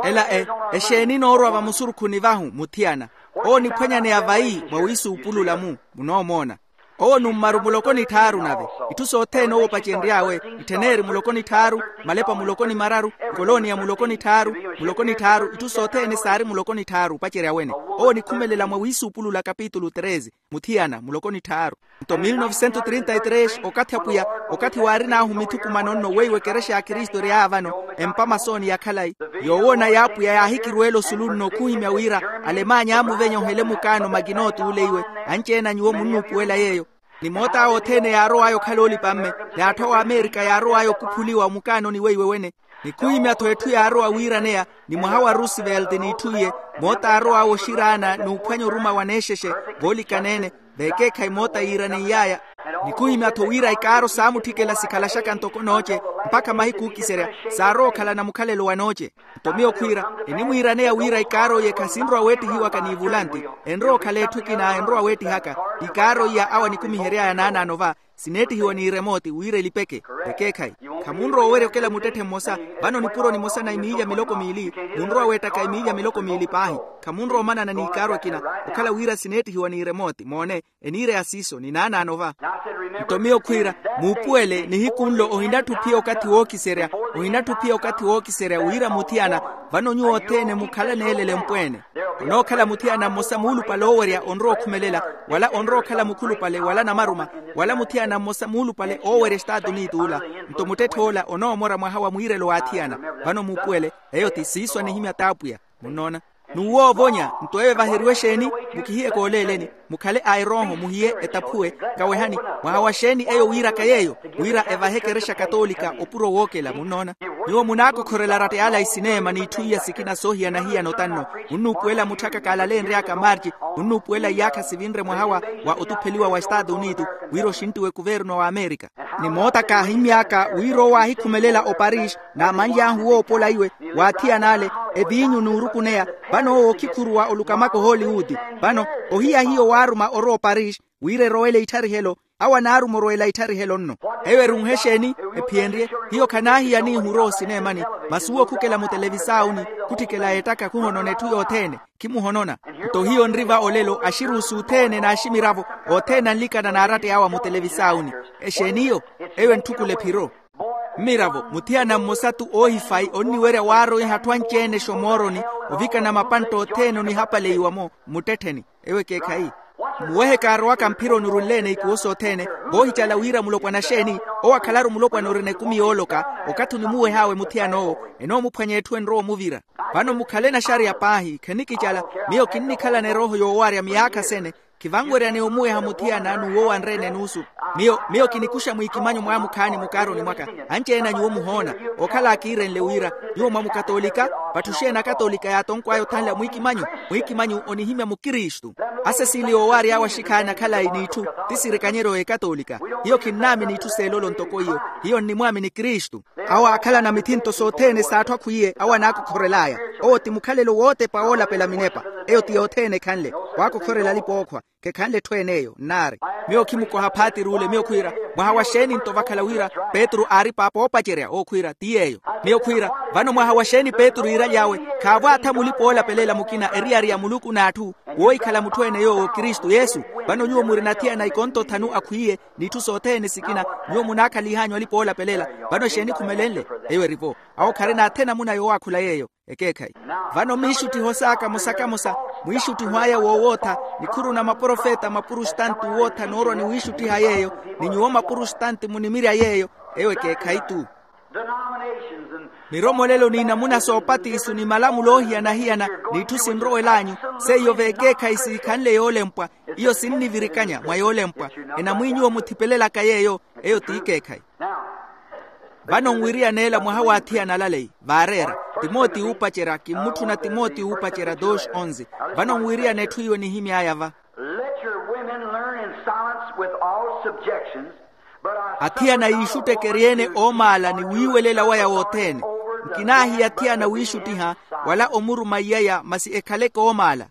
Ela e, exeeni enoorwa vamusurukhuni vahu muthiyana? Owo oniphwanyaneya vayi mwa wiisuupulula-mu. Munoomoona. Owo nummaru muloko ni tthaaru nave. Itthu sothene owo opacenry'awe, ittheneri muloko ni tthaaru, malepa muloko ni mararu, nkoloniya muloko ni tthaaru, muloko ni tthaaru itthu sothene saari muloko ni tthaaru opacerya wene. Owo onikhumelela mwa wiisuupulula kapitulu treze, muthiyana muloko ni tthaaru. Nto mil novecentos trinta y tres okathi apwiya, okathi waarin'ahu mithukumano-nno weiwo ekerexa ya kristu ery'aya vano, empa masooni ya khalayi. Yoowoona y'apwiya yaahikirweela osulu nno khuhimya wira, alemanya aamuvenya ohele mukaano makina otuule iwe. Anci-ene a nyuwo munnuupuwela yeeyo. Ni moota awo othene yaarow'aya okhala oolipa-mme, n'atthu a wamerika yaarow'aya okuphuliwa omukaanoni weiwe wene. Ni khuhimya-tho etthu yaarowa wiiraneya, ni mwaha wa roosevelt n'itthu iye, moota aarow'aya oxiraana n'uphwanya oruma wa neexexe, voolikaneene, vekeekhayi moota yiiraneiy'aya. Ni khuhimya-tho wira ikaaro saamutthikela sikhalaxaka ntoko nooce, mpakha mahiku ookiserya, saarowa okhalana mukhalelo wa nooce. Nto miyo khwiira, enimwiiraneya wira ikaaro iye khasinrowa weettihiwaka n'ivulanti. Enrowa okhala etthu ekina enrowa weettihaka. Ikaaro iya awo anikumihery'aya naanaano va, sineettihiwa n'iremooti wira elipeke. Ekeekhayi. Khamunrowa owerya okela muttetthe mmosa. Vano nipuro nimosa na emiilya miloko miili, munrowa weettaka emiilya miloko miili paahi. Khamunrowa omanana n'ikaaro ekina, okhala wira sineettihiwa n'iremooti moone. Eniireya siiso ni naanaano va. Nto miyo khwiira, muupuwele nihiku nlo ohinatthi ophiya okathi wookiserya. Ohinatthi ophiya okathi wookiserya wira muthiyana, vano nyuwo othene mukhalane elele mpweene. Onookhala muthiyana mmosa muulupale oowerya onrowa okhumelela, wala onrowa okhala mukhulupale wala namaruma, wala muthiyana mmosa muulupale oowerya estatunit'ula. Nto muttetthe ola onoomora mwaha wa mwiirelo w'athiyana. Vano muupuwele, eyo ti siiso anihimya t'apwiya. Munnoona. N'uwoovonya. Nto eyo evaheriwe exeeni? Mukihiye kooleeleni. Mukhale a erooho, muhiye, etaphuwe. Nkawehani, mwaha wa xeeni eyo wiiraka yeeyo? Wira evahe ekerexa katoolika opuro wookela munnoona. Nyuwo munaakokhorela aratta ala isineema n'itthu iya sikina soohiyana-hiyana otanno. Munnuupuwela mutthaka kaalaleenry'aka marci. Munnuupuwela iyaakha sivinre mwaha wa otupheliwa wa estaatu unitu, wira oxinttiwe kuverno wa amerika. Ni moota kaahimmy'aka wira owo aahikhumelela oparis, naamanly'ahu woopola iwe, w'athiyan'ale, eviinyu n'urukuneya. Vano owo okhikhuruwa olukamaka ohooliwuti. Vano ohiya hiyo waaruma orowa oparis, wira erowele ittharihe-lo. Awo anaaruma orwela ittharihe-lo nno. Eyo erunhe exeeni? Ephiyenrye. Hiyo khanaahiya niihu orowa osineemani, masi uwo khukela mutelevisaawuni, khutthikela ettaka khuhonona etthu yothene. Khimuhonona. Nto hiyo nri va olelo axiruusi othene n'aximiravo, othene anlikana n'aratta awo a mutelevisaawuni. Exeeni iyo? Eyo entthukula ephiro. Mmiravo, muthiyana mmosa-tho oohifayi onniwerya waaroiha atthu anci-ene exomooroni, ovikana mapantta othene onihapaleiwa-mo mmuttettheni. Ewo ekeekhayi. Muwehe kaarowaka mphironi orunleene ikuwo sothene, voohicala wira mulopwana xeeni? Owo akhalaru mulopwana orina ekumi yooloka. Okathi onimuweh'awe muthiyana owo, enoomuphwanya etthu enrowa omuvira. Vano mukhale naxariya paahi, khenikicala. Miyo kinnikhalana erooho yoowarya miyaakha sene. Khivanweryaneya omuweha muthiyana n'uwo wanreene enuusu. Miyo miyo kinikuxa mwiikimanyo mwamukhaani mukaaroni mwaka. Anci-ene a nyuwo muhoona. Okhala akiirenle wira, nyuwo mwa mukatoolika. Vatthu xeeni akatoolika yaatonko aya othanla mwiikimanyo? Mwiikimanyo onihimya mukristu. Asesiili yoowary'awe axikhaani akhalayi n'itthu, ti sirikanyeryo y'ekatoolika. Hiyo khinnaamini itthu s'elolo ntoko iyo. Hiyo nnimwaamini kristu. Awo aakhalana mithinto sothene s'atthu akhwiye awo anaakokhorel'aya. Owo ti mukhalelo wootepa woolapela minepa. Eyo ti yothene ekhanle. Waakokhorela alipa-ookhwa. Khekhanle etthu en'eyo nnaari. Miyo khimukoha phaatiri ole miyo khwiira, mwaha wa xeeni nto vakhala wira petru aari paapa oopacerya? Owo khwiira ti yeeyo. Miyo khwiira, vano mwaha wa xeeni petru iiraly'awe? Khaavo aatha mulipa-oolapelela mukina eriyari ya muluku n'atthu, woohikhala mutthu-ene yoowo kristu yesu. Vano nyuwo murina athiyana ikonto thanu akhwiiye, n'itthu sothene sikina. Nyuwo munaakhaliih'anyu alipa-oolapelela. Vano exeeni khumelenle? Eyo eri-vo. Awo kharina athe namuna yoowaakhula yeeyo. Ekeekhayi. Vano miixuttiho saaka mosa kamosa, mwiixuttiho aya woowootha, nikhuru na maprofeta mapurustanti owootha noorwa ni wiixuttiha yeeyo, ni nyuwo mapurustanti munimirya yeeyo. Eyo ekeekhayi-tu. Miromolelo n'inamuna soopatiso ni malamulo oohiyana-hiyana, n'itthu sinrowel'anyu, seiyo v'ekeekhayi siikhanle yoolempwa. Iyo sinnivirikanya mwa yoolempwa. Enamwi nyuwo muthipelelaka yeeyo. Eyo t'ikeekhayi. Vano nwiriyana ela mwaha w'athiyana alaleyi vaareera. Timotiyo oopacerya, kimmutthuna timotiyo oopacerya dos onze. Vano nwiriyana etthu iwe nihimy'aya va. Let your women learn in silence with all subjections. Athiyana yiixuttekerye-ene oomaala ni wiiwelela waya wothene. Nkinaahiya athiyana wiixuttiha wala omuruma iyaya masi ekhaleke oomaala.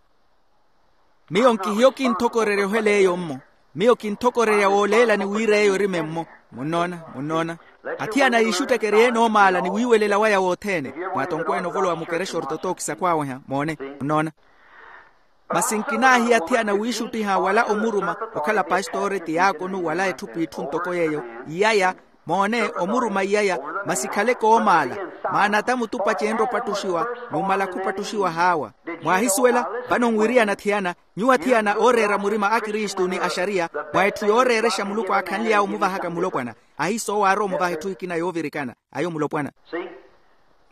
Miyo nkihiyo kinthokorerya ohela eyo mmo. Miyo kinthokorerya wooleelani wira eyo erime mmo. Munnoona? Munnoona? Athiyana yiixuttekerye-ene oomaala ni wiiwelela waya wothene. Mwatonkweene ovolowa mukerexa ortotooki sakhwaaweha moone. Munnoona? Masi nkinaahiya athiyana wiixuttiha wala omuruma, okhala pastore tiyaakonu wala etthu p'itthu ntoko yeeyo. Iyaya. Moone, omuruma iyaya, masi khaleke oomaala. Maana ata mutupa ceenre opattuxiwa, numala khupattuxiwa haawa. Mwaahisuwela? Vano nwiriyana athiyana. Nyuwo athiyana ooreera murima a kristu ni axariya, mwa etthu yooreerexa muluku aakhanly'awe omuvahaka mulopwana. Ahiisa owo aarowa omuvaha etthu ekina yoovirikana. Ayo mulopwana.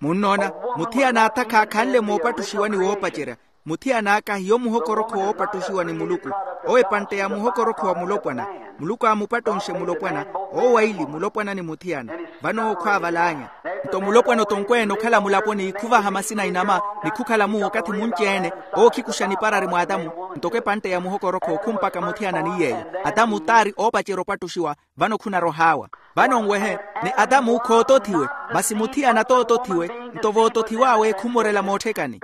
Munnoona? Muthiyana atha khaakhanle moopattuxiwa ni woopacerya. Muthiyana aka hiyo muhokorokho woopattuxiwa ni muluku. Owo epantte ya muhokorokho wa mulopwana. Muluku aamupattonxe mulopwana. Owo waili mulopwana ni muthiyana. Vano owo khwaavalaanya. Nto mulopwana otonkweene okhala mulaponi khuvaha masina inama, ni khukhala muwo okathi munci-ene. Owo khikuxa niparari mw'atamu. Ntoko epantte ya muhokorokho khumpaka muthiyana ni yeeyo. Atamu t'ari oopacerya opattuxiwa. Vano khunarwa ohaawa. Vano nwehe, ni atamu khootothiwe. Masi muthiyana tootothiwe. Nto vootothiw'awe khumorela mootthekani.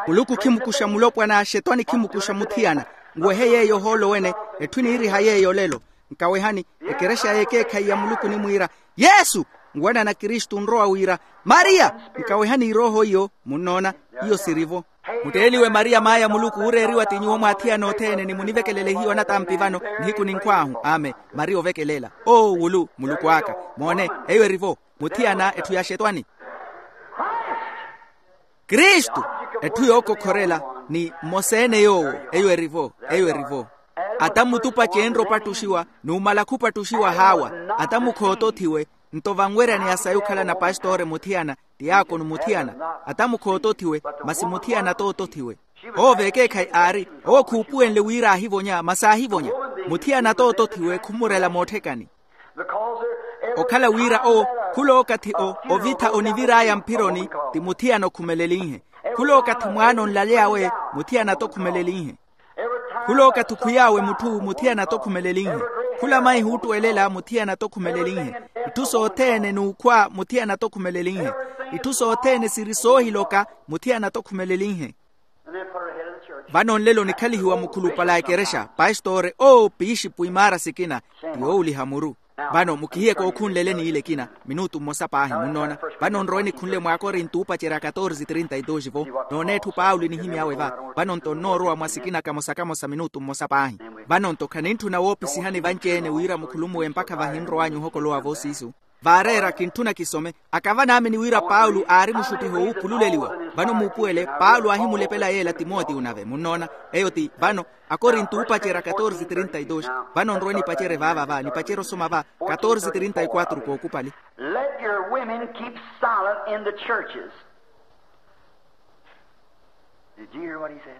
Muluku khimukuxa mulopwana xetwani khimukuxa muthiyana. Nwehe yeeyo ohoolo wene. Etthu eniiriha yeeyo olelo. Nkawehani, ekerexa y'ekeekhayi ya muluku onimwiira, yesu. Nwanana kristu onrowa wira, mariya. Nkawehani irooho iyo. Munnoona? Iyo siri-vo. Mutteeliwe mariya maaya muluku ooreeriwa ti nyuwo mw'athiyana othene ni munivekelele hiyo anatampi vano. Nihiku ninkhw'ahu ame. Mariya ovekelela. Oo wulu muluku aka. Moone, eyo eri-vo. Muthiyana etthu ya xetwani. Kristu. Etthu yookokhorela. Ni mmosa-ene yoowo. Eyo eri-vo. Eyo eri-vo. Ata mutupa ceenre opattuxiwa numala khupattuxiwa haawa. Ata mukhootothiwe. Nto vanweryaneya sayi okhala na pastori muthiyana, tiyakoni muthiyana, ata mukhootothiwe, masi muthiyana tootothiwe. Owo vekeekhayi aari, owo khuupuwenle wira aahivonya masi aahivonya. Muthiyana tootothiwe khumurela mootthekani. Okhala wira owo, khulookathi o ovitha onivir'aya mphironi, ti muthiyana okhumelen'inhe. Khulookathi mwaana onlaly'awe, muthiyana-tho okhumelen'inhe. Khulookathi okhwiy'awe mutthu, muthiyana-tho okhumelen'inhe. Khula mayi huuttuwelela, muthiyana-tho okhumelen'inhe. Itthu sothene n'ukhwa, muthiyana-tho okhumelen'inhe. Itthu sothene siri soohiloka, muthiyana-tho okhumelen'inhe. Vano nlelo nikhalihiwa mukhulupale a ekerexa, pastori oo pixipu imaara sikina, ti yoowuliha muru. Vano mukihiye kookhunlele n'ile ekina, minutu mmosa paahi munnoona. Vano nrowe nikhunle mwaakorinto oopacerya katorze trinta e dos vo. Nooneetthu paulo enihimy'awe va. Vano nto nnoorowa mwa sikina kamosa kamosa minutu mmosa paahi. Vano nto khanintthuna woopisihani vanci-ene wira mukhulumuwe mpakha vahinrow'anyu ohokolowa voosiisu. Vaareera kintthuna kisome. Akava naamini wira paulo aari muxuttiho wuuphululeliwa. Vano muupuwele paulo aahimulepela yeela timotiyo nave munnoona. Eyo ti vano, akorinto oopacerya katorze trinta e dos. Vano nrowe nipacerye vaava va nipacerye osoma va katorze trinta e quatro kookupali. Let your women keep silent in the churches. Did you hear what he said?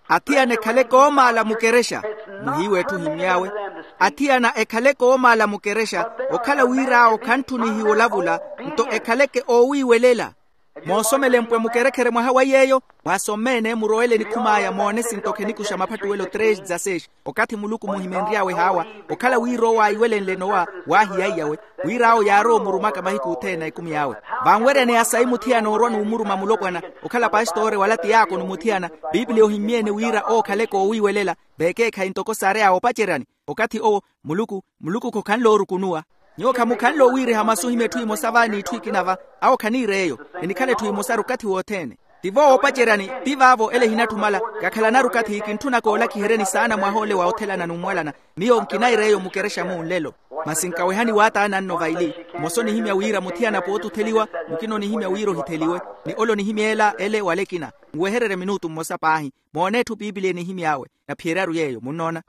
Athiyana ekhale koomaala mukerexa. Muhiiwa etthu ohimmy'awe. Athiyana ekhale koomaala mukerexa, okhala wir'awo khantthunihiwa olavula, nto ekhaleke oowiiwelela. Moosomele mpwe mukerekhere mwaha wa yeeyo. Mwaasomme-ene murowele nikhum'aya moone sinto khenikuxa maphattuwelo tres dzaseis. Okathi muluku muhimenry'awe haawa, okhala wira owo aayiwelenle nowa, waahiyaiyawe, wir'awo yaarowa omurumaka mahiku othene a ekumi awe. Vanweryaneya sayi muthiyana oorwa n'umuruma mulopwana, okhala pastori wala ti yaakoni muthiyana. Piipiliya ohimmye-ene wira owo okhaleke oowiiwelela, vekeekhayi ntoko saary'awe opaceryani. Okathi owo, muluku, muluku khokhanle oorukunuwa. Nyuwo khamukhanle owiiriha masu ohimya etthu emosa va n'itthu ekina va. Awo khaniir'eyo. Enikhala etthu emosaru okathi wothene. Tivo woopaceryani, ti vaavo ele ehinatthumala. Kakhalanaru okathi kintthuna koolakiheryeni saana mwaha ole wa othelana n'umwalana. Miyo nkinair'eyo mukerexa-mu nlelo. Masi nkawehani waataana nno vaili. Mmosa onihimya wira muthiyana pootutheliwa, mukina onihimya wira ohitheliwe. Ni ole onihimya ela ele wala ekina. Nwehererye minutu mmosa paahi. Moone etthu piipiliya enihimy'awe. Naphiyeryaru yeeyo munnoona.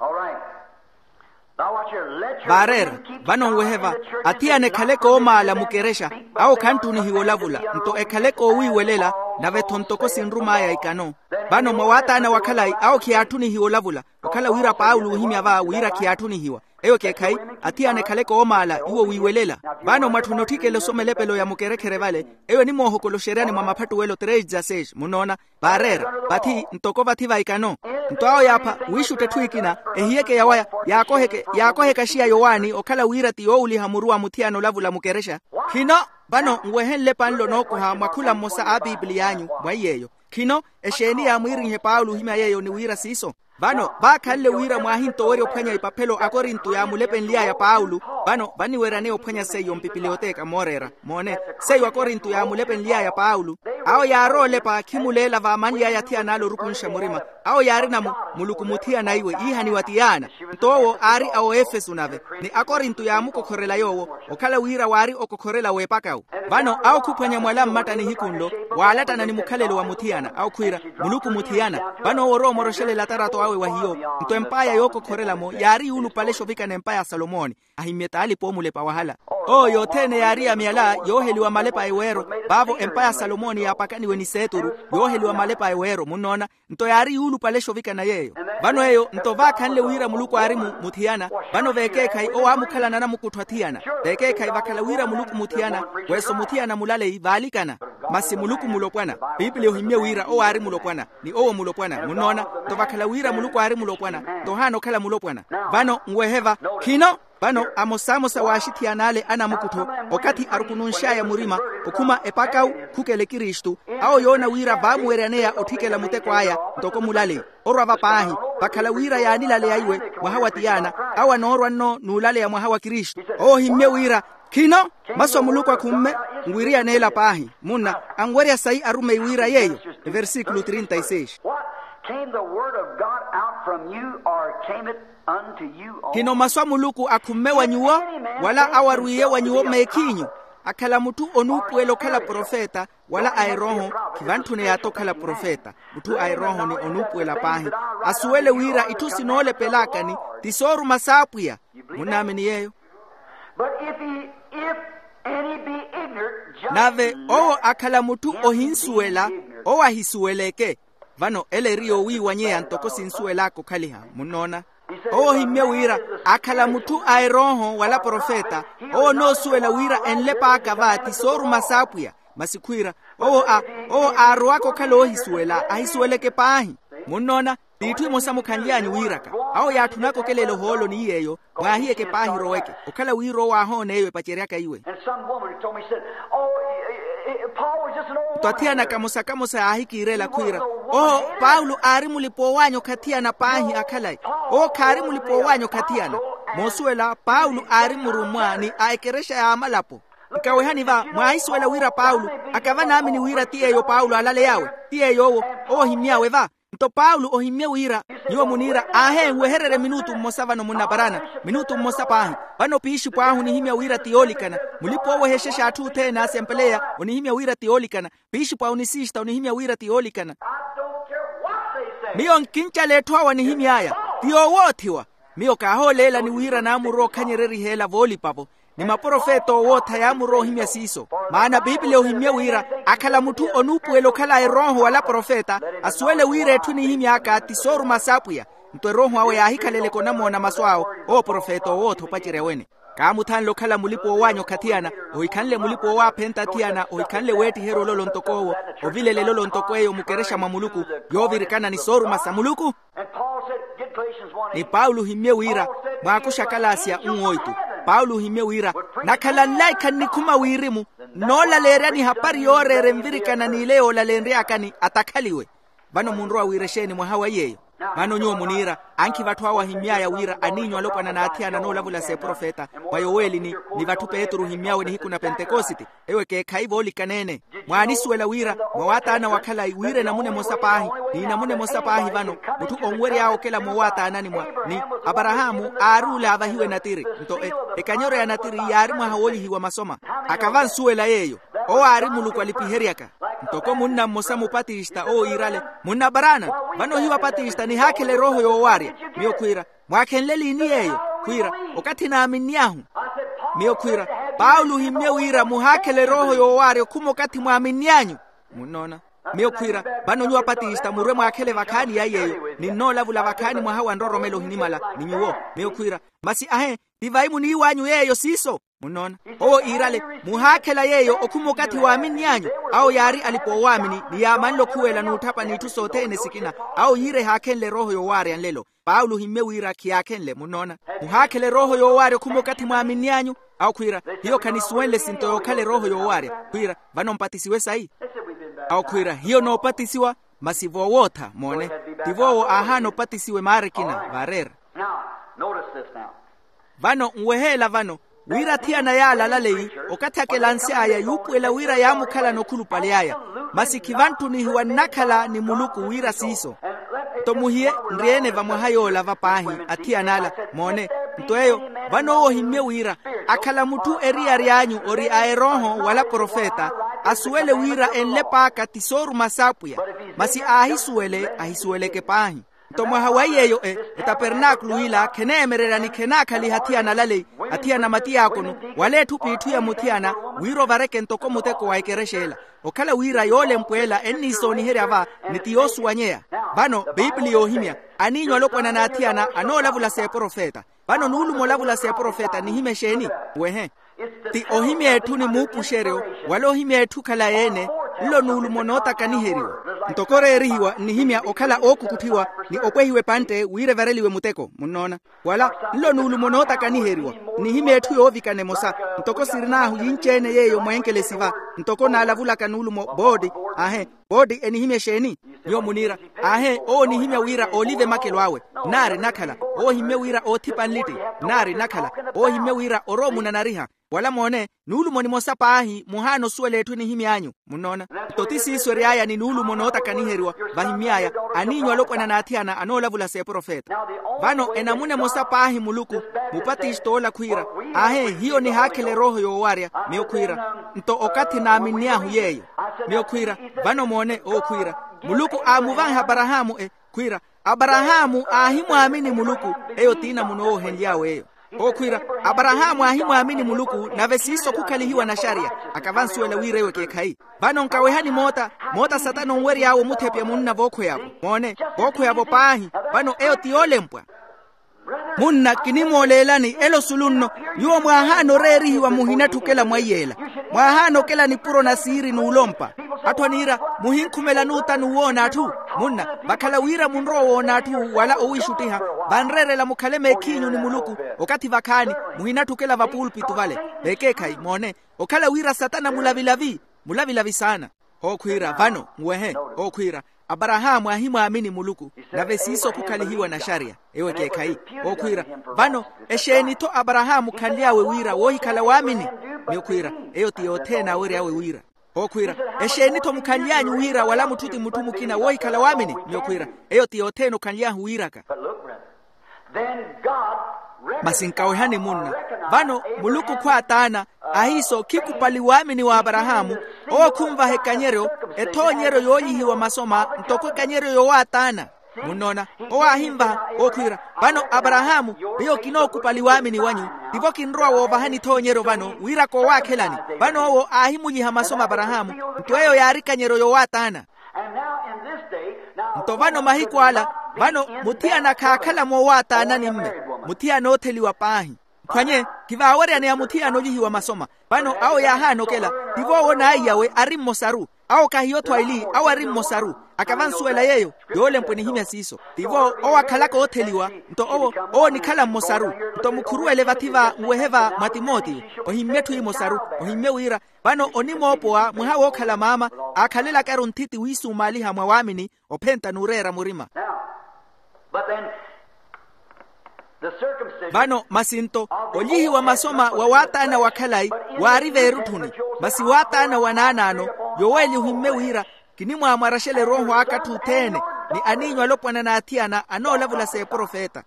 Vaareera. Vano nwehe va. Athiyana ekhale koomaala mukerexa, awo khantthunihiwa olavula, nto ekhale koowiiwelela. Nave-tho ntoko sinrum'aya ikano. Vano mwa waataana wa khalayi awo khiyaatthunihiwa olavula. Okhala wira paulo oohimya va wira khiyaatthunihiwa. Eyo ekeekhayi. Athiyana ekhale koomaala iwo wiiwelela. Vano mwatthuna otthikela osomelepelo ya mukerekhere vale. Eyo enimoohokoloxeryani mwa maphattuwelo tres dzaseis munnoona. Vaareera. Vathi ntoko vathi va ikano. Nto awo yaapha wiixutta etthu ekina, ehiyeke yawaya, yaakoheke yaakoheka xiya yowaani okhala wira ti yoowuliha muru wa muthiyana olavula mukerexa. Khino. Vano nwehenle panlo nookoha mwa khula mmosa a piipiliy'anyu mwa iy'eyo. Khino. Exeeni yaamwiirinhe paulo ohimya yeeyo ni wira siiso? Vano vaakhanle wira mwaahintowerya ophwanya ipaphelo akorinto yaamulepenly'aya paulo. Vano vaniweryaneya ophwanya seiyo mpipiliyoteka mooreera. Moone. Seiyo akorinto yaamulepenly'aya paulo. Awo yaarowa olepa khimuleela vaamanly'aya athiyana ale orukunxa murima. Awo yaarina mu muluku muthiyana iwe iihaniwa ti yaana. Nto owo aari a oefeso nave. Ni akorinto yaamukokhorela yoowo. Okhala wira waari okokhorela w'epakawu. Vano awo khuphwanya mwala mmatta nihiku nlo. Waalattana ni mukhalelo wa muthiyana awo khwiira, muluku muthiyana. Vano owo orowa omoroxelela atarato awe wa hiyo. Nto emp'aya yookokhorela-mo yaari yuulupalexa ovikana empa ya salomoni. Ahimmye t'alipa oomulepa wahala. Owo yothene yaari ya myala yooheliwa malepa a eweero. Vaavo empa ya salomoni yaapakaniwe ni seeturu. Yooheliwa malepa a eweero munnoona. Nto yaari yuulupalexa ovikana yeeyo. Vano eyo nto vaakhanle wira muluku aari mu muthiyana. Vano vekeekhayi owo aamukhalana anamukuttho athiyana. Vekeekhayi vakhala wira muluku muthiyana, weso muthiyana mulaleyi vaalikana. Masi muluku mulopwana. Piipiliya ohimmye wira owo aari mulopwana. Ni owo mulopwana munnoona. Nto vakhala wira muluku aari mulopwana, nto ohaana okhala mulopwana. Vano nwehe va. Khino. Vano amosamosa w'axithiyan'ale anamukuttho, okathi arukununx'aya murima, okhuma epakawu, khukele kristu. Awo yoona wira vaamuweryaneya otthikela muteko aya. Ntoko mulaleyi. Orwa va paahi. Vakhala wira yaanilaleya iwe mwaha wa tiyaana. Awo anoorwa nno n'ulaleya mwaha wa kristu. Owo ohimmye wira, khino. Masu a muluku akhumme. Nwiriyaneela paahi munna. Anwerya sayi arumeyi wira yeeyo. Eversikulo trinta e seis. What? Came the word of God out from you, or came it unto you? Khino masu a muluku akhumme wa nyuwo, wala awarwiye wa nyuwo meekhiinyu? Akhala mutthu onuupuwela okhala profeta, wala a erooho. Khivantthune yaata okhala profeta. Mutthu a erooho ni onuupuwela paahi, asuwele wira itthu sinoolepelakani ti sooruma s'apwiya. Munnaamini yeeyo? But if he, if Nave owo akhala mutthu ohinsuwela, owo ahisuweleke. Vano ela eri yoowiiwanyeya ntoko sinsuwel'aka okhaliha. Munnoona? Owo ohimmye wira akhala mutthu a erooho wala profeta. Owo onoosuwela wira enlep'aka va ti sooruma s'apwiya. Masi khwiira owo a owo aarowaka okhala oohisuwela ahisuweleke paahi. Munnoona? T'itthu imosa mukhanly'anyu wiiraka. Awo yaatthunaka okelela ohoolo ni yeeyo, mwaahiyeke paahi roweke. Okhala wira owo aahoona eyo epaceryaka iwe. Nto athiyana kamosa kamosa yaahikiirela khwiira, owo paulo aari mulipa owaanya okhathiyana paahi akhalayi. Owo khaari mulipa owaanya okhathiyana. Moosuwela paulo aari murummwa ni a ekerexa y'amalapo. Nkawehani va mwaahisuwela wira paulo akava naamini wira ti yeeyo paulo aalaley'awe. Ti yeeyo owo owo ohimmy'awe va. Nto paulo ohimmye wira, nyuwo muniira aahe nwehererye minutu mmosa vano munnaparana. Minutu mmosa paahi. Vano piixipw'ahu onihimya wira ti yoolikana. Mulipa oowehexexa atthu othene asempeleya onihimya wira ti yoolikana. Piixipw'ahu onisiista onihimya wira ti yoolikana. Miyo nkincala etthu awo anihimy'aya ti yoowoothiwa. Miyo kaahooleelani wira naamurwa okhanyereriha ela voolipa-vo. Ni maprofeta oowootha yaamurwa ohimya siiso. Maana biipiliya ohimmye wira akhala mutthu onuupuwela okhala a erooho wala profeta, asuwele wira etthu enihimy'aka ti sooruma s'apwiya. Nto erooho awe yaahikhaleleke onamoona masu awo. Owo profeta oowootha opacerya wene. Kaamuthanle okhala mulipa owaanya okhathiyana. Ohikhanle mulipa owaaphenta athiyana ohikhanle weettiherya ololo ntoko owo. Ovilela elolo ntoko eyo mukerexa mwa muluku. Yoovirikana ni sooruma sa muluku. Ni paulo ohimmye wira, mwaakuxa akalaasiya unwoitu. Paulo ohimmye wira nakhala nlaikha nnikhuma wirimu, nnoolaleeryani hapari yooreera envirikana n'ile yoolalenry'akani atakhaliwe. Vano munrowa wira exeeni mwaha wa iy'eyo? Vano nyuwo muniira ankhiva atthu awo ahimmy'aya wira aniinyu alopwana n'athiyana anoolavula s'eprofeta, mwa yoweeli ni ni vatthu petru ohimmy'awe nihiku na pentekosite. Ewo ekeekhayi voolikana-ene. Mwaanisuwela wira mwa waataana wa khalayi wira enamuna emosa paahi, n'inamuna emosa paahi vano mutthu onwery'awe okela moowaataanani mwa ni aparahaamu aari ole aavahiwe natiri. Nto ekanyeryo ya natiri yaari mwaha woolihiwa masoma. Akavansuwela yeeyo. Owo aari muluku alipiheryaka. Ntoko munna mmosa mupatista owo yiirale, munna aparana, vano ohiwa patista nihaakhela erooho yoowaarya. Miyo khwiira, mwaakhenle liini yeeyo? Khwiira, okathi naaminny'ahu. Miyo khwiira, paulo ohimmye wira muhaakhela erooho yoowaarya okhuma okathi mwaaminny'anyu. Munnoona? Miyo khwiira, vano nyuwo apatista murwe mwaakhele vakhaani ya yeeyo. Ninnoolavula vakhaani mwaha wa nroromelo ohinimala ni nyuwo. Miyo khwiira, masi ahe, ti vayi muniiw'anyu yeeyo siiso? Munnoona? Owo iirale, muhaakhela yeeyo okhuma okathi waaminny'anyu. Awo yaari alipa oowaamini ni yaamanle okhuwela n'utthapa n'itthu sothene sikina. Awo yiira ehaakhenle erooho yoowaarya nlelo. Paulo ohimmye wira khiyaakhenle. Munnoona? Muhaakhela erooho yoowaarya okhuma okathi mwaaminny'anyu. Awo khwiira, hiyo khanisuwenle esinto yookhala erooho yoowaarya. Khwiira, vano mpatisiwe sayi? Awo khwiira, hiyo noopatisiwa. Masi voowootha moone, ti voowo aahaana opatisiwa emaara ekina vaareera. Vano nweheela vano, wira athiyana yaala alaleyi, okathi akelansy'aya yuupuwela wira yaamukhalana okhulupale aya. Masi khivantthunihiwa nnakhala ni muluku wira siiso. Nto muhiye nri-ene vamwaha yoola va paahi, athiyana ala. Moone, nto eyo, vano owo ohimmye wira akhala mutthu eriyari anyu ori a erooho wala profeta, asuwele wira enlep'aka ti sooruma s'apwiya. Masi aahisuwele ahisuweleke paahi. Nto mwaha wa iy'eyo e etapernaakulu ila kheneemererya ni khenaakhaliha athiyana alaleyi, athiyana matiyaakono, wala etthu p'itthu ya muthiyana, wira ovareke ntoko muteko wa ekerexa ela. Okhala wira yoolempwa ela enniisooniherya va, ni ti yoosuwanyeya. Vano biipili yoohimya, aniinyu alopwana n'athiyana anoolavula s'eprofeta. Vano nuulumo olavula s'eprofeta nihimya exeeni? Wehe, ti ohimya etthu ni muupuxeryo, wala ohimya etthu okhalayi-ene. Nlo nuulumo nootakaniheriwa. Ntoko oreerihiwa nnihimya okhala ookukutthiwa, ni opwehiwa epantte wira evareliwe muteko. Munnoona? Wala nlo nuulumo nootakaniheriwa, nnihimya etthu yoovikana emosa. Ntoko sirin'ahu yinci-ene yeeyo mweenkelesi va, ntoko naalavulaka nuulumo boodi. Ahe, boodi enihimya exeeni? Nyuwo muniira, aahe owo onihimya wira oolive makelo awe. Nnaari nnakhala. Owo ohimmye wira oothipa nlitti. Nnaari nnakhala. Owo ohimmye wira orowa omunanariha. Wala moone, nuulumo nimosa paahi muhaana osuwela etthu enihimy'anyu. Munnoona? Nto ti siiso ery'aya ni nuulumo nootakaniheriwa. Vahimmy'aya, aniinyu alopwana n'athiyana anoolavula s'eprofeta. Vano enamuna emosa paahi muluku, mupatist'ola khwiira, aahe hiyo nihaakhela erooho yoowarya. Miyo khwiira, nto okathi naaminny'ahu yeeyo. Miyo khwiira, vano moone owo khwiira, muluku aamuvanha aparahaamu e khwiira, aparahaamu aahimwaamini muluku. Eyo t'inamuno owo ohenly'awe eyo. Okhwiira, aparahaamu aahimwaamini muluku, nave siiso khukhalihiwa naxariya. Akavansuwela wira eyo ekeekhayi. Vano nkawehani moota, moota satana onwery'awe omuthepya munna vookhweyavo. Moone, vookhweyavo paahi. Vano eyo ti yoolempwa. Munna kinimooleelani elo sulu nno. Nyuwo mwaahaana oreerihiwa muhinatthi okela mwaiy'ela. Mwaahaana okela nipuro na siiri n'ulompa. Atthu aniira, muhinkhumela nuuta n'uwoona atthu. Munna, vakhala wira munrowa owoona atthu wala owiixuttiha, vanreerela mukhale meekhiinyu ni muluku. Okathi vakhaani, muhinatthi okela vapuulpitu vale. Vekeekhayi moone, okhala wira satana mulavilavi, mulavilavi saana. Hookhwiira vano nwehe. Hookhwiira, aparahaamu aahimwaamini muluku, nave siiso khukhalihiwa naxariya. Ewo ekeekhayi. Hookhwiira, vano, exeeni-tho aparahaamu khanly'awe wira woohikhala waamini? Miyo khwiira, eyo ti yothene awery'awe wira. Hookhwiira, exeeni-tho mukhanly'anyu wira wala mutthu ti mutthu mukina woohikhala waamini? Miyo khwiira, eyo ti yothene okhanly'ahu wiiraka. Masi nkawehani munna. Vano, muluku khwaataana, ahiiso khikupali waamini wa aparahaamu. Owo khunvaha ekanyeryo, ethoonyeryo yoolyihiwa masoma ntoko ekanyeryo yowaataana. Munnoona, owo aahinvaha. Okhwiira, vano aparahaamu, miyo kinookupali waamini wanyu. Tivo kinrowa woovahani ethoonyeryo vano wira koowaakhelani. Vano owo aahimulyiha masoma aparahaamu, nto eyo yaari ekanyeryo yowaataana. Nto vano mahiku ala, vano muthiyana khaakhala moowaataanani mme, muthiyana ootheliwa paahi. Mphwanye, kivaaweryaneya muthiyana olyihiwa masoma. Vano awo yaahaana okela, tivo owo n'aiyawe ari mmosaru. Awo kahiyo-tho aili, awo ari mmosaru. Akavansuwela yeeyo, yoolempwa enihimya siiso. Tivo owo akhalaka ootheliwa, nto owo, owo onikhala mmosaru. Nto mukhuruwele vathi va nwehe va mwa timotiyo, ohimmye etthu emosaru. Ohimmye wira, vano onimoopowa mwaha wookhala maama, aakhalelaka-ru nthiti wiisumaaliha mwa waamini, ophenta n'ureera murima. Vano masi nto, olyihiwa masoma wa waataana wa khalayi, waari veerutthuni. Masi waataana wa naanaano, yoweli ohimmye wira, kinimwaamwaraxela erooho aka atthu othene, ni aniinyu alopwana n'athiyana anoolavula s'eprofeta.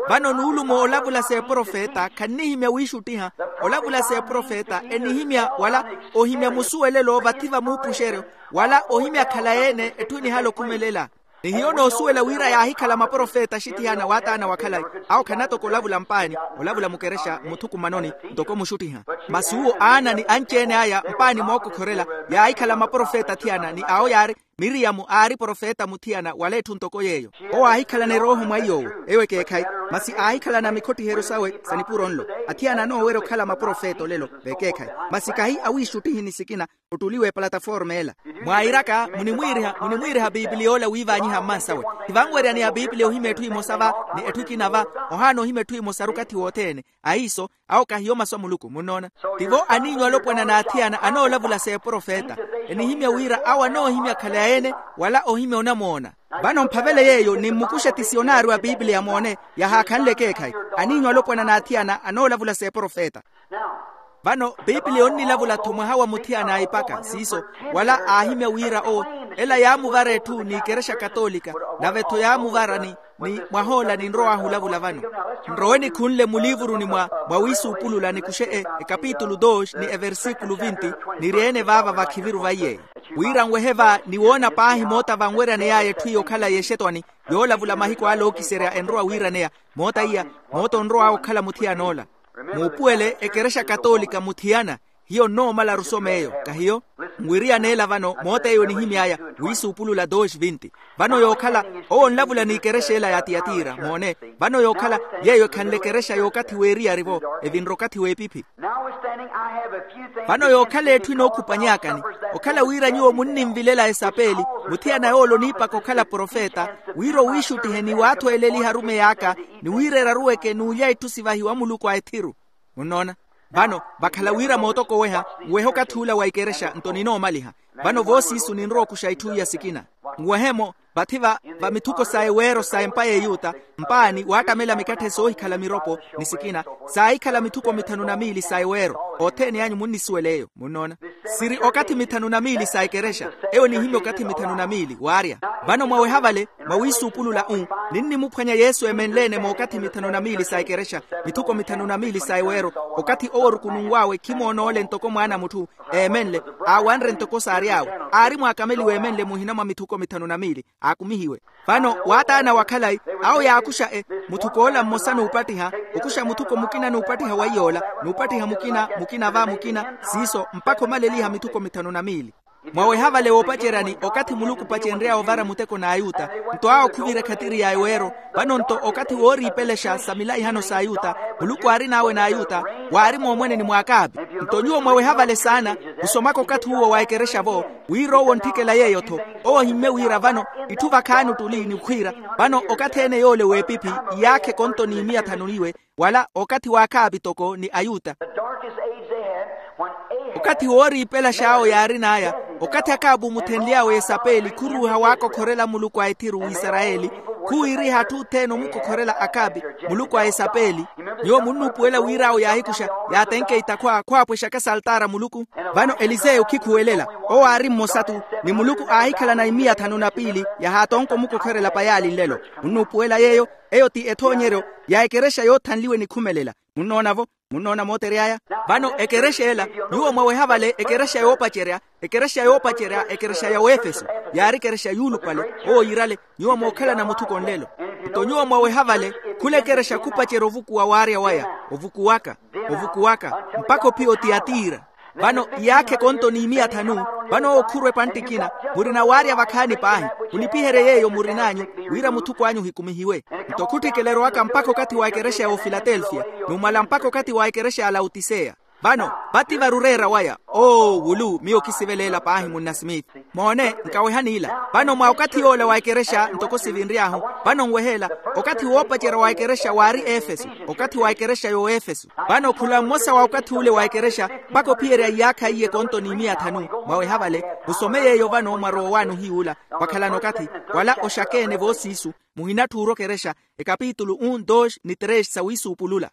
Vano nuulumo olavula s'eprofeta khannihimya wiixuttiha. Olavula s'eprofeta enihimya wala ohimya musuwelelo vathi va muupuxeryo, wala ohimya khalayi-ene etthu enihala okhumelela. Ni hiyo noosuwela wira yaahikhala maprofeta axithiyana waataana wa khalayi. Awo khanatoka olavula mpaani, olavula mukerexa muthukumanoni, ntoko muxuttiha. Masi uwo aana ni anci-ene aya mpaani mookokhorela, yaahikhala maprofeta athiyana ni awo yaari, miriyamu aari profeta muthiyana wala etthu ntoko yeeyo. Owo aahikhalana erooho mwa iy'owo. Eyo ekeekhayi. Masi aahikhalana mikhottiheryo sawe sa nipuro nlo. Athiyana anoowerya okhala maprofeta olelo, vekeekhayi. Masi kahi awiixuttihi ni sikina, ottuliwa epalataforma ela. Mwairaka munimwiiriha munimwiiriha piipiliya ola wiivanyiha mmansawe. Khivanweryaneya piipiliya ohimya etthu emosa va, ni etthu ekina va, ohaana ohimya etthu emosaru okathi wothene. Ahiiso, awo kahiyo masu a muluku munnoona. Tivo aniinyu alopwana n'athiyana anoolavula s'eprofeta. Enihimya wira awo anoohimya khalayi-ene, wala ohimya onamoona. Vano mphavele yeeyo nimmukuxa etisionaario a piipiliya moone, yahaakhanle ekeekhayi. Aniinyu alopwana n'athiyana anoolavula s'eprofeta. Vano piipiliya onnilavula-tho mwaha wa muthiyana aipaka siiso, wala aahimya wira owo, ela yaamuvara etthu n'ikerexa katolika, nave-tho yaamuvara ni, ni mwahoola ninrow'ahu olavula vano. Nrowe nikhunle muliivuruni mwa, mwa wiisuupulula nikuxe e, ekapitulu dos ni eversikulu vinti, niri-ene vaava vakhiviru vaiy'eyo, wira nwehe va ni woona paahi moota vanweryane yaya etthu iyo okhalayi exetwani, yoolavula mahiku ala ookiserya enrowa wiiraneya. Moota iya, moota onrow'awe okhala muthiyan'ola. Muupuwele ekerexa katolika muthiyana. Hiyo nnoomalaru som'eyo kahiyo? Nwiriyaneela vano moota eyo enihimy'aya, wiisuupulula dos vinti. Vano yookhala, owo onlavula n'ikerexa ela ya tiyatira moone. Vano yookhala, yeeyo ekhanle ekerexa y'okathi w'eriyari-vo, evinre okathi w'epiphi. Vano yookhala etthu enookhupanyaakani, okhala wira nyuwo munninvilela esapeeli, muthiyana yoola oniipaka okhala profeta, wira owiixuttihe ni waathweeleliha arumeyi aka, ni wira eraruweke n'ulya itthu sivahiwa muluku a ethiru. Munnoona? Vano, vakhala wira mootokoweha, nwehe okathi ula wa ikerexa nto ninoomaliha. Vano voosiisu ninrowa okuxa itthu iya sikina. Nwehe-mo, vathi va, va mithuko sa eweero sa empa y'eyuta, mpaani waattamela mikatthe soohikhala miropo, ni sikina, saahikhala mithuko mithanu na miili sa eweero. Othene anyu munnisuwela eyo munnoona. Siri okathi mithanu na miili sa ikerexa. Eyo enihimya okathi mithanu na miili waarya. Vano mwaweha vale, mwa wiisuupulula u, Ninnimuphwanya yesu emenle-ene mookathi mithanu na miili sa ekerexa, mithuko mithanu na miili sa eweero. Okathi owo orukununw'awe khimoon'ole ntoko mwaana a mutthu, eemenle, aawanre ntoko saary'awe. Aari mwaakameliwa eemenle muhina mwa mithuko mithanu na miili, aakumihiwe. Vano waataana wa khalayi, awo yaakuxa e, mutthuko ola mmosa n'upattiha, okuxa mutthuko mukina n'upattiha wa iy'ola, n'upattiha mukina, mukina va mukina, siiso mpakha omaleliha mithuko mithanu na miili. Mwaweha vale woopaceryani okathi muluku opacenry'awe ovara muteko n'ayuta, nto awo khuvira ekhatiri ya eweero. Vano nto okathi wooriipelexa sa milaihano s'ayuta, muluku aarin'awe n'ayuta, waari moomweneni mw'akaapi. Nto nyuwo mwaweha vale saana, musomaka okathi uwo wa ekerexa-vo, wira owo ontthikela yeeyo-tho. Owo ohimmye wira vano itthu vakhaani ottuli ni okhwiira, vano okathi-ene yoole w'epiphi, iyaakha ekonto ni miya thanu iwe, wala okathi w'akhaapi toko ni ayuta. Okathi wooriipelax'awo yaarin'aya, okathi akhaapi omuthenly'awe esapeli khuruuha waakokhorela muluku a ethiru w'isarayeli, khuwiiriha atthu othene omukokhorela akhaapi, muluku a esapeli. Nyuwo munnuupuwela wira awo yaahikuxa, yaatenkeita khwa khwaapwexaka saltaara muluku. Vano eliseyo khikhuwelela, owo aari mmosa-tu, ni muluku aahikhalana imiya thanu na piili, yahaatonka omukokhorela payaali nlelo. Munnuupuwela yeeyo. Eyo ti ethoonyeryo ya ekerexa yoothanliwe nikhumelela. Munnoona-vo? Munnoona mootery'aya? Vano ekerexa ela, nyuwo mwaweha vale ekerexa yoopacerya, ekerexa yoopacerya ekerexa ya wefeso, yaari ekerexa yuulupale. Owo yiirale, nyuwo mookhalana muthuko nlelo. Nto nyuwo mwaweha vale, khula ekerexa khupacerya ovukuwa waarya waya, ovukuwaka, ovukuwaka, mpakha ophiya otiyatira. Vano iyaakha ekonto ni miya thanu. Vano owo khurwa epantta ekina, murina waarya vakhaani paahi. Mulipiherye yeeyo murin'anyu, wira muthuko anyu ohikumihiwe. Nto khutthikela erowaka mpakha okathi wa ekerexa ya ofilatelfiya, numala mpakha okathi wa ekerexa ya lautiseya. Vano vati vari oreera waya. Oo wulu miyo kisivelela paahi munna smith. Moone, nkawehani ila. Vano mwa okathi yoola wa ekerexa ntoko sivinry'ahu, vano nweheela, okathi woopacerya wa ekerexa waari efeso, okathi wa ekerexa y'oefeso. Vano khula mmosa wa okathi ule wa ekerexa, mpakha ophiyerya iyaakha iye ekonto ni miya thanu. Mwaweha vale, musome yeeyo vano mwarowa owaani ohiy'ula, wakhalana okathi, wala oxakeene voosiisu, muhinatthuura okerexa, ekapitulu un dos ni tres sa wiisuupulula.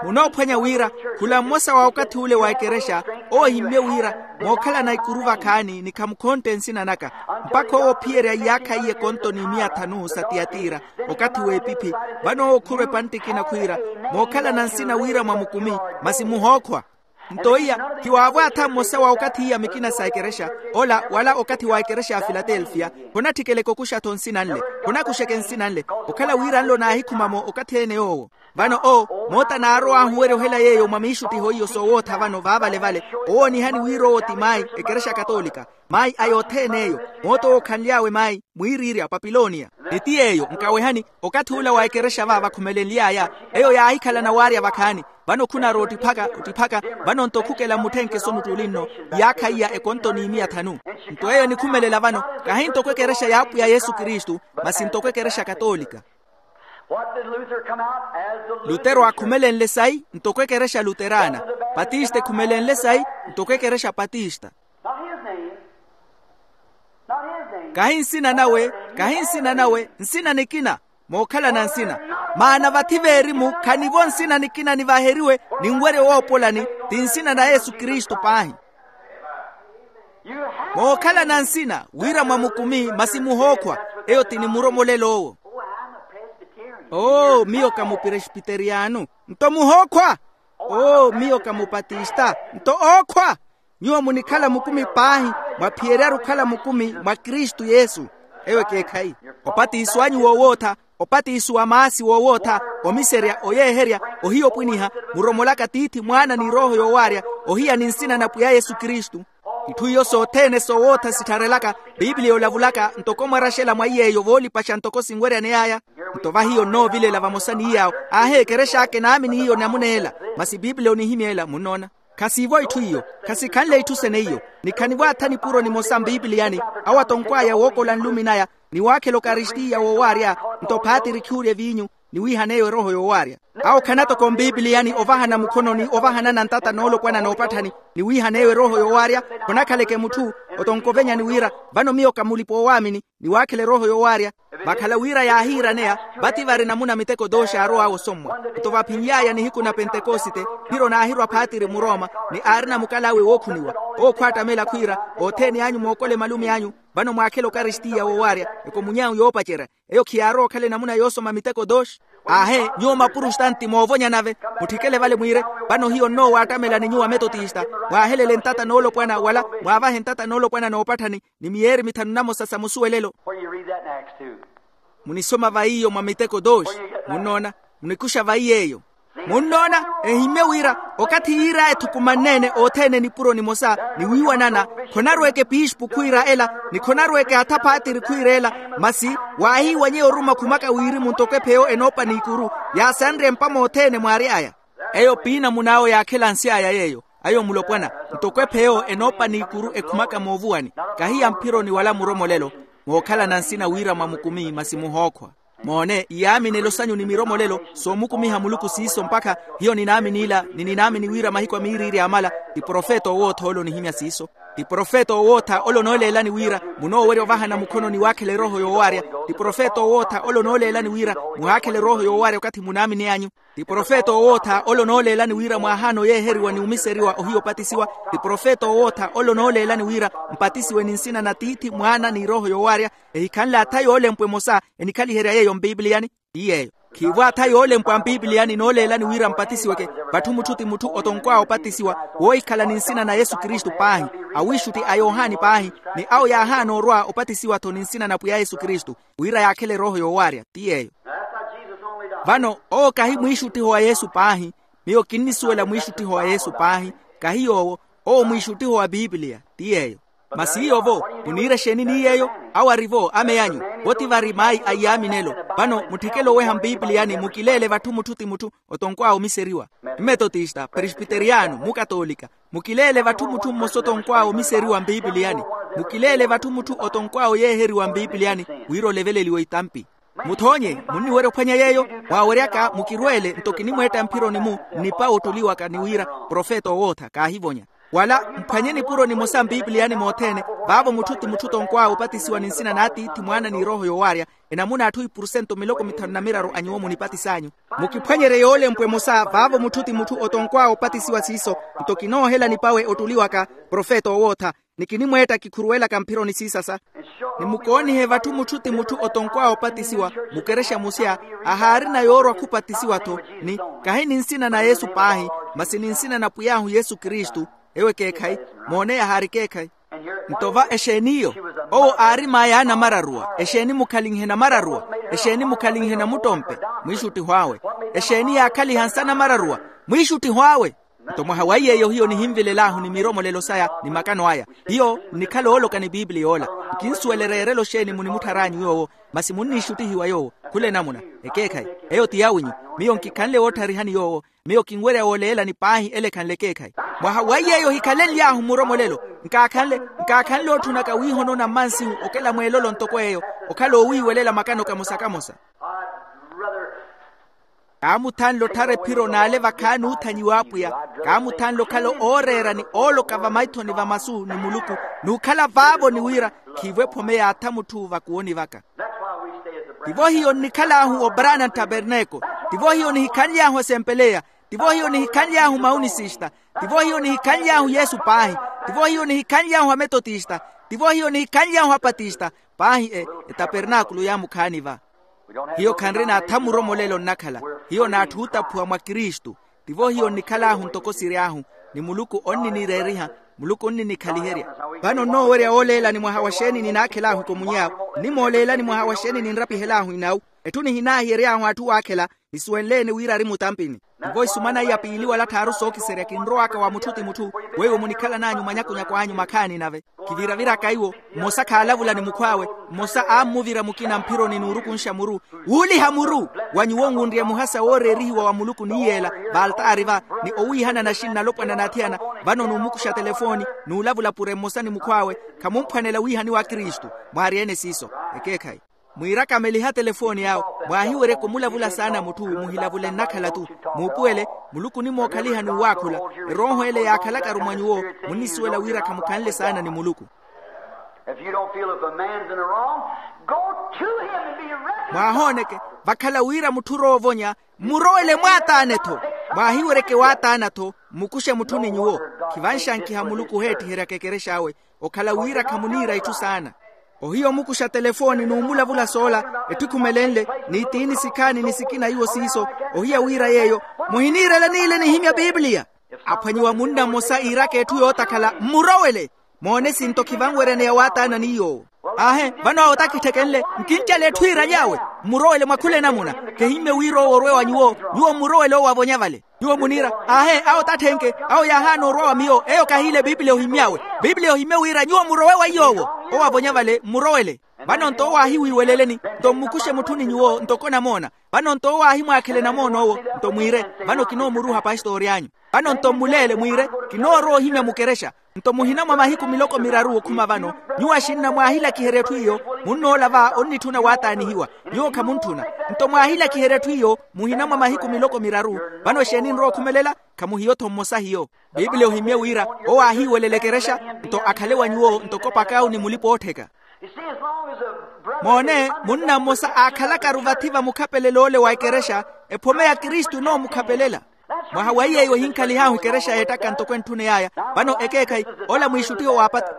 Munoophwanya wira, khula mmosa wa okathi ule wa ekerexa, owo ohimmye wira, mookhalana ikuru vakhaani ni khamukhontte nsina naka, mpakha owo ophiyerya iyaakha iye ekonto ni miya thanu sa tiyatira, okathi w'epiphi. Vano owo khurwa epantta ekina khwiira, mookhalana nsina wira mwa mukumi, masi muhookhwa. Nto iya, khiwaavwaatha mmosa wa okathi iya mikina sa ekerexa, ola wala okathi wa ekerexa ya filatelfiya, khonatthikela ekukuxa-tho nsina nle, khonakuxeke nsina nle, okhala wira nlo naahikhuma-mo okathi-ene yoowo. Vano owo, moota naarow'ahu owerya ohela yeeyo mwa miixuttiho iyo soowootha vano vaavale-vale, owoonihani wira owo ti mayi, ekerexa katolika, mayi a yothene eyo, moota owo okhanly'awe mayi, mwiiriirya papiloniya. Ni ti yeeyo nkawehani, okathi ula wa ekerexa va vakhumelenly'aya, eyo yaahikhalana waarya vakhaani. Vano khunarowa ottiphaka ottiphaka, vano nto khukela mmutthenkeso muttuuli nno, iyaakha iya ekonto ni miya thanu. Nto eyo enikhumelela vano, kahi ntoko ekerexa y'apwiya yesu kristu, masi ntoko ekerexa katolika. Lutero aakhumelenle sayi ntoko ekerexa luteraana, patista ekhumelenle sayi ntoko ekerexa patista. Kahi nsina nawe, kahi nsina nawe, nsina nikina. Mookhalana nsina, maana vathi veerimu khanivo nsina nikina nivaheriwe, ninwerye woopolani, ti nsina na yesu kristu paahi. Mookhalana nsina wira mwa mukumi masi muhookhwa. Eyo ti nimuromolel'owo. Oo miyo ka mupresbiteriyano. Nto muhookhwa. Oo miyo ka mupatista. Nto ookhwa. Nyuwo munikhala mukumi paahi, mwaphiyeryaru okhala mukumi mwa kristu yesu. Eyo ekeekhayi. Opatiso anyu woowootha, opatiso wa maasi woowootha, omiserya, oyeeherya, ohiya opwiniha, muromolaka tiithi mwaana ni erooho yoowaarya, ohiya ni nsina na pwiya yesu kristu. Itthu iyo sothene soowootha sittharelaka, pipiliya olavulaka ntoko mwaraxela mwa iy'eyo voolipaxa ntoko sinweryaney'aya. Nto vahiyo nnoovilela vamosa ni yaawo, aahi ekerex'aka enaamini hiyo namuna ela. Masi pipiliya onihimya ela munnoona. Khasiivo itthu iyo, khasikhanle itthu sene iyo. Nikhanivo atha nipuro nimosa mpipiliyani, awo atonkwaaya wookola nlumi naya, ni waakhela okaristiya woowaarya, nto phaatiri khiurye viinyu, ni wiihan'eyo erooho yoowaarya. Awo khana toko mpipiliyani ovahana mukhononi ovahanana ntata noolopwana noopatthani, ni wiihan'eyo erooho yoowaarya. Khonakhaleke mutthu, otonkovenyani wira, vano miyo ka mulipa-oowaamini, ni waakhela erooho yoowaarya. Vakhala wira yaahiiraneya, vati vari namuna miteko dooxi aarow'awe osommwa. Nto vaphinly'aya nihiku na pentekosite, phiro naahirwa phaatiri muroma, ni aarina mukal'awe wookhuniwa. Owo khwaattamela khwiira, othene anyu mookole malume anyu, Vano mwaakhela okaristiya woowaarya ekomuny'ahu yoopacerya. Eyo khiyaarowa okhala enamuna yoosoma miteko dooxi. Aahe, nyuwo mapurustanti moovonya nave, mutthikele vale mwiire, vano hiyo nnoowa attamela ni nyuwo ametotista. Mwaahelele ntata noolopwana wala mwaavahe ntata noolopwana noopatthani, ni miyeeri mithanu namosa sa musuwelelo. Munisoma va iyo mwa miteko dooxi. Munnoona? Munikuxa va iy'eyo. Munnoona? Ehimmye wira okathi yiir'aya ethukumanneene othene nipuro nimosa, ni wiiwanana, khonarweke piispu khwiira ela, ni khonarweke atha phaatiri khwiira ela. Masi waahiiwanyeya oruma khumaka wirimu ntoko epheyo enoopa n'ikuru, yaasanrye mpa mothene mwaary'aya. Eyo piinamun'awe yaakhela nsi aya yeeyo. Ayo mulopwana, ntoko epheyo enoopa n'ikuru ekhumaka moovuwani, kahi ya mphironi wala muromolelo, mookhalana nsina wira mwa mukumi masi muhookhwa. Moone iyaaminelo sanyu ni miromolelo, soomukumiha muluku siiso mpakha. Hiyo ninaamin'ila ni ninaamini wira mahiku a miiriiri yaamala. Ti profeta owootha ole onihimya siiso. Ti profeta owootha ole onooleelani wira munoowerya ovahana mukhono ni waakhela erooho yoowaarya. Ti profeta owootha ole onooleelani wira muhaakhela erooho yoowaarya okathi munaamini anyu. Ti profeta owootha ole onooleelani wira mwaahaana oyeeheriwa ni omiseriwa ohiya opatisiwa. Ti profeta owootha ole onooleelani wira mpatisiwe ni nsina na tiithi mwaana ni erooho yoowaarya. Ehikhanle atha yoolempwa emosa enikhaliherya yeeyo mpipiliyani. Ti yeeyo. Khiivo atha yoolempwa mpipiliyani nooleelani wira mpatisiweke. Vatthu mutthu ti mutthu otonkwawe opatisiwa woohikhala ni nsina na yesu kristu paahi, awiixutti a yohani paahi, ni awo yaahaana orwa opatisiwa-tho ni nsina na pwiya yesu kristu, wira yaakhele erooho yoowaarya. Ti yeeyo. Vano owo kahi mwiixuttiho wa yesu paahi. Miyo kinnisuwela mwiixuttiho wa yesu paahi. Kahi yoowo. Owo mwiixuttiho wa pipiliya. Ti yeeyo. Masi iyo-vo muniira exeeni ni yeeyo? Awo ari-vo ame anyu. Vo ti vari mayi a iyaaminelo. Vano mutthikele oweha mpipiliyani mukileele vatthu mutthu ti mutthu otonkwawe omiseriwa. Mmetotista presbiteriyano mukatoolika. Mukileele vatthu mutthu mmosa otonkwawe omiseriwa mpipiliyani. Mukileele vatthu mutthu otonkwawe oyeeheriwa mpipiliyani, wira oleveleliwe itampi. Muthoonye munniwerya ophwanya yeeyo. Mwaaweryaka mukirweele nto kinimweetta mphironi-mu nnipa woottoliwaka ni wira profeta owootha kaahivonya. Wala mphwanye nipuro nimosa mpipiliyani mothene. Vaavo mutthu ti mutthu otonkwawe opatisiwa ni nsina n'atiithi mwaana ni erooho yoowaarya. Enamuna atthu ipurusento miloko mithanu na miraru a nyuwo munipatis'anyu. Mukiphwanyerye yoolempwa emosa vaavo mutthu ti mutthu otonkwawe opatisiwa siiso. Nto kinoohela nipawe ottoliwaka profeta owootha. Ni kinimweetta kikhuruwelaka mphironi siisasa. Ni mukoonihe vatthu mutthu ti mutthu otonkwawe opatisiwa mukerexa musya, ahaarina yoorwa khupatisiwa-tho. Ni kahi ni nsina na yesu paahi, masi ni nsina na pwiy'ahu yesu kristu. Ewo ekeekhayi. Moone yahaari ekeekhayi. Nto va exeeni iyo? Owo aari mayi a namararuwa. Exeeni mukhalinhe namararuwa? Exeeni mukhalinhe namuttompe? Mwiixuttiho awe. Exeeni yaakhaliha nsa namararuwa? Mwiixuttiho awe. Nto mwaha wa iy'eyo hiyo nihinvilel'ahu ni miromolelo saya ni makano aya. Hiyo nnikhala ooloka ni pipiliya ola. Nkinsuwela ereerelo xeeni munimutthar'anyu yoowo, masi munniixuttihiwa yoowo. Khula enamuna. Ekeekhayi. Eyo ti yawinyu. Miyo nkikhanle woottharihani yoowo. Miyo kinwerya wooleelani paahi ele ekhanle ekeekhayi. Mwaha wa iy'eyo hikhalenly'ahu muromolelo. Nkaakhanle nkaakhanle otthunaka wiihonona mmansihu okela mweelolo ntoko eyo. Okhala oowiiwelela makano kamosa kamosa. Kaamuthanle otthara ephiro n'ale vakhaani oothanyiwa apwiya. Kaamuthanle okhala ooreera ni ooloka vamaithoni va masu ni muluku, n'ukhala vaavo ni wira khiivo ephome yaatha mutthu vakuwoni vaka. Tivo hiyo nnikhal'ahu obrana nttaperneeko. Tivo hiyo nihikhanly'ahu asempeleya. Tivo hiyo nihikhanly'ahu maunisista. Tivo hiyo nihikhanly'ahu yesu paahi. Tivo hiyo nihikhanly'ahu ametotista. Tivo hiyo nihikhanly'ahu apatista. Paahi e etapernaakulu yaamukhaani va. Hiyo khanrina atha muromolelo nnakhala. Hiyo n'atthu ootaphuwa mwa kristu. Tivo hiyo nnikhal'ahu ntoko siry'ahu. Ni muluku onninireeriha. Muluku onninikhaliherya. Vano nnoowerya wooleelani mwaha wa xeeni ninaakhel'ahu ekomuny'awe. Nnimooleelani mwaha wa xeeni ninrapihel'ahu inawu. Etthu nihinaahiyery'ahu atthu waakhela. Nisuwenle-ene wira ari mutampini. Tivo isumana iya piili wala tthaaru sookiserya kinrowaka wa mutthu ti mutthu. Weiwo munikhalan'anyu mwanyakunyaku anyu makhaani nave. Kiviraviraka iwo. Mmosa khaalavula ni mukhw'awe. Mmosa aammuvira mukina mphironi n'urukunxa muru. Wuuliha muru. Wa nyuwo ngunrye muhasa wooreerihiwa wa muluku ni yeela vaaltaari va, ni owiihana naxini nalopwana n'athiyana. Vano n'umukuxa telefooni, n'ulavula pure mmosa ni mukhw'awe. Khamumphwanela wiihaniwa akristu. Mwaarya-ene siiso. Ekeekhayi. Mwiirakameliha telefooni awe. Mwaahiweryeke omulavula saana mutthu muhilavule nnakhala-tu. Muupuwele. Muluku onimookhaliha n'uwaakhula. Erooho ele yaakhalakaru mwa nyuwo. Munnisuwela wira khamukhanle saana ni muluku. If you don't feel if a man's in the wrong, go to him and be reconciled. Mwaahooneke. Vakhala wira mutthu oroovonya, mmurowele mwaataane-tho. Mwaahiweryeke waataana-tho. Mmukuxe mutthu ni nyuwo. Khivanxankiha muluku oheettiheryaka ekerexa awe. Okhala wira khamuniira itthu saana. Ohiya omukuxa telefooni n'umulavula soola, etthu ekhumelenle, ni tiini sikhaani ni sikina iwo siiso. Ohiya wira yeeyo muhiniirela niile nihimya piipiliya. Aphwanyiwa munna mmosa iiraka etthu yootakhala mmurowele. Moone sinto khivanweryaneya waataana ni yoowo. Aahe, vano awo takitthekenle. Nkincale etthu iiraly'awe. Mmurowele mwa khula enamuna. Kehimmye wira owo orwe wa nyuwo. Nyuwo mmurowele owo avonya vale. Nyuwo muniira, aahe, awo tatthenke. Awo yaahaana orwa wa miyo, eyo kahiile piipiliya ohimy'awe. Piipiliya ohimye wira nyuwo murowe wa iy'owo. Owo avonya vale mmurowele. Vano nto owo aahiwiiweleleni. Nto mmukuxe mutthu ni nyuwo ntoko namoona. Vano nto owo aahimwaakhele namoon'owo. Nto mwiire, vano kinoomuruuha pastori anyu. Vano nto mmuleele mwiire, kinoorowa ohimya mukerexa. Nto muhina mwa mahiku miloko miraru okhuma vano, nyuwo axinna mwaahilakiherya etthu iyo. Munnoola va onnitthuna waataanihiwa. Nyuwo khamuntthuna. Nto mwaahilakiherya etthu iyo muhina mwa mahiku miloko miraru. Vano exeeni nrowa okhumelela? Khamuhiyo-tho mmosa hiyo. Piipiliya ohimmye wira owo aahiiwelela ekerexa, nto akhale wa nyuwo ntoko pakawu ni mulipa-oottheka. Moone, munna mmosa aakhalakaru vathi va mukhapelela ole wa ekerexa, ephome ya kristu enoomukhapelela. Mwaha wa iy'eyo ohinkhalihahu ekerexa yeettaka ntoko entthune yaya. Vano ekeekhayi, ola mwiixuttiho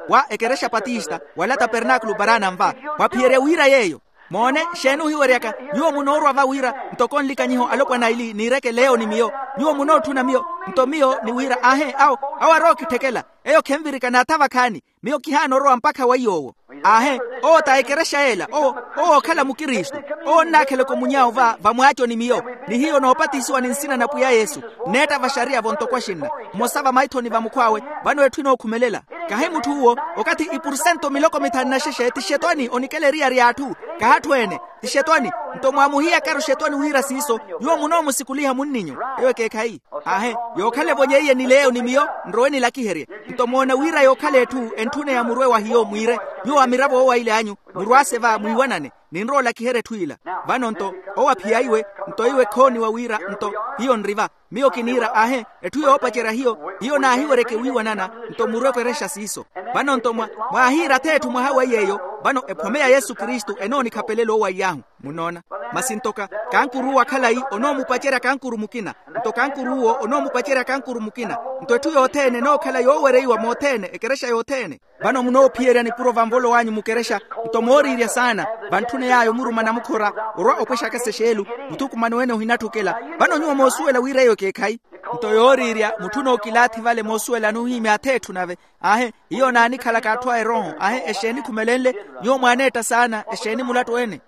wa ekerexa patista wala tapernaakulu paraana nva. Mwaphiyerya wira yeeyo. Moone, xeeni ohiweryaka? Nyuwo munoorwa va wira ntoko nlikanyiho alopwana aili niireke leyo ni miyo. Nyuwo munootthuna miyo. Nto miyo ni wira aahe awo, awo arowa okitthekela. Eyo khenvirika naatha vakhaani. Miyo kihaana orowa mpakha wa iy'owo. Aahe, owo ta ekerexa yeela owo, owo okhala mukristu. Owo onnaakhela ekomunyawo va vamwaaconi miyo, ni hiyo noopatisiwa ni nsina na pwiya yesu. Nneetta vaxariya-vo ntoko axinna, mmosa vamaithoni va mukhw'awe. Vano etthu enookhumelela. Kahi mutthu uwo, okathi ipursento miloko mithanu na xexe ti xetwani onikela eriyari y'atthu. Kahatthu-ene, ti xetwani. Nto mwaamuhiyakaru xetwani wira siiso, nyuwo munoomusikuliha munninyu. Eyo ekeekhayi. Aahe, yookhala evonyeiye ni leyo ni miyo, nrowe nilakiherye. Nto moona wira yookhala etthu entthuneya murwe wa hiyo mwiire, nyuwo amiravo owo aile anyu, murwaase va mwiiwanane. Ninrowa olakiherya etthu ila. Vano nto, owo aphiyaiwe. Nto iwe khooniwa wira nto, hiyo nri va. Miyo kiniira aahe, etthu yoopacerya hiyo, hiyo naahiweryeke wiiwanana. Nto murwe okerexa siiso. Vano nto mwa, mwaahiira ath'etthu mwaha wa iy'eyo. Vano ephome ya yesu kristu enoonikhapelel'owo wa iy'ahu. Munoona? Masi nto ka, kankuruuwa khalayi onoomupacerya kankuru mukina. Nto kankuruuwo onoomupacerya kankuru mukina. Nto etthu yothene enookhala yoowereiwa mothene ekerexa yothene. Vano munoophiyerya nipuro va nvolo w'anyu mukerexa. Nto mooriirya saana, vantthune yaya omuruma namukhora, orwa opwexaka sexeelu, muthukumano ene ohinatthukela. Vano nyuwo moosuwela wira eyo ekeekhayi. Nto yooriirya mutthu nookilaathi vale moosuwelani ohiimya ath'etthu nave. Aahe, hiyo naanikhalaka atthu a erooho aahe exeeni khumelenle? Nyuwo mwaaneetta saana exeeni mulattu ene?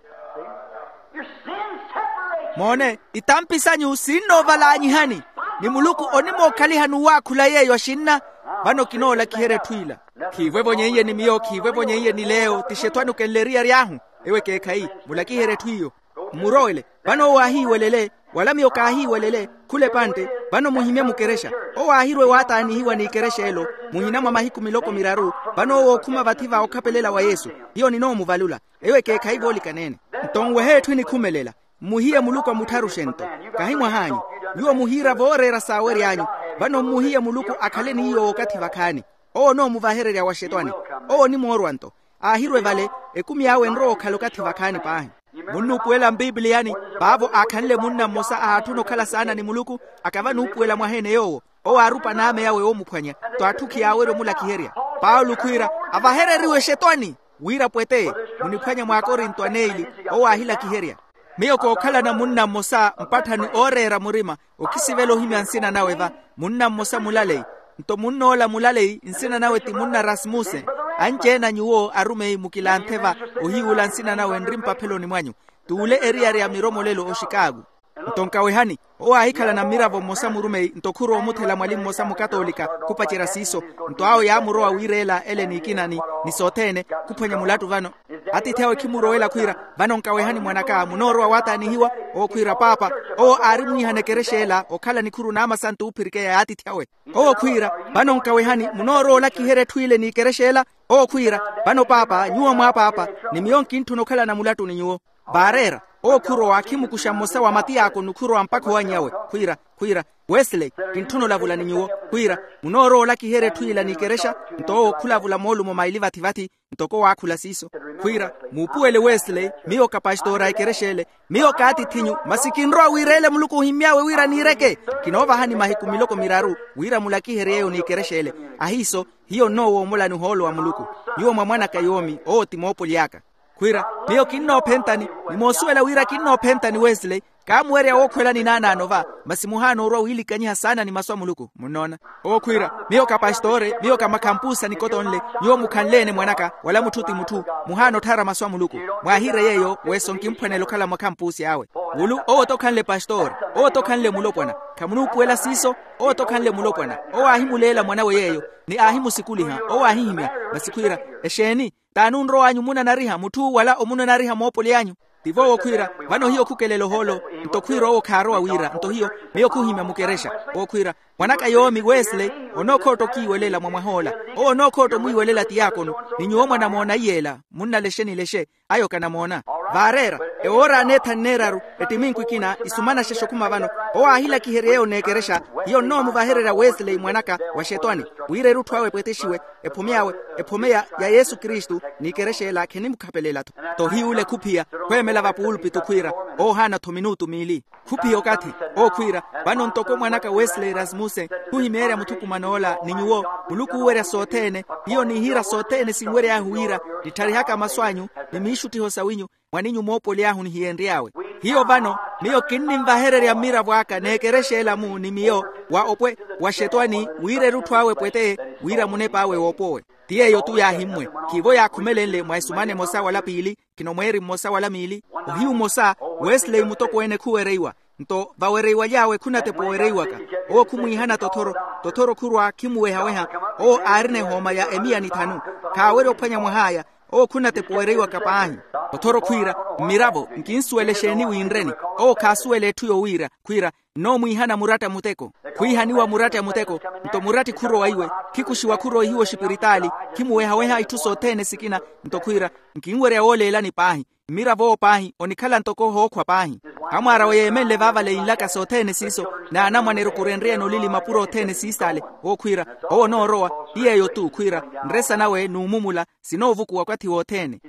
Moone, itampi sanyu sinnoovalaanyihani, ni muluku onimookhalihani owaakhula yeeyo axinna. Vano kinoolakiherya etthu ila. Khiivo evonyeiye ni miyo khiivo evonyeiye ni leyo ti xetwani okenle eriyari ahu. Ewo ekeekhayi, mulakiherye etthu iyo. Mmurowele. Vano owo aahiiwelele, wala miyo kaahiiwelele. Khula epantte. Vano muhimye mukerexa. Owo aahirwe waataanihiwa n'ikerexa elo, muhina mwa mahiku miloko miraru. Vano owo ookhuma vathi va okhapelela wa yesu. Hiyo ninoomuvalula. Ewo ekeekhayi voolikaneene. Nto nwehe etthu enikhumelela. Mmuhiye muluku amuttharuxe nto. Kahi mwah'anyu. Nyuwo muhiira vooreera saawery'anyu. Vano mmuhiye muluku akhale ni iyo wookathi vakhaani. Owo onoomuvahererya wa xetwani. Owo onimoorwa nto. Aahirwe vale. Ekumi awe enrowa okhala okathi vakhaani paahi. Munnuupuwela mpipiliyani. Paavo aakhanle munna mmosa ahaatthuna okhala saana ni muluku. Akava nuupuwela mwaha-ene yoowo. Owo aarupa n'ame awe oomuphwanya. Nto atthu khiyaawerya omulakiherya. Paulo khwiira, avahereriwe xetwani. Wira pwete. Muniphwanya mw'akorinto aneili. Owo aahilakiherya. Miyo kookhalana munna mmosa mpatthani ooreera murima. Okisivela ohimya nsina nawe va. Munna mmosa mulaleyi. Nto munn'ola mulaleyi nsina nawe ti munna rasmuse. Anci-ene a nyuwo arumeyi mukilanthe va. Ohiiwula nsina nawe nri mpapheloni mwanyu. T'ule eriyari ya miromolelo oxikaaku. Nto nkawehani. Owo aahikhalana mmiravo mmosa murumeyi nto khurowa omuthela mwali mmosa mukatolika khupacerya siiso. Nto awo yaamurowa wiireela ele n'ikina ni sothene. Khuphwanya mulattu vano. Atiithi awe khimurowela khwiira, vano nkawehani mwan'aka munoorowa waataanihiwa. Owo khwiira paapa. Owo aari mwiihana ekerexa ela okhala nikhuru n'amasantu oophirikeya y'atiithi awe. Owo khwiira, vano nkawehani munoorowa olakiherya etthu ile n'ikerexa ela. Owo khwiira, vano paapa nyuwo mwaapaapa. Ni miyo nkintthuna okhalana mulattu ni nyuwo. Vaareera, owo khurowa akhimukuxa mmosa wa matiyaakono khurowa mpakha owanyawe. Khwiira, khwiira, wesley, kintthuna olavula ni nyuwo. Khwiira, munoorowa olakiherya etthu yila n'ikerexa? Nto owo khulavula moolumo maili vathi-vathi. Ntoko waakhula siiso. Khwiira, muupuwele wesley, miyo kapastora a ekerexa ele. Miyo kaatith'inyu, masi kinrowa wiireele muluku ohimmy'awe wira niireke. Kinoovahani mahiku miloko miraru wira mulakiherye yeeyo n'ikerexa ele. Ahiiso, hiyo nnoowoomolani ohoolo wa muluku. Nyuwo mwa mwanaka yoomi owo ti moopoly'aka. Khwiira, miyo kinnoophentani, ni moosuwela wira kinnoophentani wesley. Kaamuwerya wookhwelani naanaano va, masi muhaana orwa wiilikanyiha saana ni masu a muluku munnoona. Owo khwiira, miyo kapastore, miyo kamakhampuusa nikotonle. Nyuwo mukhanle-ene mwanaka wala mutthu ti mutthu, muhaana otthara masu a muluku. Mwaahiire yeeyo weso nkimphwanela okhala mwa khampuusi awe. Wulu owo t'okhanle pastore, owo t'okhanle mulopwana. Khamunuupuwela siiso. Owo t'okhanle mulopwana, owo aahimuleela mwanawe yeeyo, ni aahimusikuliha owo aahihimya. Masi khwiira, exeeni? T'ani onrow'anyu munanariha mutthu wala omunanariha moopoly'anyu? Tivo owo khwiira, vano hiyo khukelela ohoolo. Nto khwiira owo khaarowa wira nto hiyo, miyo khuhimya mukerexa. Owo khwiira, mwanaka yoomi wesley, onookhootta okiiwelela mwa mwah'ola. Owo onookhootta omwiiwelela tiyaakono. Ni nyuwo mwanamoona iy'ela munnalexe nilexe. Ayo kanamoona. Vaareera, ewoora aneethani neeraru, ettiminku ekina isumanaxexa okhuma vano. Owo aahilakiherya yeeyo n'ekerexa. Hiyo nnoomuvahererya wesley mwanaka wa xetwani, wira erutthu awe epwetexiwe, ephome awe, ephome ya yesu kristu. N'ikerexa ela khenimukhapelela-tho. Tohiy'ule khuphiya, khweemela vapuulpitu khwiira, oohaana-tho minutu miili. Khuphiya okathi, ookhwiira, vano ntoko mwanaka wesley rasmussen, khuhimeerya muthukuman'ola ni nyuwo, muluku uuwerya sothene. Hiyo nihiira sothene sinwery'ahu wira, nittharihaka masu anyu, ni miixuttiho sawinyu, mwaninyu moopoly'ahu nihiyenry'awe. Hiyo vano, miyo kinnimvahererya mmiravo aka n'ekerexa ela-mu ni miyo, wa opwe, wa xetwani wira erutthu awe epwete, wira munep'awe woopowe. Ti yeeyo-tu yaahimmwe. Khiivo yaakhumelenle mwa esumana emosa wala piili, khino mweeri mmosa wala miili. Ohiyu mmosa, wesley mutokweene khuwereiwa. Nto vawereiwaly'awe khunatepa owereiwaka. Owo khumwiihana tothoro, tothoro khurwa khimuweha-weha. Owo aarina ehooma ya emiya ni thanu. Khaawerya ophwanya mwah'aya. Owo khunatepa owereiwaka paahi. Tothoro khwiira, mmiravo nkinsuwela exeeni winreni? Owo khaasuwela etthu yowiira. Khwiira, nnoomwiihana muratta muteko. Khwiihaniwa muratta muteko. Nto muratti khurowa iwe, khikuxiwa khurowa ihiwa oxipiritaali. Khimuweha-weha itthu sothene sikina. Nto khwiira, nkinwerya wooleelani paahi. Mmirav'owo paahi onikhala ntoko ohookhwa paahi. Amwaar'awe yeemenle vaavale yinlaka sothene siiso, n'anamwane erukurenryene olili mapuro othene siisaale. Owo khwiira, owo onoorowa. Ti yeeyo-tu khwiira, nresa nawe n'umumula, sinoovukuwa okwathi wothene.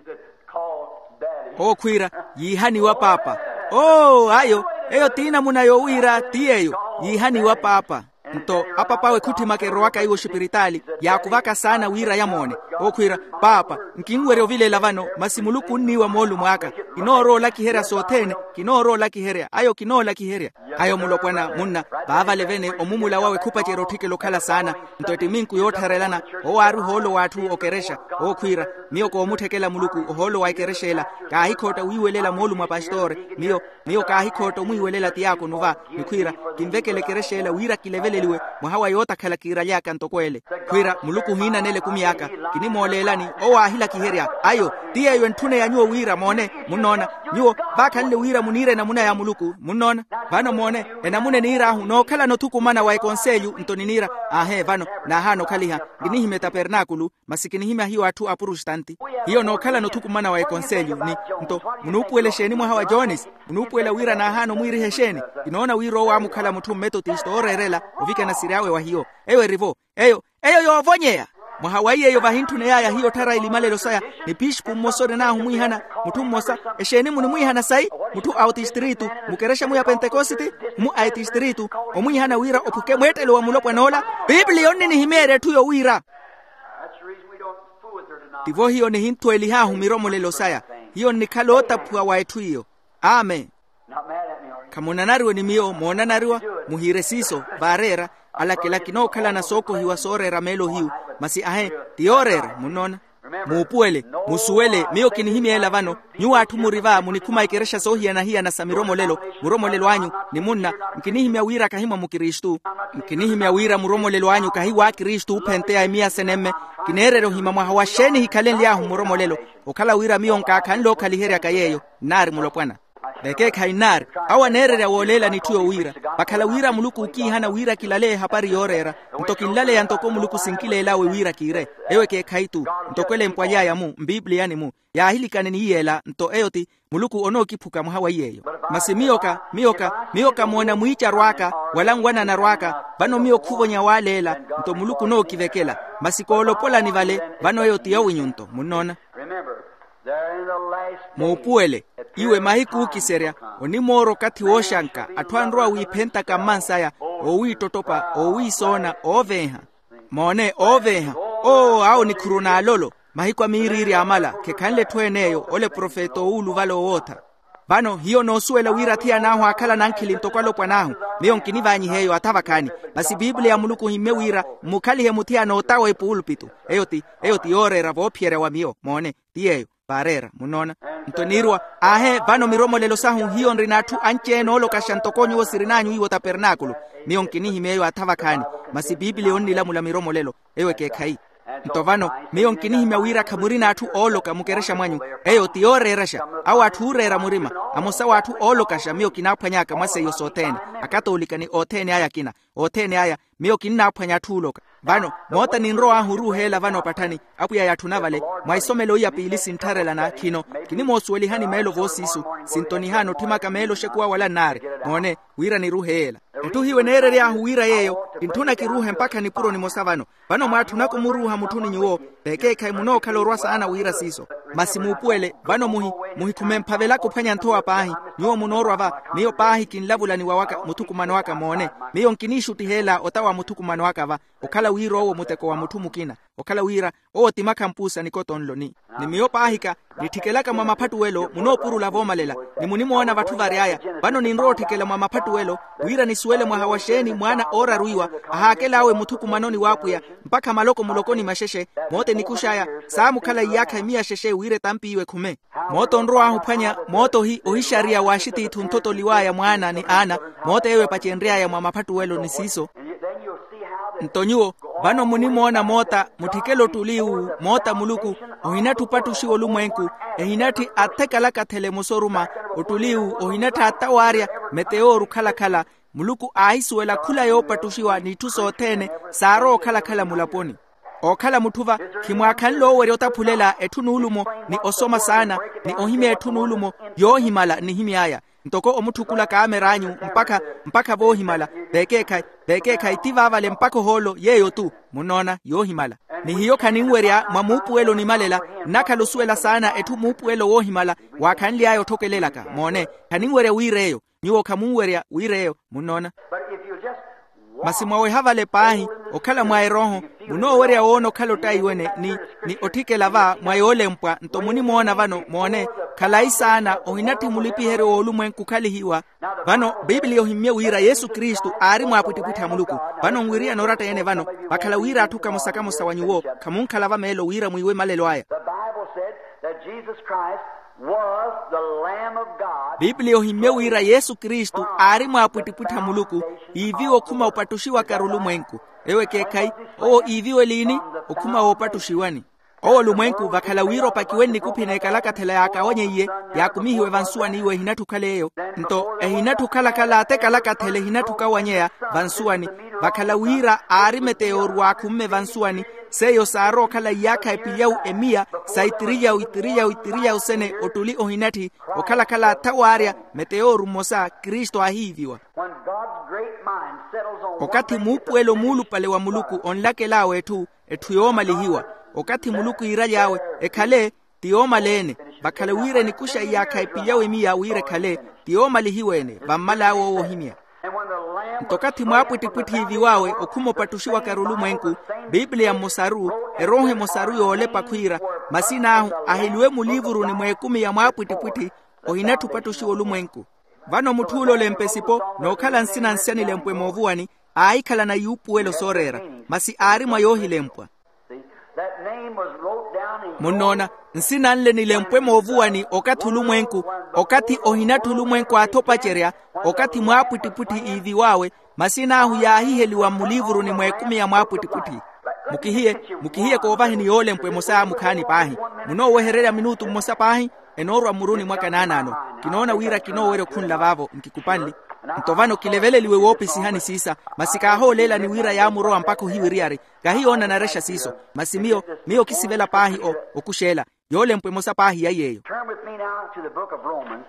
Owo khwiira, yiihaniwa paapa. Oo ayo, eyo ti namuna yowiira ti yeeyo, yiihaniwa paapa. Nto apap'awe khutthimaka erowaka iwo oxipiritaali, yaakuvaka saana wira yamoone. Owo khwiira, paapa, nkinwerya ovilela vano, masi muluku onniiwa moolumo aka. Kinoorowa olakiherya sothene. Kinoorowa olakiherya ayo kinoolakiherya. Ayo mulopwana munna, vaavale vene omumula wawe khupacerya otthikela okhala saana. Nto ettiminku yoottharelana, owo aari ohoolo w'atthu okerexa. Owo khwiira, miyo koomutthekela muluku ohoolo wa ekerexa ela. Kaahikhootta wiiwelela moolumo a pastore. Miyo, miyo kaahikhootta omwiiwelela tiyaakono va. Ni khwiira, kinvekela ekerexa ela wira kileveleliwe, mwaha wa yootakhala kiiraly'aka ntoko ele. Khwiira muluku ohiinanela ekumi aka. Kinimooleelani, owo aahilakiherya. Ayo, ti yeeyo entthune ya nyuwo wira moone. Munnoona? Nyuwo, vaakhanle wira muniire enamuna ya muluku munnoona? Vano moone, enamuna eniir'ahu nookhalana othukumana wa ekonselyu nto niniira. Aahe vano, naahaana okhaliha. Nkinihimya etapernaakulu, masi kinihimya hiyo atthu a prustanti. Hiyo nookhalana othukumana wa ekonselyo ni, nto munuupuwela exeeni mwaha wa jones? Munuupuwela wira naahaana omwiiriha exeeni? Kinoona wira owo aamukhala mutthu mmetotista ooreerela, ovikana siry'awe wa hiyo. Eyo eri-vo. Eyo, eyo yoovonyeya. Mwaha wa iy'eyo vahintthuney'aya hiyo otthara elimalelo saya, ni pixipu mmosa orin'ahu omwiihana. Mutthu mmosa, exeeni munimwiihana sayi? Mutthu a otistritu, mukerexa-mu ya pentekositi, mu a etistritu, omwiihana wira ophuke mweettelo wa mulopwan'ola. Piipiliya onninihimyeerya etthu yowiira. Tivo hiyo nihinthuwelih'ahu miromolelo saya. Hiyo nnikhala ootaphuwa wa etthu iyo. Amen. Khamunanariwe ni miyo moonanariwa? Muhiire siiso vaareera. Alakela kinookhalana sookohiwa sooreera meelo hiyu. Masi ahe, ti yooreera munnoona. Muupuwele, musuwele miyo kinihimya ela vano. Nyuwo atthu muri va munikhuma ekerexa soohiyana-hiyana sa miromolelo. Muromolelo anyu ni munna, nkinihimya wira kahi mwa mukristu. Nkinihimya wira muromolelo anyu kahi w'akristu oophenteya emiya senemme. Kineererya ohima mwaha wa xeeni hikhalenly'ahu muromolelo. Okhala wira miyo nkaakhanle ookhaliheryaka yeeyo. Nnaari mulopwana. Vekeekhayi nnaari, awo aneererya wooleelani etthu yowiira. Vakhala wira muluku ookiihana wira kilaleya ehapari yooreera, nto kinlaleya ntoko muluku sinkileelawe wira kiire. Eyo ekeekhayi-tu. Ntoko elempwa aly'aya-mu mpiipiliyani-mu, yaahilikane ni yeela nto eyo ti, muluku onookiphuka mwaha wa iy'eyo. Masi miyo ka miyo ka miyo kamoona mwiicaru aka, wala nwananaru aka. Vano miyo khuvonya waaleela, nto muluku onookivekela. Masi koolopolani vale, vano eyo ti yowinyu-nto munnoona. Muupuwele, iwe mahiku ookiserya, onimoora okathi wooxanka atthu anrowa wiiphentaka mmansaya, oowiittottopa, oowiisoona, ooveeha. Moone, ooveeha. Oo awo nikhuru n'alolo. Mahiku a miiriiri amala khekhanle etthu en'eyo ole profeta owuuluvala owootha. Vano hiyo noosuwela wira athiyan'ahu aakhala nankhili ntoko alopwan'ahu. Miyo nkinivaanyiha eyo atha vakhaani. Masi piipiliya ya muluku ohimmye wira mmukhalihe muthiyana otawa epuulupitu. Eyo ti eyo ti yooreera voophiyerya wa miyo moone, ti yeeyo. Vaareera munnoona. Nto niirwa, aahe vano miromolelo sahu hiyo nrina atthu anci-ene oolokaxa ntoko nyuwo sirin'anyu iwo tapernaakulu. Miyo nkinihimya eyo atha vakhaani. Masi piipiliya onnilamula miromolelo. Eyo ekeekhayi. Nto vano miyo nkinihimya wira khamurina atthu ooloka mukerexa mwanyu. Eyo ti yooreeraxa. Awo atthu ooreera murima. Amosa w'atthu oolokaxa miyo kinaaphwany'aka mwa seiyo sothene. Akatoolika ni othene aya akina. Othene aya miyo kinnaaphwanya atthu ooloka. Vano moota ninrow'ahu oruuheela vano opatthani. Apwiya yaatthuna vale, mwa isomelo iya piili sinttharelana khino. Kinimoosuwelihani meelo voosiisu. Sintonihani otthimaka meelo oxekuwa wala nnaari. Moone, wira niruuhe yeela. Etthu hiyo eneerery'ahu wira yeeyo, kintthuna kiruuhe mpakha nipuro nimosa vano. Vano mwaatthunaka omuruuha mutthuni nyuwo, vekeekhayi munookhala orwa saana wira siiso. Masi muupuwele vano muhi muhikhume mphavelaka ophwanya nthowa paahi. Nyuwo munoorwa va, miyo paahi kinlavulaniwa waka muthukumano aka moone. Miyo nkiniixuttiheela otawa muthukumano aka va. Okhala wira owo muteko wa mutthu mukina, okhala wira owo ti makhampuusa nikotonlo ni ni miyo paahika, nitthikelaka mwa maphattuwelo munoopurula voomalela. Ni munimoona vatthu vary'aya, vano ninrowa otthikela mwa maphattuwelo wira nisuwele mwaha wa xeeni mwaana ooraru iwa ahaakel'awe muthukumanoni w'apwiya, mpakha maloko mulokoni maxexe. Moote nikux'aya saamukhala iyaakha emiya xexe wira etampiiwe ekhume. Moote onrow'ahu ophwanya moote ohi ohixariya w'axitiithi onthotoliw'aya mwaana ni aana. Moote eyo epacenry'aya mwa maphattuwelo ni siiso. Nto nyuwo vano munimoona moota mutthikela ottuli uwu moota muluku, ohinattha opattuxiwa olumwenku, ehinatthi athekalakathela emosa oruma. Ottuli uwu ohinattha atawaarya meteyooru okhala-khala. Muluku aahisuwela khula yoopattuxiwa n'itthu sothene saarowa okhala-khala mulaponi. Ookhala mutthu va, khimwaakhanle owerya otaphulela etthu nuulumo, ni osoma saana, ni ohimya etthu nuulumo yoohimala nnihimy'aya. Ntoko omutthukulaka aamer'anyu mpakha mpakha voohimala. Vekeekhayi vekeekhayi ti vaavale mpakha ohoolo yeeyo-tu. Munnoona yoohimala. Ni hiyo khaninwerya mwa muupuwelo onimalela, nnakhala osuwela saana etthu muupuwelo woohimala. Waakhanly'aya otthokelelaka moone, khaninwerya wiir'eyo. Nyuwo khamunwerya wiir'eyo. Munnoona. Masi mwaweha vale paahi okhala mwa erooho, munoowerya woona okhala ottaiwene ni ni otthikela va mwa yoolempwa nto munimoona vano moone. Khalayi saana ohinatthi mulipiheryo w'olumwenku okhalihiwa. Vano bibiliya ohimmye wira yesu kristu aari mwaapwittipwitthi a muluku. Vano nwiriyana oratta-ene vano, vakhala wira atthu kamosa-kamosa wa nyuwo khamunkhala vameelo wira mwiiwe malelo aya. The bible said that jesus christ was the lamb of god. Bibiliya ohimmye wira yesu kristu aari mwaapwittipwitthi a muluku, iiviwe okhuma opattuxiwaka-ru olumwenku. Ewo ekeekhayi, owo iiviwe liini? Okhuma woopattuxiwani. Owo olumwenku vakhala wira opakiwe nnikuphi n'ekalakathela yaakawanyeiye, yaakumihiwe vansuwani iwo ehinatthi okhala eyo. Nto ehinatthi okhala-khala atekalakathela ehinatthi okawanyeya vansuwani. Vakhala wira aari meteyooru waakhumme vansuwani, seiyo saarowa okhala iyaakha epilyawu emiya sa itiriyawu itiriyawu itiriyawu sene ottuli ohinatthi okhala-khala athawaarya meteyooru mmosa kristu aahiiviwa. When god's great mind settles on okathi muupuwelo muulupale wa muluku onlakel'awe etthu, etthu yoomalihiwa. Okathi muluku iiraly'awe ekhale, ti yoomala-ene. Vakhala wira enikuxa iyaakha epilyawu emiya wira ekhale, ti yoomalihiwa-ene vammal'awe owo ohimya. Nto okathi mwaapwittipwitthi iiviw'awe okhuma opattuxiwaka-ru olumwenku, bibiliya mmosa-ru, erooho emosa-ru yoolepa khwiira, masin'ahu aheliwe muliivuruni mw'ekumi ya mwaapwittipwitthi, ohinatthi opattuxiwa olumwenku. Vano mutth'ule olempa esipo, nookhala nsina nsi anilempwe moovuwani, aahikhalana yuupuwelo sooreera, masi aari mwa yoohilempwa. Munnoona, nsina nle nilempwe moovuwani okathi olumwenku, okathi ohinatthi olumwenku aathopacerya, okathi mwaapwittipwitthi iiviw'awe, masin'ahu yaahiheliwa mmuliivuruni mw'ekumi ya mwaapwittipwitthi. Mukihiye, mukihiye koovaheni yoolempwa emosa mukhaani paahi. Munoowehererya minutu mmosa paahi. Enoorwa mmuruni mwaka naanaano. Kinoona wira kinoowerya okhunla vaavo nkikupanli. Nto vano kileveleliwe woopisihani siisa, masi kaahooleelani wira yaamurowa mpakha ohiwiriyari. Kahiyoona narexa siiso. Masi miyo, miyo kisivela paahi o, okuxeela. Yoolempwa emosa paahi ya yeeyo. Turn with me now to the book of Romans.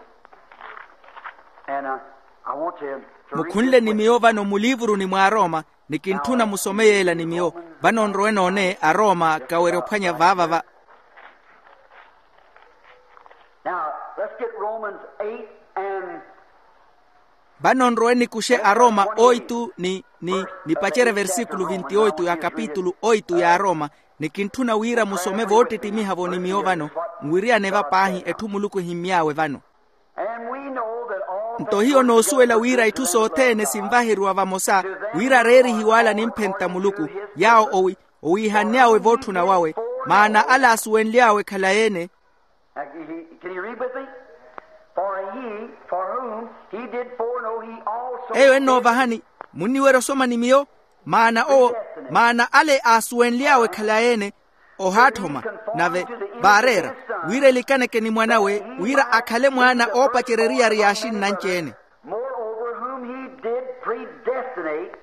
And, uh, I want to, to read mukhunle this ni with miyo vano muliivuruni mwa arooma. Ni kintthuna musome yeela ni miyo. Vano nrowe noone arooma kawerya ophwanya vaavava. Now, let's get Romans eight and vano nrowe nikuxe arooma oitu ni, ni, nipacerye versikulu vintioitu ya kapitulu oitu ya arooma. Ni kintthuna wira musome voottittimiha-vo ni miyo vano. Nwiriyane va paahi etthu muluku ehimmy'awe vano. And we know that all things work together for the good of them. Nto hiyo noosuwela wira itthu sothene sinvaheriwa vamosa, wira areerihiwe ala nimphenta muluku, yaawo owi, owiihann'awe vootthuna wawe. Maana ala asuwenly'awe khalayi-ene. Uh, he, can you read with me? For he, for whom he did foreknow, he also eyo ennoovahani. Munniwerya osoma ni miyo. Maana owo, maana ale aasuwenly'awe khalayi-ene, ohaatthoma, nave vaareera, wira elikaneke ni mwan'awe, wira akhale mwaana oopacerya eriyari y'axinnanci-ene. Moreover, whom he did predestinate,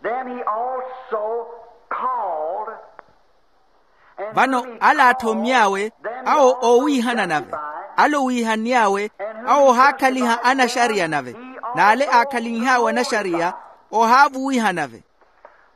them he also called. Vano ala aatthomy'awe, awo oowiihana nave. Ale owiihann'awe, awo ohaakhaliha anaxariya nave. N'ale aakhalinh'awe anaxariya, ohaavuwiha nave.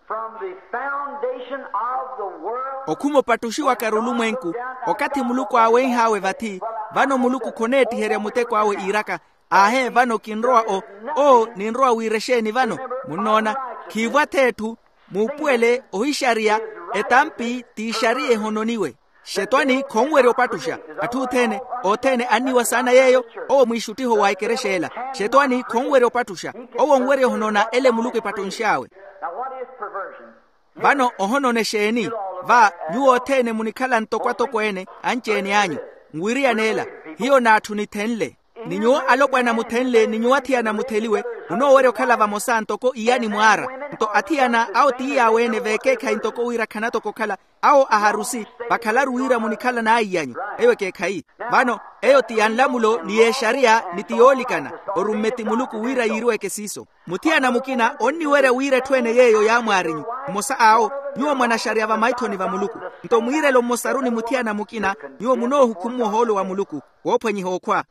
From the foundation of the world. Okhuma opattuxiwakari olumwenku, okathi muluku aawenh'awe vathi, vano muluku khoneettiherya muteko awe iiraka, aahe vano kinrowa o, o ninrowa wira exeeni vano. Munnoona, khiivwa-tho etthu, muupuwele ohixariya, etampi t'ixariya ehononiwe. Xetwani khonwerya opattuxa. Atthu othene, othene anniwa saana yeeyo. Owo mwiixuttiho wa ekerexa ela. Xetwani khonwerya opattuxa. Owo onwerya ohonoona ele muluku epattunx'awe. Now, what is perversion? Vano ohonona exeeni? Va nyuwo othene munikhala ntoko atokweene anci-ene anyu. Nwiriyane ela. Hiyo n'atthu nithenle. Ni nyuwo alopwana muthenle ni nyuwo athiyana mutheliwe, munoowerya okhala vamosa ntoko iyani mwaara. Nto athiyana awo ti yaawe-ene veekeekhayi ntoko wira khanatoko okhala. Awo aharusi, vakhalaru wira munikhala n'aiy'anyu. Eyo ekeekhayi. Vano eyo ti ya nlamulo ni y'exariya ni ti yoolikana. Orumme ti muluku wira yiiriweke siiso. Muthiyana mukina onniwerya wira etthu ene yeeyo yaamwaarinyu. Mmosa awo, nyuwo mwanaxariya va maithoni va muluku. Nto mwiirelo mmosaru ni muthiyana mukina, nyuwo munoohukhumuwa ohoolo wa muluku, woophwanyiha okhwa.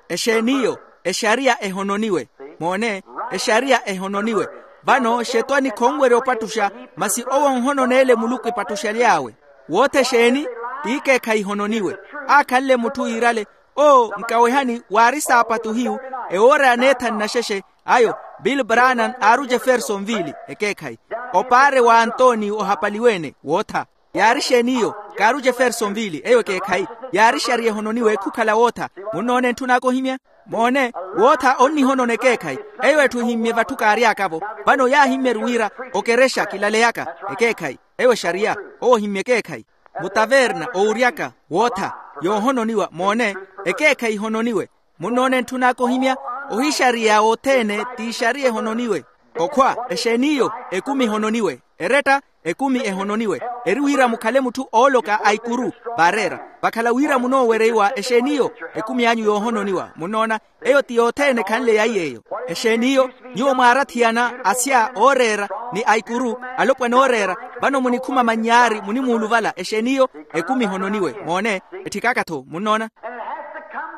Exeeniyo? Exariya ehononiwe. Moone, exariya ehononiwe. Vano xetwani khonwerya opattuxa, masi owo onhononeele muluku epattuxaly'awe. Wootha exeeni? T'ikeekhayi ehononiwe. Aakhanle mutthu yiirale, oo nkawehani waari saapatu hiyu, ewoora ya neethani naxexe, ayo, bill branham aaru jeffersonville ekeekhayi, opaare wa antoni ohapaliwe-ene wootha. Yaari exeeniyo? Kaaru jeffersonville eyo ekeekhayi. Yaari exariya ehononiwe khukhala wootha. Munnoona entthun'aka ohimya? Moone, wootha onnihonona ekeekhayi. Eyo etthu ehimmye vatthu kaary'aka-vo. Vano yaahimmyeru wira okerexa kilaleyaka ekeekhayi. Eyo exariya. Owo ohimmye ekeekhayi. Mutaverna owuryaka wootha, yoohononiwa. Moone, ekeekhayi ehononiwe. Munnoona entthun'aka ohimya? Ohixariya othene t'ixariya ehononiwe. Okhwa exeeniyo? Ekumi ehononiwe. Eretta? Ekumi ehononiwe. Eri wira mukhale mutthu ooloka a ikuru. Vaareera. Vakhala wira munoowereiwa exeeniyo? Ekumi anyu yoohononiwa. Munnoona? Eyo ti yothene ekhanle yaiy'eyo. Exeeniyo? Nyuwo mwaarathiyana asya ooreera ni a ikuru, alopwana ooreera. Vano munikhuma mannyaari munimuuluvala exeeniyo? Ekumi ehononiwe. Moone, etthikaka-tho. Munnoona?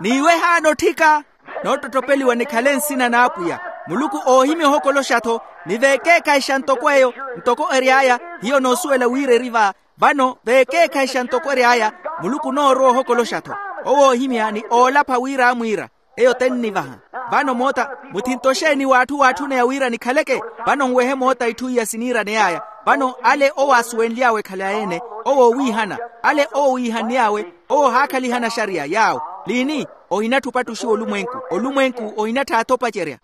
N'iwehaana otthika. Noottottopeliwa nikhale nsina n'apwiya. Muluku oohimya ohokoloxa-tho. Ni veekeekhayixa ntoko eyo, ntoko ery'aya. Hiyo noosuwela wira eri va. Vano veekeekhayixa ntoko ery'aya. Muluku onoorowa ohokoloxa-tho. Owo oohimya ni oolapha wira amwiira. Eyo tennivaha. Vano moota, muthinto exeeni w'atthu waatthuneya wira nikhaleke? Vano nwehe moota itthu iya siniiraney'aya. Vano ale owo aasuwenly'awe khalayi-ene, owo oowiihana. Ale owo owiihann'awe, owo ohaakhalihana axariya yaawo. Liini? Ohinattha opattuxiwa olumwenku. Olumwenku ohinattha athopacerya.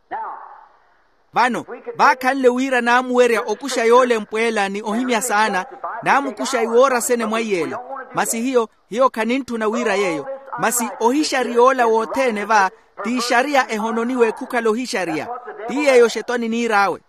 Vano vaakhanle wira naamuwerya okuxa yoolempwa ela ni ohimya saana, naamukuxa iwoora sene mwaiy'ela. Masi hiyo, hiyo khanintthuna wira yeeyo. Masi ohixariya ola wothene va, t'ixariya ehononiwe khukhala ohixariya. Ti yeeyo xetwani niir'awe.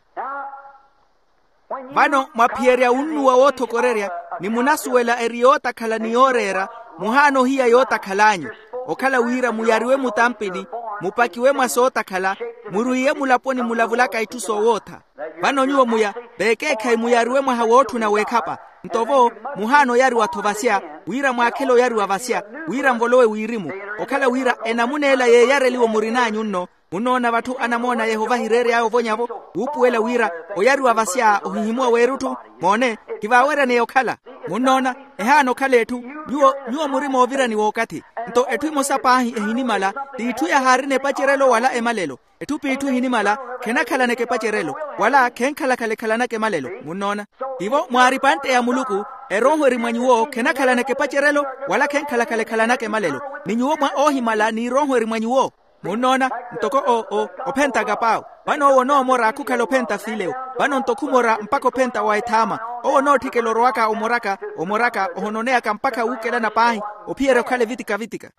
Vano mwaphiyerya wunnuwa woothokorerya, ni munasuwela eri yootakhala ni yooreera, Muhaana ohiya yootakhal'anyu, okhala wira muyariwe mutampini, mupakiwe mwa sootakhala, murwiiye mulaponi mulavulaka itthu soowootha. Vano nyuwo muya, veekeekhayi muyariwe mwaha wootthuna weekhapa. Nto vo, muhaana oyariwa-tho vasya, wira mwaakhele oyariwa vasya, wira nvolowe wirimu. Okhala wira enamuna ela yeeyareliwa murin'anyu nno. Munnoona vatthu anamoona yehova ahireery'aya ovonya-vo, wuupuwela wira oyariwa vasya ohihimuwa w'erutthu. Moone, kivaaweryaneya okhala. Munnoona, ehaana okhala etthu. Nyuwo nyuwo muri moovirani w'okathi. Nto etthu emosa paahi ehinimala, t'itthu yahaarina epacerelo wala emalelo. Etthu p'itthu ehinimala, khenakhalanaka epacerelo, wala khenkhalakhala ekhalanaka emalelo. Munnoona? Tivo mwaari epantte ya muluku, erooho eri mwa nyuwo khenakhalanaka epacerelo, wala khenkhalakhala ekhalanaka emalelo. Ni nyuwo mwa oohimala n'irooho eri mwa nyuwo. Munnoona? Ntoko o o ophentaka paawo. Vano owo onoomora khukhala ophenta filewo. Vano nto khumora mpakha ophenta wa ethaama. Owo onootthikela orowaka omoraka omoraka ohononeyaka mpakha wuukelana paahi, ophiyerya okhala evitika-vitika.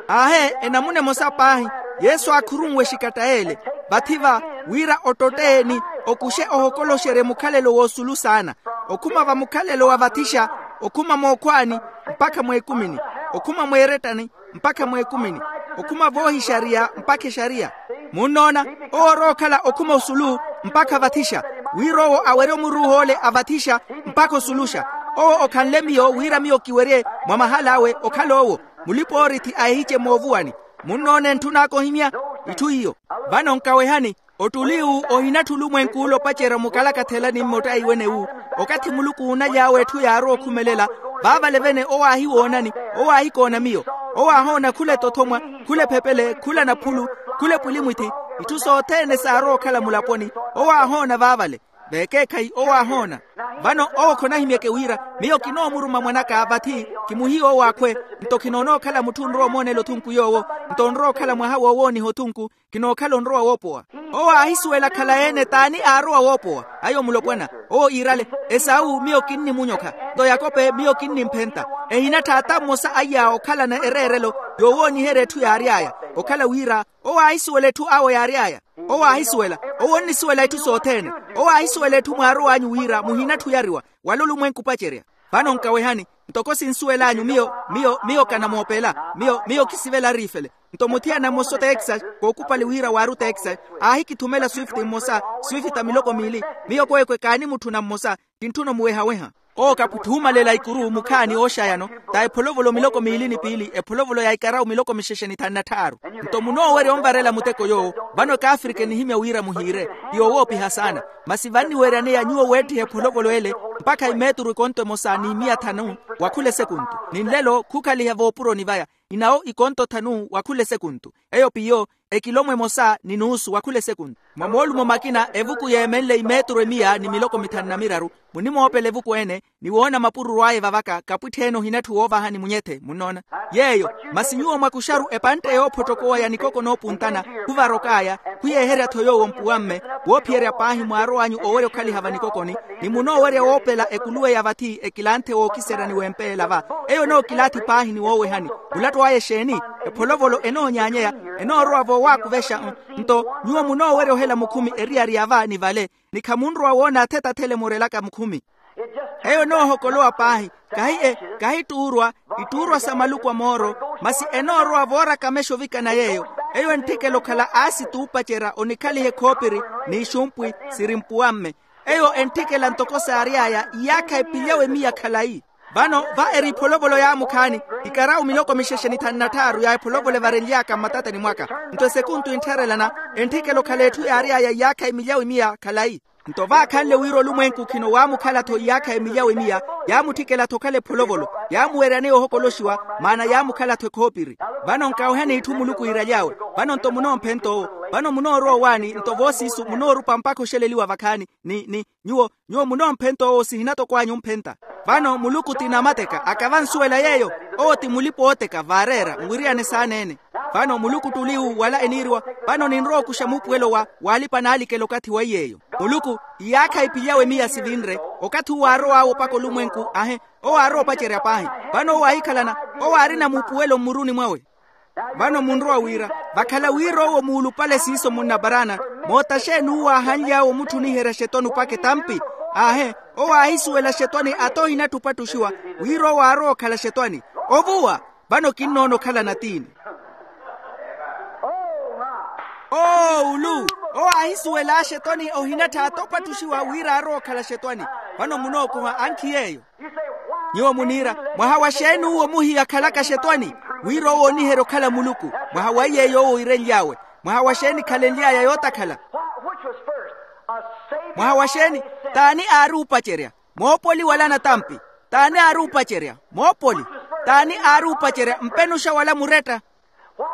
Aahe, enamuna emosa paahi, yesu aakhurunwe exikatta ele, vathi-va, wira ottotte ni okuxe ohokoloxerye mukhalelo w'osulu saana. Okhuma va mukhalelo wa vathixa, okhuma mookhwaani, mpakha mweekumini. Okhuma mweerettani, mpakha mweekumini. Okhuma voohixariya mpakha exariya. Munnoona, owo orowa okhala okhuma osulu, mpakha vathixa. Wira owo awerye omuruuh'ole a vathixa, mpakha osuluxa. Owo okhanle miyo wira miyo kiwerye, mwa mahal'awe okhala owo, mulipa-oorithi a ehice moovuwani. Munnoona entthun'aka ohimya? Itthu iyo. Vano nkawehani, ottuli uwu ohinatthi olumwenk'ule opacerya mukalakathela ni mmotta iwene wu. Okathi muluku uunaly'awe etthu yaarowa okhumelela, vaavale vene owo aahiwoonani, owo aahikoona miyo. Owo aahoona khula etothomwa, khula ephepele, khula naphulu, khula epwilimwithi, itthu sothene saarowa okhala mulaponi, owo aahoona vaavale. Veekeekhayi owo aahoona. Vano owo khonahimyeke wira, miyo kinoomuruma mwan'aka vathi, kimuhiye owo akhwe. Nto khinoonookhala mutthu onrowa omoonela othunku yoowo. Nto onrowa okhala mwaha woowooniha othunku. Khinookhala onrowa woopowa. Owo aahisuwela khala-ene t'ani aarowa woopowa. Ayo mulopwana. Owo iirale, esawu miyo kinnimunyokha. Nto yakope miyo kinnimphenta. Ehinatthi ata mmosa aiya okhalana ereerelo, yoowooniherya etthu yaary'aya. Okhala wira, owo aahisuwela etthu awo yaary'aya. Owo aahisuwela. Owo onnisuwela itthu sothene. Owo aahisuwela etthu mwaarow'anyu wira muhinatthi oyariwa, wala olumwenku opacerya. Vano nkawehani, ntoko sinsuwel'anyu miyo, miyo miyo kanamoopela. Miyo miyo kisivela ariifele. Nto muthiyana mmosa otexas, kookupali wira waari otexas, aahikithumela swift mmosa, swift a miloko miili. Miyo kweekwe kaanimutthuna mmosa, kintthuna omuweha-weha. Owo kaputhuumalela ikuru mukhaani ooxayano, ta epholovolo miloko miili ni piili, epholovolo ya ikarawu miloko mixexe ni thanu na tthaaru. Nto munoowerya onvarela muteko yoowo. Vano ekaafrika enihimya wira muhiire. Ti yowoopiha saana. Masi vanniweryaneya nyuwo weettiha epholovolo ele, mpakha imeeturu ikonto emosa ni miya thanu, wa khula esekuntu. Ni nlelo khukhaliha voopuroni vaya, inawo ikonto thanu wa khula esekuntu. Eyo piyo, ekilomwa emosa ni nuusu wa khula esekuntu. Mwa moolumo makina evuku yeemenle imeeturu emiya ni miloko mithanu na miraru. Munimoopela evuku ene, ni woona mapururu aya evavaka kapwitthi-ene ohinatthi woovahani munyethe munnoona. Yeeyo. Masi nyuwo mwakuxaru epantte yoophottokowa ya nikoko noopuntana, khuvarok'aya, khuyeeherya-tho yoowo mpuwamme, woophiyerya paahi mwaarow'anyu owerya okhaliha vanikokoni, ni munoowerya woopela ekuluwe ya vathi ekilanthe wookiserya ni wempeela va. Eyo enookilathi paahi ni woowehani. Mulatto aya exeeni? Epholovolo enoonyaanyeya, enoorowa voowakuvexa. Nto nyuwo munoowerya ohela mukhumi eriyari ya va ni vale, ni khamunrowa woona athetathele murelaka mukhumi. Eyo enoohokolowa paahi. Kahi e kahi ttuurwa, ittuurwa sa maluku a mooro. Masi enoorowa voorakamexa ovikana yeeyo. Eyo entthikela okhala aasi t'upacerya onikhaliha ekhoopiri, n'ixumpwi siri mpuwamme. Eyo entthikela ntoko saary'aya iyaakha epilyawe miya khalayi. Vano va eri epholovolo yaamukhaani, ikarawu miloko mixexe ni thanu na tthaaru ya epholovolo evarenly'aka mmatatani mwaka. Nto esekuntu enttharelana, entthikela okhala etthu yaary'aya iyaakha emilyawe miya khalayi. Nto vaakhanle wira olumwenku khino waamukhala-tho iyaakha emilyawe miya, yaamutthikela-tho okhala epholovolo, yaamuweryaneya ohokoloxiwa, maana yaamukhala-tho ekhoopiri. Vano nkawehani itthu muluku iiraly'awe. Vano nto munoomphenta owo. Vano munoorowa owaani nto voosiisu munoorupa mpakha oxeleliwa vakhaani. Ni ni nyuwo nyuwo munoomphenta owo sihinatoko anyu omphenta. Vano muluku ti namateka akavansuwela yeeyo. Owo ti mulipa-ooteka vaareera nwiriyane saana-ene. Vano muluku t'uliwu wala eniiriwa. Vano ninrowa okuxa muupuwelo wa waalipa naalikela okathi wa iy'eyo. Muluku iyaakha ipilyawe miya sivinre. Okathi uwo aarow'awe opaka olumwenku ahe. Owo aarowa opacerya paahi. Vano owo aahikhalana. Owo aarina muupuwelo mmuruni mwawe. Vano munrowa wira vakhala wira owo muulupale siiso munnaparaana. Moota xeeni uwo aahanly'awe omutthuniherya xetoni opaka etampi? Aahe, owo aahisuwela axetwani ata ohinatthu opattuxiwa, wira owo aarowa okhala axetwani. Ovuwa. Vano kinnoona okhala natiini. Owo ulu. Owo aahisuwela axetwani ohinattha ata opattuxiwa wira aarowa okhala axetwani. Vano munookoha ankhi yeeyo. Nyuwo muniira, mwaha wa xeeni uwo muhiya akhalaka axetwani? Wira owo ooniherya okhala muluku. Mwaha wa iyeeyo owo oirenly'awe. Mwaha wa xeeni khalenly'aya yootakhala? Mwaha wa xeeni? T'ani aari oopacerya? Moopoli wala natampi? T'ani aari oopacerya? Moopoli. T'ani aari oopacerya? Mpenuxa wala muretta?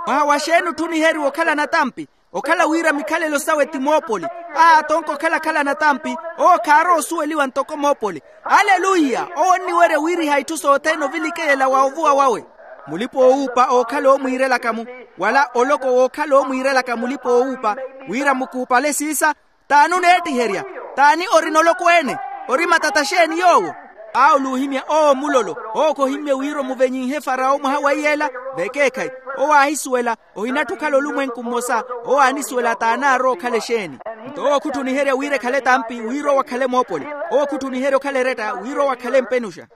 Mwaha wa xeeni otthuniheriwa okhala natampi? Okhala wira mikhalelo sawe ti moopoli. Aa tonko okhala-khala natampi. Owo khaarowa osuweliwa ntoko moopoli. Aleluya. Owo onniwerya wiiriha itthu sothene ovilikeyela wa ovuwa wawe. Mulipa-oowuupa ookhala oomwiirelaka-mu, wala oloko wookhala oomwiirelaka mulipa-oowuupa, wira mukuupale siisa. T'ani oneettiherya? T'ani orina oloko ene? Ori matata xeeni yoowo? Awo luuhimya owo mulolo. Owo khohimmye wira omuvenyinhe farawo mwaha wa iyeela. Vekeekhayi. Owo aahisuwela. Ohinatthu okhala olumwenku mmosa. Owo aanisuwela t'ani aarowa okhala exeeni. Nto owo khutthuniherya wira ekhale etampi wira owo akhale moopoli. Owo khutthuniherya okhala eretta wira owo akhale mpenuxa.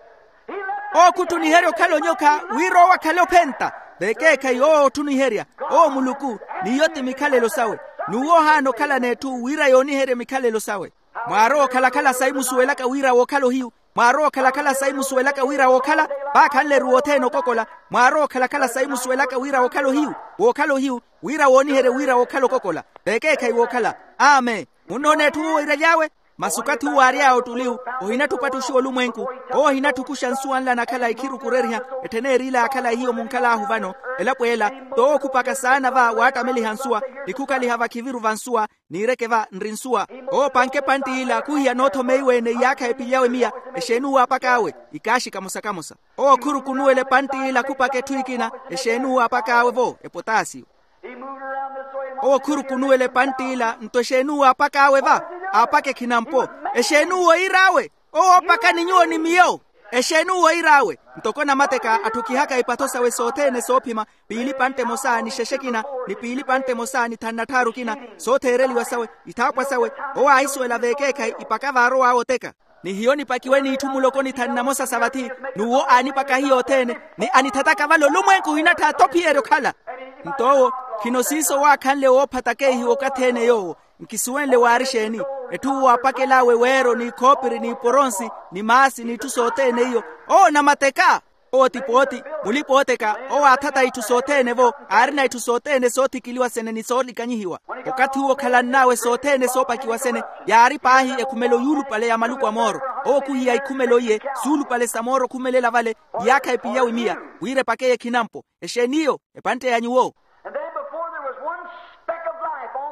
Owo khutthuniherya okhala onyokha wira owo akhale ophenta. Vekeekhayi owo otthuniherya. Owo muluku. N'iyo ti mikhalelo sawe. N'uwo ohaana okhalana etthu wira yooniherye mikhalelo sawe. Mwaarowa okhala-khala sayi musuwelaka wira wookhala ohiyu. Mwaarowa okhala-khala sayi musuwelaka wira wookhala. Vaakhanle-ru wothene okokola. Mwaarowa okhala-khala sayi musuwelaka wira wookhala ohiyu. Wookhala ohiyu. Wira wooniherye wira wookhala okokola. Vekeekhayi wookhala. Amen. Munnoona etthu uwo oiraly'awe? Masi okathi uwo aary'awe ottuliwu. Ohinatthu opattuxiwa olumwenku. Owo ohinatthu okuxa nsuwa nla nakhala ikhirukureriha. Ettheneeri ila yaakhala hiyo munkhal'ahu vano. Elapo ela. T'owo okhupaka saana va waattameliha nsuwa, ni khukhaliha vakhiviru va nsuwa, niireke va nri nsuwa. Owo opanke epantti ila khuhiya noothomeiwe-ene iyaakha epilyawe miya. Exeeni uwo aapak'awe? Ikaaxi kamosa-kamosa. Owo khurukunuwela epantti ila khupaka etthu ekina. Exeeni uwo aapak'awe-vo? Epotaasiyo. Owo khurukunuwela epantti ila nto exeeni uwo aapak'awe va? Aapaka ekhinampo. Exeeni uwo iir'awe? Owo oopaka ni nyuwo ni miyo. Exeeni uwo iir'awe? Ntoko namateka atthukihaka ipatho sawe sothene soophima, piili pantte emosa ni xexe ekina, ni piili pantte emosa ni thanna tthaaru ekina, sootheereliwa sawe, ithaapwa sawe. Owo aahisuwela veekeekhayi ipaka vaarow'awe oteka. Ni hiyo nipakiwe n'itthu muloko ni thanna emosa sa vathi. N'uwo aanipaka hiyo othene, ni anithataka vale olumwenku ohinattha athophiyerya okhala. Nto owo, khino siiso waakhanle woopha takeihiwa okathi-ene yoowo. Nkisuwenle waari exeeni? Etthu uwo aapakel'awe weero n'ikhoopiri n'iporonsi, ni maasi n'itthu sothene iyo. Owo namateka. Owo ti pooti, mulipa-ooteka. Owo aathata itthu sothene-vo. Aarina itthu sothene soothikiliwa sene ni soolikanyihiwa. Okathi uwo okhalann'awe sothene soopakiwa sene, yaari paahi ekhumelo yuulupale ya maluku a mooro. Owo khuhiya ikhumelo iye, suulupale sa mooro okhumelela vale, iyaakha epilyawe miya, wira epakeye ekhinampo. Exeeni iyo? Epantte ya nyuwo.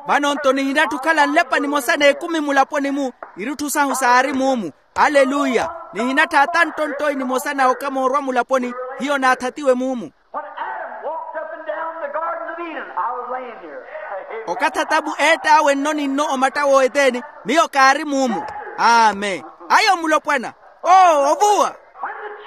Vano nto nihinatthu okhala nlepa nimosa n'ekumi mulaponi-mu. Irutthu sahu saari muumu. Aleluya. Nihinattha ata nttonttoyi nimosa na okamoorwa mulaponi. Hiyo naathatiwe muumu. Okathi atamu eett'awe nno ni nno omatta w'oeteni, miyo kaari muumu. Amen. Ayo mulopwana. Oo ovuwa.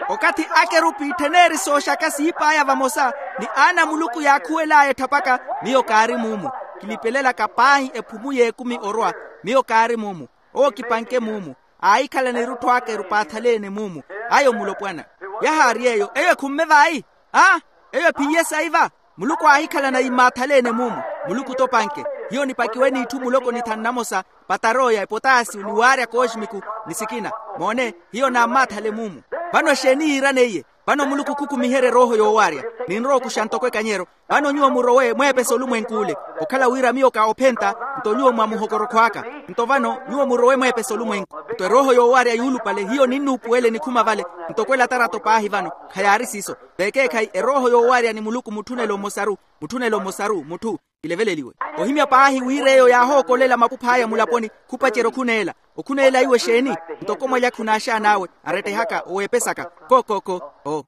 Okathi akerupi etthen'eri sooxaka siip'aya vamosa, ni aana a muluku yaakhuwel'aya etthapaka, miyo kaari muumu. Kilipelelaka paahi ephumu y'ekumi orwa, miyo kaari muumu. Owo kipanke muumu. Aahikhalana erutthu aka erupaathalene muumu. Ayo mulopwana. Yahaari eyo eyo ekhumme vayi. Aa. Eyo ephiye sayi va. Muluku aahikhalana immaathaleene muumu. Muluku t'opanke. Hiyo nipakiwe n'itthu muloko ni thanna emosa, patarooya epotaasiyo ni waarya kooximiku, ni sikina. Moone. Hiyo naammaathale muumu. Vano exeeni yiiraneiye? Vano muluku khukumiherye erooho yoowaarya. Ninrowa okuxa ntoko ekanyero. Vano nyuwo murowe mweepese olumwenk'ule. Okhala wira miyo ka ophenta, nto nyuwo mwa muhokorokho aka. Nto vano nyuwo murowe mweepese olumwenku. Nto erooho yoowaarya yuulupale hiyo ninnuupuwele nikhuma vale. Ntoko elatarato paahi vano. Khayaari siiso. Veekeekhayi erooho yoowaarya ni muluku mutthunelo mmosaru. Mutthunelo mmosaru mutthu. Kileveleliwe. Ohimya paahi wira eyo yaahookolela makuph'aya mulaponi. Khupacerya okhuneela. Okhuneela iwe exeeni? Ntoko mwalya khunaaxaan'awe. Arettehaka oweepesaka. Ko ko ko. Oo.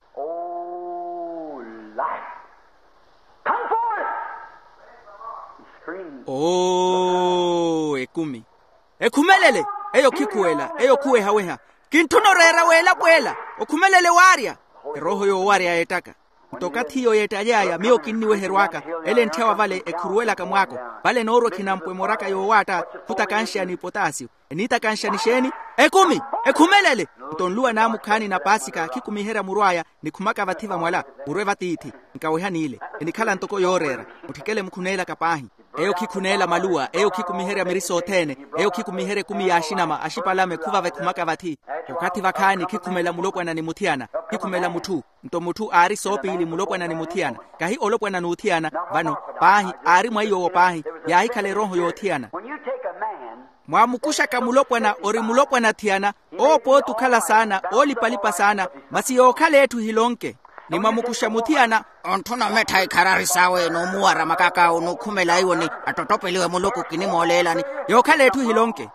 Oo ekumi. Ekhumelele. Eyo khikhuwela eyo khuweha-weha. Kintthuna oreera w'elapo ela. Okhumelele waarya. Erooho yoowarya yeettaka. Nto okathi iyo yeettaly'aya miyo kinniweherw'aka. Ele entthyawa vale ekhuruwelaka mwaako. Vale enoorwa ekhinampo emooraka yoowaatta. Khutakanxeya ni potaasiyo. Eniitakanxa ni xeeni? Ekumi, ekhumelele. Nto nluwa naamukhaani na paasika khikumiherya muru aya, nikhumaka vathi vamwala, murwe vatiithi. Nkawehani ile, enikhala ntoko yooreera. Mutthikele mukhuneelaka paahi. Eyo khikhuneela maluwa, eyo khikumiherya miri sothene. Eyo khikumiherya ekumi ya axinama axipalame khuvava ekhumaka vathi. Okathi vakhaani khikhumela mulopwana ni muthiyana, khikhumela mutthu. Nto mutthu aari soopiili mulopwana ni muthiyana. Kahi olopwana n'uthiyana. Vano paahi, aari mwa iy'owo paahi. Yaahikhala erooho y'othiyana. Mwaamukuxaka mulopwana ori mulopwana thiyana, owo pooti okhala saana, oolipalipa saana, masi yookhala etthu ehilonke. Ni mwamukuxa muthiyana, ontthuna omettha ikharari sawe n'umuwara makaka onukhumelaiwe ni attottopeliwe muluku kinimooleelani. Yookhala etthu ehilonke.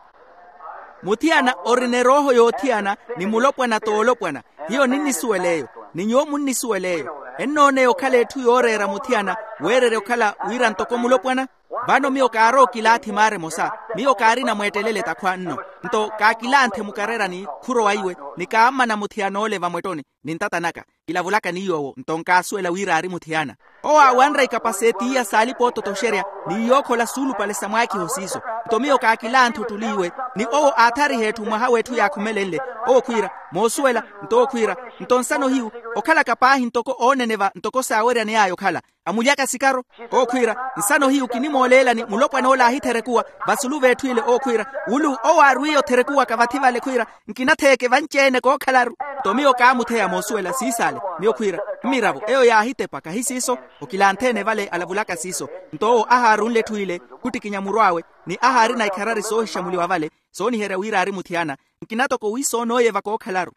Muthiyana orina erooho y'othiyana, ni mulopwana t'olopwana. Hiyo ninnisuwela eyo, ni nyuwo munnisuwela eyo. Ennooneya okhala etthu yooreera muthiyana, weererya okhala wira ntoko mulopwana. Vano miyo kaarookilaathi maara emosa. Miyo kaarina mweettelele takhwa nno. Nto kaakilanthe mukarerani khurowa iwe, ni kaammana muthiyana ole vamwettoni, ni ntata naka. Kilavulaka ni yoowo nto nkaasuwela wira aari muthiyana. Owo aawanre ikapaseti iya saalipa ototoxerya, ni iyookhola suulupale sa mwaakiho siiso. Nto miyo kaakilanthe ottuli iwe, ni owo aathariha etthu mwaha w'etthu yaakhumelenle. Owo khwiira, moosuwela. Nto owo khwiira, nto nsano hiyu, okhalaka paahi ntoko ooneneva ntoko saaweryani aya okhala. Amulyaka sikaro. Owo khwiira, nsano hiyu kinimooleelani mulopwana ole aahitherekuwa. Vasulu v'etthu ile owo khwiira, wulu owo aarwiye otherekuwaka vathi vale khwiira, nkinatheeke vanci-ene kookhalaru. Nto miyo kaamutheya moosuwela siisaale. Miyo khwiira, mmiravo eyo yaahitepa kahi siiso. Okilantheene vale alavulaka siiso. Nto owo ahaarunle etthu ile, khuttikinya muru awe, ni ahaarina ikharari soohixamuliwa vale, sooniherya wira aari muthiyana. Nkina toko wiisoonooyeva kookhalaru.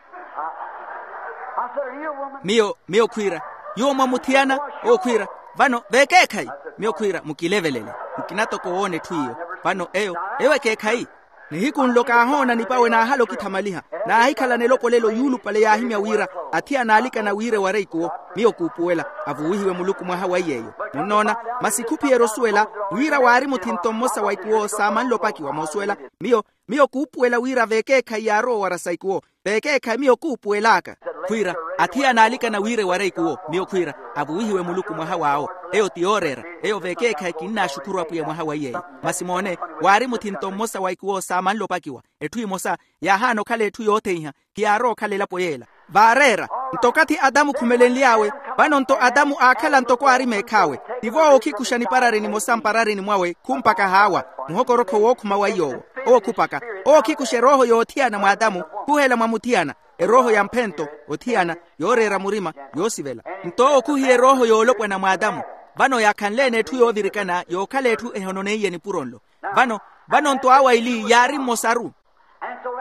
Miyo miyo khwiira, nyuwo mwamuthiyana? Owo khwiira, vano veekeekhayi. Miyo khwiira, mukilevelele. Nkina toko woona etthu iyo. Vano eyo, eyo ekeekhayi. Nihiku nlo kaahoona nipawe naahala okithamaliha. Naahikhalana elopolelo yuulupale yaahimya wira, athiyana aalikana wira ewareikuwo. Miyo kuupuwela, avuwihiwe muluku mwaha wa iy'eyo. Munnoona? Masi khuphiyerya osuwela wira waari muthinto mmosa wa ikuwo saamanle opakiwa moosuwela. Miyo miyo kuupuwela wira veekeekhayi yaarowa owara sa ikuwo. Veekeekhayi miyo kuupuwel'aka. Khwiira, athiyana aalikana wira ewara ikuwo. Miyo khwiira, avuwihiwe muluku mwaha w'awo. Eyo ti yooreera. Eyo veekeekhayi kinnaaxukhuru apwiya mwaha wa iy'eyo. Masi moone, waari muthinto mmosa wa ikuwo saamanle opakiwa. Etthu emosa yaahaana okhala etthu yootheiha. Hiyaarowa okhala elapo yeela. Vaareera. Nto okathi adamu okhumelenly'awe, vano nto adamu aakhala ntoko aari meekh'awe. Tivo awo okhikuxa niparari nimosa mpararini mwawe khumpaka haawa. Muhokorokho wookhuma wa iy'owo. Owo khupaka. Owo okhikuxa erooho y'othiyana mw'adamu, khuhela mwa muthiyana. Erooho ya mphento, othiyana, yooreera murima, yoosivela. Nto owo khuhiya erooho y'olopwana mw'adamu. Vano yaakhanle-ene etthu yoovirikana yookhala etthu ehononeiye nipuro nlo. Vano vano nto awa ili yaari mmosaru.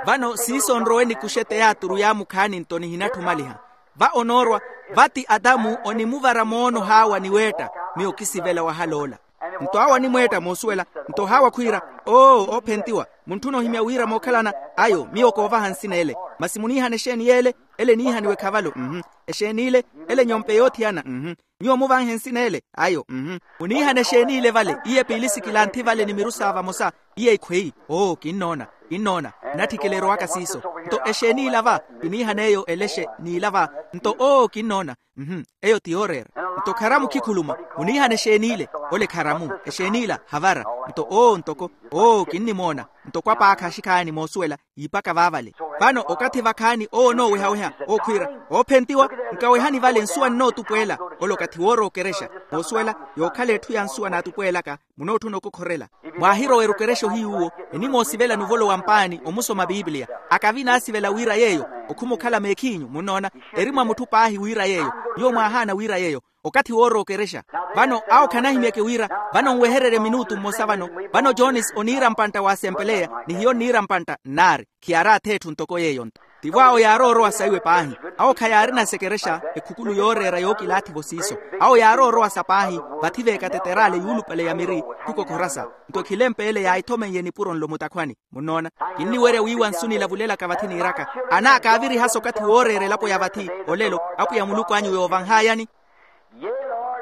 Vano siiso nrowe nikuxe teyaaturu yaamukhaani nto nihinatthumaliha. Va onoorwa, vati adamu onimuvara moono haawa ni weetta. Miyo kisivela wahal'ola. Nto awo animweetta moosuwela. Nto haawa khwiira, oo oophentiwa, muntthuna ohimya wira mookhalana. Ayo miyo koovaha nsina ele. Masi muniihana exeeni y'ele? Ele eniihaniwe khavalo. Mhmm. Exeeni ile? Ele nyompe yoothiyana. Mhmm. Nyuwo muvanhe nsina ele? Ayo mhmm. Muniihana exeeni ile vale? Iye piilisi kilanthi vale ni miru sa vamosa. Iye ikhweyi. Oo kinnoona. Kinnoona. Nnatthikela erowaka siiso. Nto exeeni ila va? Kiniihana eyo elexe n'ila va. Nto oo kinnoona. Mhmm. Eyo ti yooreera. Nto kharamu khikhuluma. Muniihana exeeni ile? Ole kharamu. Exeeni ila havara. Nto oo ntoko. Oo kinnimoona. Ntoko apaakha axikhaani moosuwela. Yiipaka vaavale. Vano okathi vakhaani owo onoowehaweha okhwiira, oophentiwa. Nkawehani vale nsuwa nnootupweela. Ole okathi woorowa okerexa. Moosuwela, yookhala etthu ya nsuwa naatupweelaka. Munootthuna okokhorela. Mwaahirowa erukerexa ohiy'uwo, enimoosivela nuvolo wa mpaani omusoma pipiliya. Akavi naasivela wira yeeyo. Okhuma okhala meekhiinyu munnoona. Eri mwa mutthu paahi wira yeeyo. Nyuwo mwaahaana wira yeeyo. Okathi woorowa okerexa. Vano awo khanahimyeke wira, vano nwehererye minutu mmosa vano. Vano jones oniira mpantta waasempeleya, ni hiyo nniira mpantta nnaari. Khiyaari ath'etthu ntoko yeeyo-nto. Tivo awo yaarowa orowa saiwe paahi. Awo khayaarina sekerexa, ekhukulu yooreera yookilaathi-vo siiso. Awo yaarowa orowa sa paahi. Vathi veekateteraale yuulupale ya miri, khukokhorasa. Nto ekhilempe ele yaahithomeiye nipuro nlo mutakhwani. Munnoona? Kinniwerya wiiwa nsu nilavulelaka vathi niiraka. Ana kaaviriha-so okathi wooreera elapo ya vathi olelo. Apwiya muluku anyu yoovanh'ayani.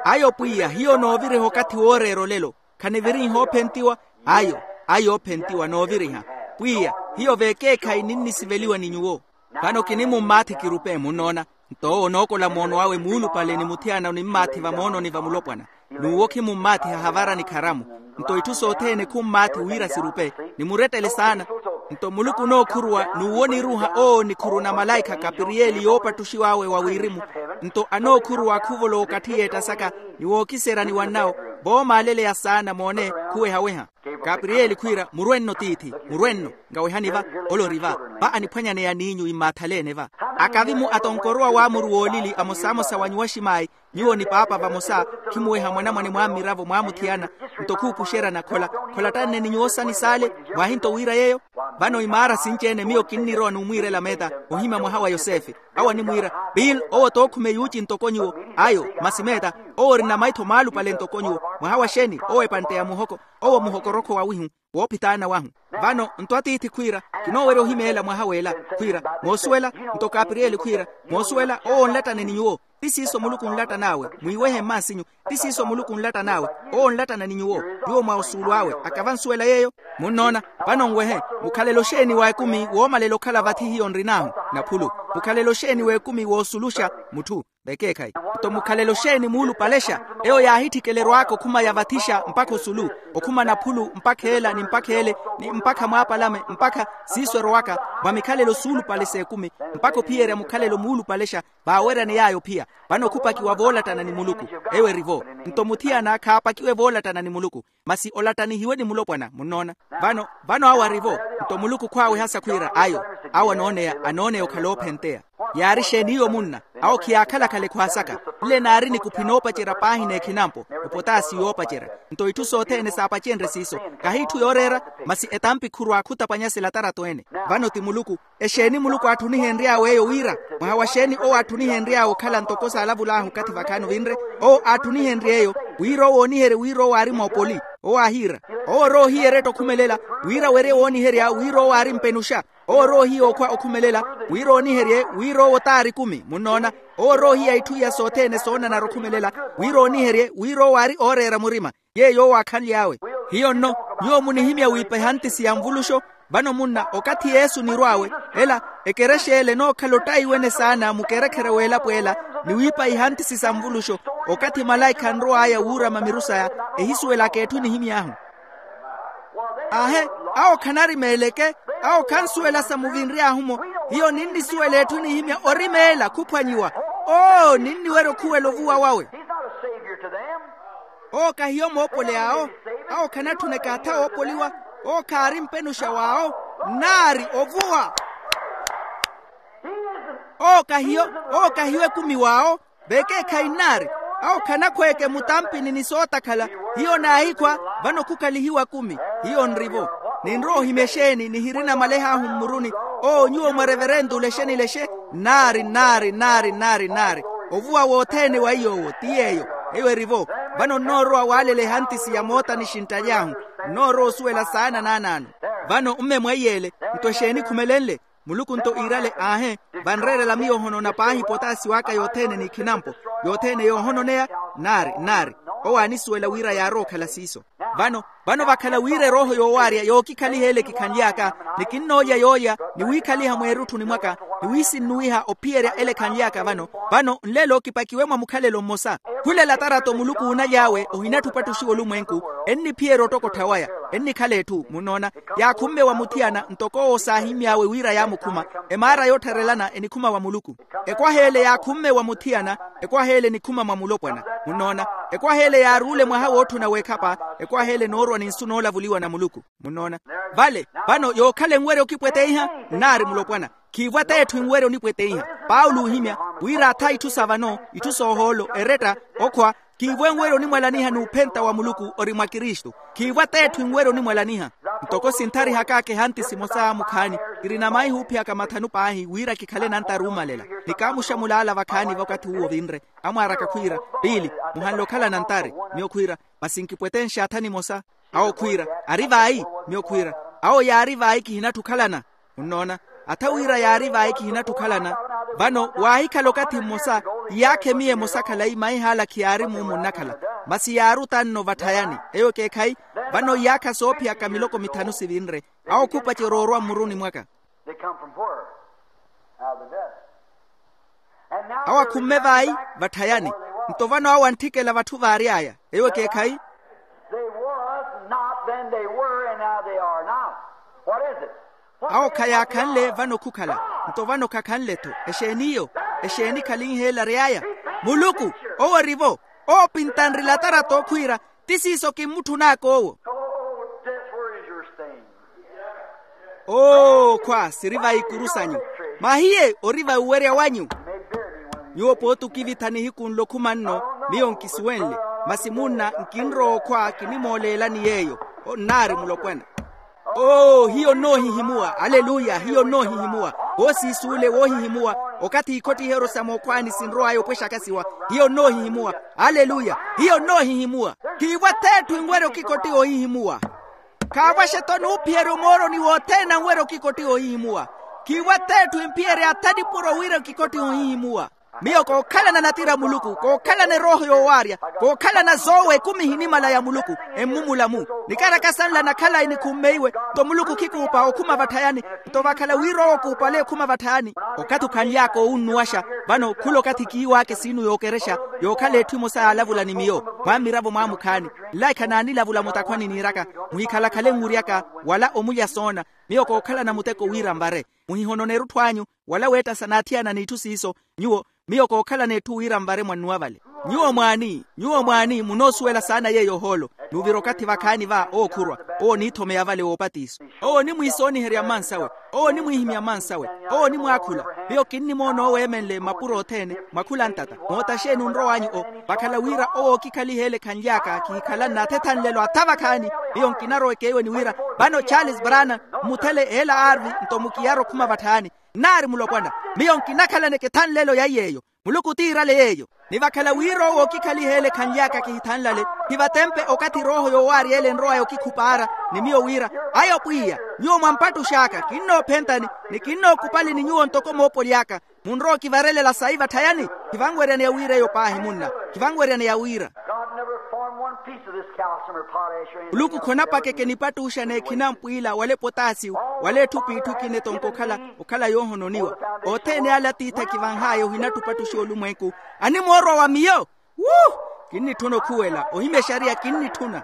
Ayo pwiya hiyo nooviriha okathi wooreera olelo. Khaniviriha oophentiwa. Ayo. Ayo oophentiwa nooviriha. Pwiya, hiyo veekeekhayi ninnisiveliwa ni nyuwo. Vano kinimummaathi kirupe munnoona. Nto owo onookola moono awe muulupale ni muthiyana onimmaathi vamoononi va mulopwana. N'uwo khimummaathiha havara ni kharamu. Nto itthu sothene khummaathi wira sirupe. Nimurettele saana. Nto muluku onookhuruwa n'uwo oniruuha owo nikhuru na malaikha kapiriyeli yoopattuxiw'awe wa wirimu. Nto anookhuruwa khuvolowa okathi y'etta saka, ni wookiserya ni wannawo, voomaaleleya saana moone, khuweha-weha. Kapiriyeli khwiira murwenno tiithi, murwenno. Ngawehani va, ole ori va. Va aniphwanyaneya n'inyu immaathalene va. Akavimu atonkorowa waamuru woolili amosamosa wa nyuwa ximaayi, nyuwo ni paapa vamosa, khimuweha mwanamwane mwammiravo mwamuthiyana. Nto khuupuxeryana khola, kholattanne ni nyuwo sani saale. Mwaahinto wiira yeeyo. Vano imaara sinci-ene miyo kinnirowa numwiirela meeta, ohimya mwaha wa yosefe. Awo animwiira, bill, owo tookhume yuuci ntoko nyuwo. Ayo, masi meeta, owo orina maitho maalupale ntoko nyuwo. Mwaha wa xeeni? Owo epantteya muhoko. Owo muhokorokho wawihu, woophitaana wahu. Vano nto atiithi khwiira, kinoowerya ohimeela mwaha w'ela. Khwiira, moosuwela? Nto kapiriyeli khwiira, moosuwela? Owo onlattane ni nyuwo. Ti siiso muluku onlattan'awe, mwiiwehe mmaasinyu. Ti siiso muluku onlattan'awe. Owo onlattana ni nyuwo. Nyuwo mwa osuulu awe akava nsuwela yeeyo. Munnoona? Vano nwehe. Mukhalelo xeeni wa ekumi woomalela okhala vathi hiyo nrin'ahu? Naphulu. Mukhalelo xeeni w'ekumi woosuluxa? Mutthu. Vekeekhayi. Nto mukhalelo xeeni muulupalexa? Eyo yaahitthikela erwaaka okhuma yavathixa mpakha osulu, okhuma naphulu mpakha ela ni mpakha ele, ni mpakha mwaapalame mpakha siiso erowaka, mwa mikhalelo suulupale s'ekumi, mpakha ophiyerya mukhalelo muulupalexa. Vaaweryani yaayo ophiya. Vano khupakiwa voolattana ni muluku. Eyo eri vo. Nto muthiyana khaapakiwe voolattana ni muluku, masi olattanihiwe ni mulopwana. Munnoona? Vano, vano awo ari vo. Nto muluku khwaawehasa khwiira ayo. Awo anooneya, anooneya okhala oophenteya. Yaari xeeni iyo munna? Awo khiyaakhala-khala ekhwaasaka. Nle naari nikuphi noopacerya paahi n'ekhinampo, epotaasi yoopacerya. Nto itthu sothene saapacenrye siiso. Kahi itthu yooreera, masi etampi khurwa khutapwanyasela atarato ene. Vano ti muluku. Exeeni muluku aatthunihenry'awe eyo wira? Mwaha wa xeeni owo aatthunihenry'awe okhala ntoko saalavul'ahu okathi vakhaani ovinre? Owo aatthunihenrye eyo wira owo ooniherye wira owo aari moopoli. Owo aahiira, owo orowa ohiyeretta okhumelela wira werye wooniherya wira owo aari mpenuxa. Owo orowa ohiya okhwa okhumelela wira ooniherye wira owo taari ekumi. Munnoona? Owo orowa ohiya itthu iya sothene soonanara okhumelela wira ooniherye wira owo aari ooreera murima. Yeeyo owo aakhanly'awe. Hiyo nno, nyuwo munihimya wiipa ehantisi ya nvuluxo. Vano munna, okathi yesu onirw'awe, ela, ekerexa ele enookhala ottaiwene saana mukerekhere w'elapo ela, ni wiipa ihantisi sa nvuluxo. Okathi malaikha anrow'aya wuurama miru saya, ehisuwelaka etthu enihimy'ahu. Aahe, awo khanarimeeleke. Awo khansuwela sa muvinry'ahu-mo. Hiyo ninnisuwela etthu enihimya orimeela khuphwanyiwa. Oo ninniwerya okhuwela ovuwa wawe. Owo kahiyo moopoli awo. Awo khanatthuneka atha oopoliwa. Owo khaari mpenuxa w'awo. Nnaari ovuwa. Owo kahiyo. Owo kahiyo ekumi w'awo. Vekeekhayi nnaari. Awo khanakhweeke mutampini ni sootakhala. Hiyo naahikhwa. Vano khukalihiwa kumi. Hiyo nri-vo. Ninrowa ohimya exeeni nihirina maleh'ahu mmuruni. Oo nyuwo mwa reverentula exenilexe. Nnaari nnaari nnaari nnaari nnaari. Ovuwa wothene wa iy'owo ti yeeyo. Eyo eri-vo. Vano nnoorowa waalela ehantisi ya moota ni xinttaly'ahu. Nnoorowa osuwela saana naanaano. Vano mme mwa iy'ele. Nto exeeni khumelenle? Muluku nto iirale aahe. Vanreerela miyo ohonona paahi potaasi w'aka yothene n'ikhinampo. Yothene yoohononeya. Nnaari nnaari. Owo aanisuwela wira yaarowa okhala siiso. Vano, vano vakhala wira erooho yoowaarya yookikhaliha ele kikhanly'aka. Ni kinnoolya yoolya ni wiikhaliha mweerutthuni mwaka, ni wiisinnuwiha ophiyerya ele ekhanly'aka vano. Vano nlelo kipakiwe mwa mukhalelo mmosa. Khulela atarato muluku uunaly'awe ohinatthi opattuxiwa olumwenku. Enniphiyerya ottokottha waya. Ennikhala etthu munnoona. Yaakhumme wa muthiyana ntoko owo saahimy'awe wira yaamukhuma. Emaara yoottharelana enikhuma wa muluku. Ekwaha ele yaakhumme wa muthiyana. Ekwaha ele enikhuma mwa mulopwana. Munnoona. Ekwaha ele yaaruule mwaha wootthuna w'ekhapa. Ekwaha ele enoorwa ni nsu noolavuliwa na muluku. Munnoona. Vale vano yookhala enwerya okipweteiha. Nnaari mulopwana. Khiivo ateetthu enwerya onipweteiha. Paulo oohimya wira atha itthu sa vano itthu soohoolo eretta okhwa. Khiivo enwerya onimwalaniha n'uphenta wa muluku ori mwa kristu. Khiivo ateetthu enwerya onimwalaniha. Ntoko sintharihak'aka ehanti simosa mukhaani. Kirina maihi oophiyaka mathanu paahi wira kikhale nantari oomalela. Ni kaamuxa mulaala vakhaani vakathi uwo vinre. Amwaaraka khwiira, piili, muhanle okhala nantari. Miyo khwiira, masi nkipwetenxe atha nimosa. Awo khwiira, ari vayi? Miyo khwiira, awo yaari vayi kihinatthi okhalana. Munnoona. Atha wira yaari vayi kihinatthi okhalana. Vano waahikhala okathi mmosa, iyaakha emiya emosa khalayi maihaala khiyaari muumu nnakhala. Masi yaari otanno vatthayani. Eyo ekeekhayi. Vano iyaakha soophiyaka miloko mithanu sivinre. Awo khupacerya orwa mmuruni mwaka. They come from where? Out of the dust. Awo akhumme vayi? Vatthayani. Nto vano awo antthikela vatthu vaary'aya. Eyo ekeekhayi. They was not, then they were, and now they are not. What is it? Awo khayaakhanle vano khukhala. Nto vano khakhanle-tho. Exeeni iyo? Exeeni khalinheela ary'aya? Muluku. Owo orivo. Owo opintanrila atarata okhwiira. Ti siiso kimmutthun'aka owo. Oo khwa siri va ikuru sanyu. Mahiye ori va uwerya wanyu. Nyuwo pooti okivitha nihiku nlo khuma nno. Miyo nkisuwenle. Masi munna nkinrowa okhwa kinimooleelani yeeyo. Onnaari mulopwana. Oo hiyo nnoohihimuwa. Aleluya hiyo nnoohihimuwa. Woosiisuule woohihimuwa. Okathi ikhottiheryo sa mookhwaani sinrow'aya opwexaka siwa. Hiyo nnoohihimuwa. Aleluya. Hiyo nnoohihimuwa. Khiivo ath'etthu enwerya okikottiha ohihimuwa. Khaavwaxe-tho nuuphiyerya omooroni wothene anwerya okikottiha ohihimuwa. Khiivo ath'etthu emphiyerya atha nipuro wira okikottiha ohihimuwa. Miyo kookhalana natira a muluku kookhalana erooho yoowaarya. Kookhalana zoowa ekumi ehinimala ya muluku. Emmumula-mu. Nikaraka sanla nakhalayi nikhummeiwe. Nto muluku khikuupa okhuma vatthayani. Nto vakhala wira owo okuupale ekhuma vatthayani. Okathi okhanly'aka owunnuwaxa. Vano khula okathi kiiw'aka esiinu yookerexa. Yookhala etthu emosa yaalavula ni miyo mwa mmiravo mwa mukhaani. Nlaikha naanilavula mutakhwani niiraka. Muhikhalakhale nwiry'aka wala omulya soona. Miyo kookhalana muteko wira nvare. Muhihononeru etthu anyu wala weettasa n'athiyana n'itthu siiso. Nyuwo miyo kookhalana etthu wira nvare mwannuwa vale. Nyuwo mwaani nyuwo mwaani munoosuwela saana yeeyo ohoolo. Nuuvira okathi vakhaani va ookhurwa. Owo oniithomeya vale woopatiso. Owo onimwiisooniherya mmansawe. Owo onimwiihimya mmansawe. Owo onimwaakhula. Miyo kinnimoona owo eemenle mmapuro othene mwakhula ntata moota xeeni onrow'anyu o. Vakhala wira owo ookikhaliha ele khanly'aka kihikhala nnathetha nlelo atha vakhaani. Miyo nkinarowa ekeiweni wira vano charles brana mmuthele ela arvi nto mukiyara okhuma vatthayani. Nnaari mulopwana. Miyo nkinakhalaneke tha nlelo ya iy'eyo. Muluku tiirale yeeyo. Ni vakhala wira owo ookikhaliha ele khanly'aka kihithanlale. Khivatempe okathi erooho yoowaarya ele enrow'aya okikhupaara ni miyo wira ayo pwiya nyuwo mwampattux'aka kinnoophentani ni kinnookupalini nyuwo ntoko moopoly'aka. Munrowa okivarelela sayi vatthayani. Khivanweryaneya wira eyo paahi munna. Khivanweryaneya wira. Muluku khonapakeke nipattuxa n'ekhina mpwiila wala epotasiyu wala etthu p'itthu ekina etonka okhala okhala yoohononiwa. Othene ale atiithi akivanh'aya ohinatthi opattuxiwa olumwenku. Animoorwa wa miyo. Wu. Kinnitthuna okhuwela ohimya exariya kinnitthuna.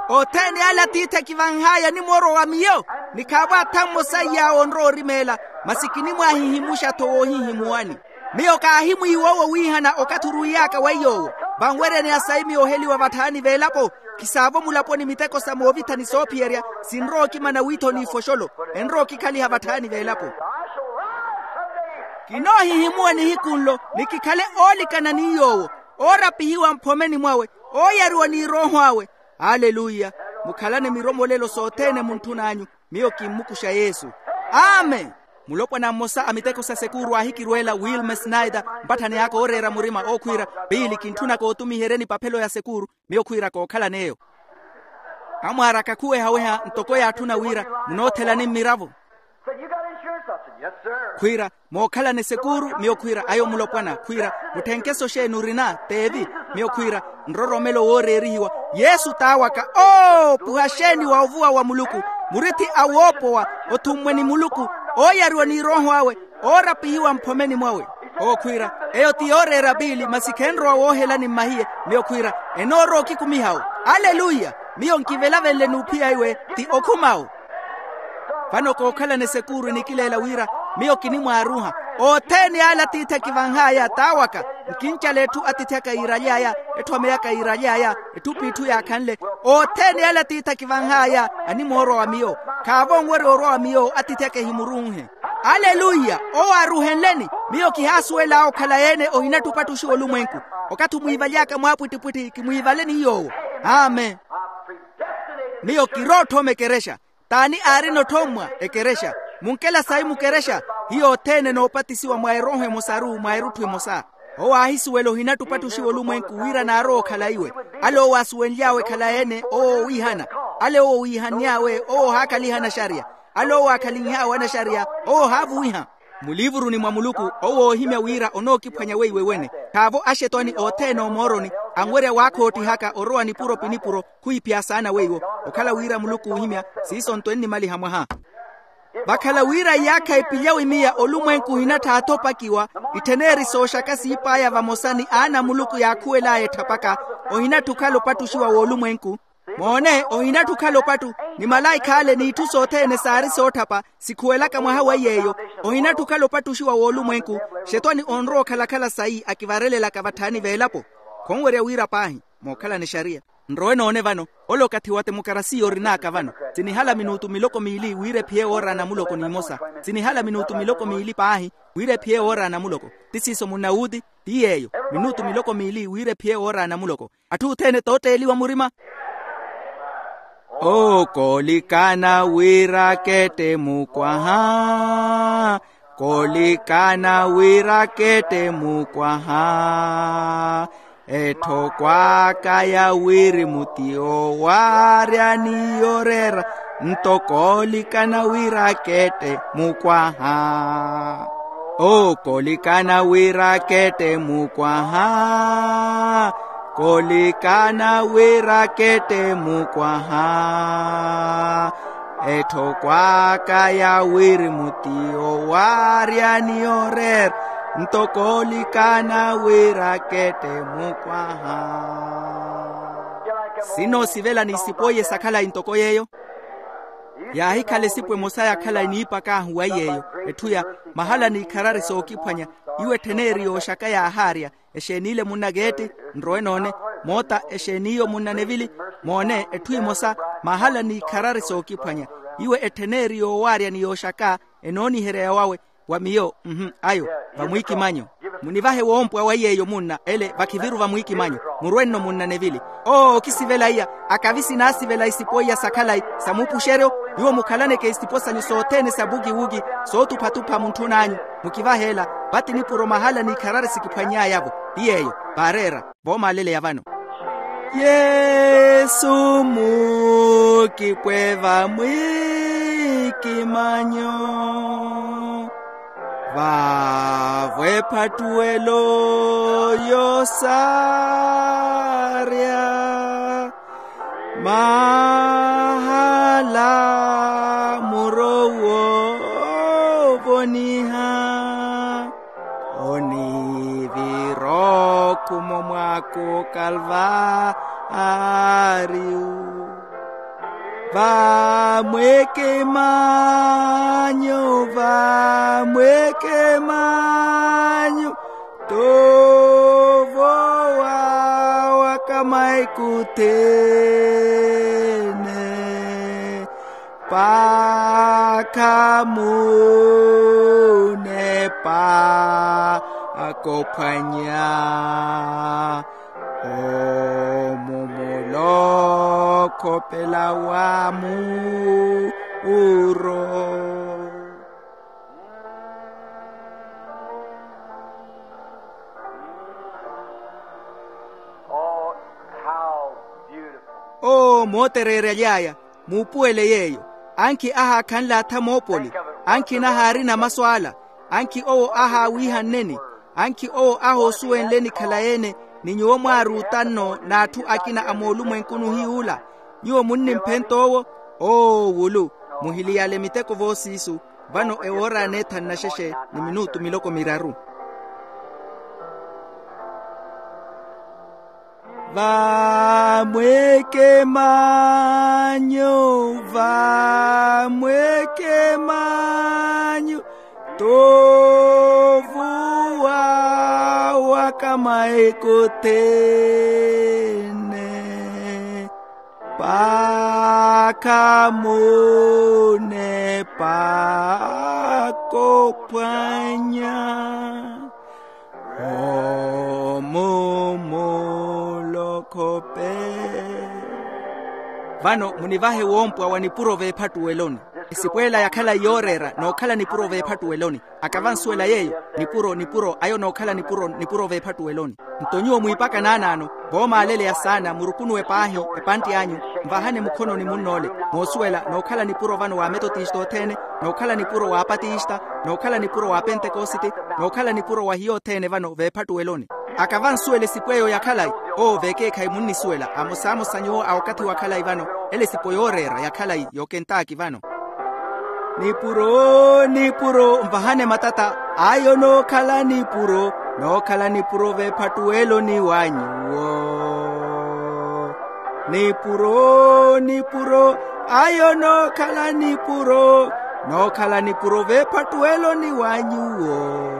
Othene ale atiithi akivanh'aya animoorwa wa miyo. Ni khaavo atha mmosa iy'awe onrowa orimeela. Masi kinimwaahihimuxa-tho woohihimuwani. Miyo kaahimwiiwa owo wiihana okathi orwiiy'aka weiy'owo. Vanweryaneya sayi miyo oheliwa vatthayani v'elapo. Khisaavo mulaponi miteko sa moovithani soophiyerya sinrowa okimana wiitho n'ifoxolo. Enrowa okikhaliha vatthayani v'elapo. Kinoohihimuwa nihiku nlo ni kikhale oolikana ni yoowo oorapihiwa mphomeni mwawe ooyariwa ni erooho awe. Aleluya. Mukhalane miromolelo sothene muntthun'anyu. Miyo kimmukuxa yesu. Amen. Mulopwana mmosa a miteko sa sekuuru aahikirweela wilma snyder mpatthani aka ooreera murima ookhwiira piili kintthunaka otumiherye nipaphelo ya sekuuru. Miyo khwiira kookhalan'eyo. Amwaaraka khuwehaweha ntoko yaatthuna wira munoothelani mmiravo. Khwiira mookhalana esekuuru miyo khwiira ayo mulopwana khwiira mutthenkeso xeeni orina teevi? Miyo khwiira nroromelo wooreerihiwa yesu taawaka oopuha xeeni wa ovuwa wa muluku muritthi a woopowa othummwe ni muluku ooyariwa ni erooho awe oorapihiwa mphomeni mwawe. Ookhwiira eyo ti yooreera piili masi khenrowa woohelani mmahiye. Miyo khwiira enoorowa okikumiha-wo. Aleluya. Miyo nkivelavenle n'uphiya iwe ti okhuma-wo. Vano kookhalana esekuuru enikileela wira miyo kinimwaaruha othene ale atiithi akivanh'aya t'awaka nkincala etthu atiithi aka yiiraly'aya etthu ameyaka yiiraly'aya etthu p'itthu yaakhanle. Othene ale atiithi akivanh'aya animoorwa wa miyo khaavo onwerya orwa wa miyo atiithi aka ehimurunhe. Aleluya. Owo aaruhenleni miyo kihaasuwel'awe okhala yeene ohinatthi opattuxiwa olumwenku. Okathi omwiivaly'aka mwaapwittipwitthi kimwiivale ni yoowo. Amen. Miyo kirootthoma ekerexa. T'ani aarina otthommwa ekerexa munkela sayi mukerexa. Hiyo othene noopatisiwa mwa erooho emosaru mwa erutthu emosa. Owo aahisuwela ohinatthi opattuxiwa olumwenku wira naarowa okhala iwe. Ale owo aasuwenly'awe ekhalayi-ene owo oowiihana. Ale owo oowiihanny'awe owo ohaakhaliha anaxariya. Ale owo aakhalinh'awe anaxariya owo ohaavuwiha. Muliivuruni mwa muluku owo oohimya wira onookiphwanya weiwe wene. Khaavo axetwani othene omooroni anwerya waakhoottihaka orowa nipuro pi nipuro. Khwiiphiya saana weiwo okhala wira muluku oohimya siiso nto ennimaliha mwaha. Vakhala wira iyaakha epilya wimiya olumwenku ohinattha athopakiwa. Ittheneeri sooxaka siip'aya vamosa ni aana a muluku yaakhuwel'aya etthapaka ohinatthi okhala opattuxiwa w'olumwenku. Moone, ohinatthu okhala opattu. Ni malaikha ale n'itthu sothene saari sootthapa sikhuwelaka mwaha wa iy'eyo. Ohinatthu okhala opattu oxiwa w'olumwenku. Xetwani onrowa okhalakhala sayi akivarelelaka vatthaani v'elapo. Khonwerya wira paahi mookhalana exariya. Nrowe noone vano, ole okathi wa temokarasiya orin'aka vano. Sinihala minutu miloko miili wira ephiye woora a namuloko n'imosa. Sinihala minutu miloko miili paahi wira ephiye woora a namuloko. Ti siiso munna wuuti? Ti yeeyo. Minutu miloko miili wira ephiye woora a namuloko. Atthu othene tootteeliwa murima. Ookoolikana wira akette mukwaha. Koolikana wira akette mukwaha. Etthoko aka ya wirimu ti owaarya ni yoreera. Nto koolikana wira akette mukwaha. Ookoolikana wira akette mukwaha. Koolikana wira akette mukwaha. Etthoko aka ya wirimu ti owaarya ni oreera. Nto koolikana wira akette mukwaha. Sinoosivela ni isipoiye sakhalayi ntoko yeeyo. Yaahikhala esipo emosa ya khalayi niipak'ahu wa iy'eyo. Etthu ya mahala n'ikharari sookiphwanya. Iwo ettheneeri yooxaka yaahaarya. Exeen'iile munna ketti? Nrowe noone. Moota, exeen'iyo munna nevili? Moone, etthu emosa. Mahala n'ikharari sookiphwanya. Iwo ettheneeri yoowaarya ni yooxaka. Enooniherya yawawe. Wa miyo. Mhu. Ayo. Vamwiikimanyo. Munivahe woompwa wa iy'eyo munna ele vakhiviru vamwiikimanyo. Murwe nno munna nevili. Oo okisivela iya. Akavi sinaasivela isipo iya sakhalayi sa muupuxeryo. Nyuwo mukhalaneke isipo sanyu sothene sa bukiwuki sootuphatupha muntthun'anyu. Mukivahe ela. Vati nipuro mahala n'ikharari sikiphwanny'ayavo. Ti yeeyo. Vaareera. Voomaaleleya vano. Yesu muukipwe vamwiikimanyo. Vaavo ephattuwelo yoosaarya. Mahala muro woovoniha. Onivira okhumo mwaaku kalvaariyu. Vamwekemanyu, vamwekemanyu. Tovo wawa kamaikuthene. Pakha munepa akophwanya. Omu mulokhopela wa muuro. Oh, how beautiful. Oo mootereeryaly'aya. Muupuwele yeeyo. Ankhi ahaakhanle atha moopoli. Ankhi nahaarina masu ala. Ankhi owo ahaawiihanneni. Ankhi owo ahoosuwenleni khalayi-ene. Ni nyuwo mwaaruuta nno n'atthu akina a moolumwenkuni ohiy'ula. Nyuwo munnimphenta owo. Oo wulu. Muhiliyale miteko voosiisu. Vano ewoora aneetha nnaxexe ni minutu miloko miraru. Vamwekemanyu, vamwekemanyu. Tovuwa wa kamaikothene. Pakha munepa akophwanya. Omu mulokhope. Vano munivahe woompwa wa nipuro veephattuweloni. Esipweela ya khalayi yooreera nookhala nipuro veephattuweloni. Akavansuwela yeeyo. Nipuro nipuro ayo nookhala nipuro nipuro veephattuweloni. Nto nyuwo mwiipaka naanaano voomaaleleya saana murukunuwe paahi epantti anyu. Nvahane mukhononi munnoole moosuwela nookhala nipuro vano wa metotista othene, nookhala nipuro wa apatista, nookhala nipuro wa pentekositi, nookhala nipuro wa hiyo othene vano veephattuweloni. Akavansuwela esipo eyo ya khalayi. Oo vekeekhayi munnisuwela amosamosa nyuwo a okathi wa khalayi vano. Ele esipo yooreera ya khalayi y'okentaki vano. Nipuro nipuro nvahane matata ayo nookhala nipuro. Nookhala nipuro veephattuweloni wa nyuwo. Nipuro, nipuro, ayo nookhala nipuro, nookhala nipuro veephattuweloni wa nyuwo.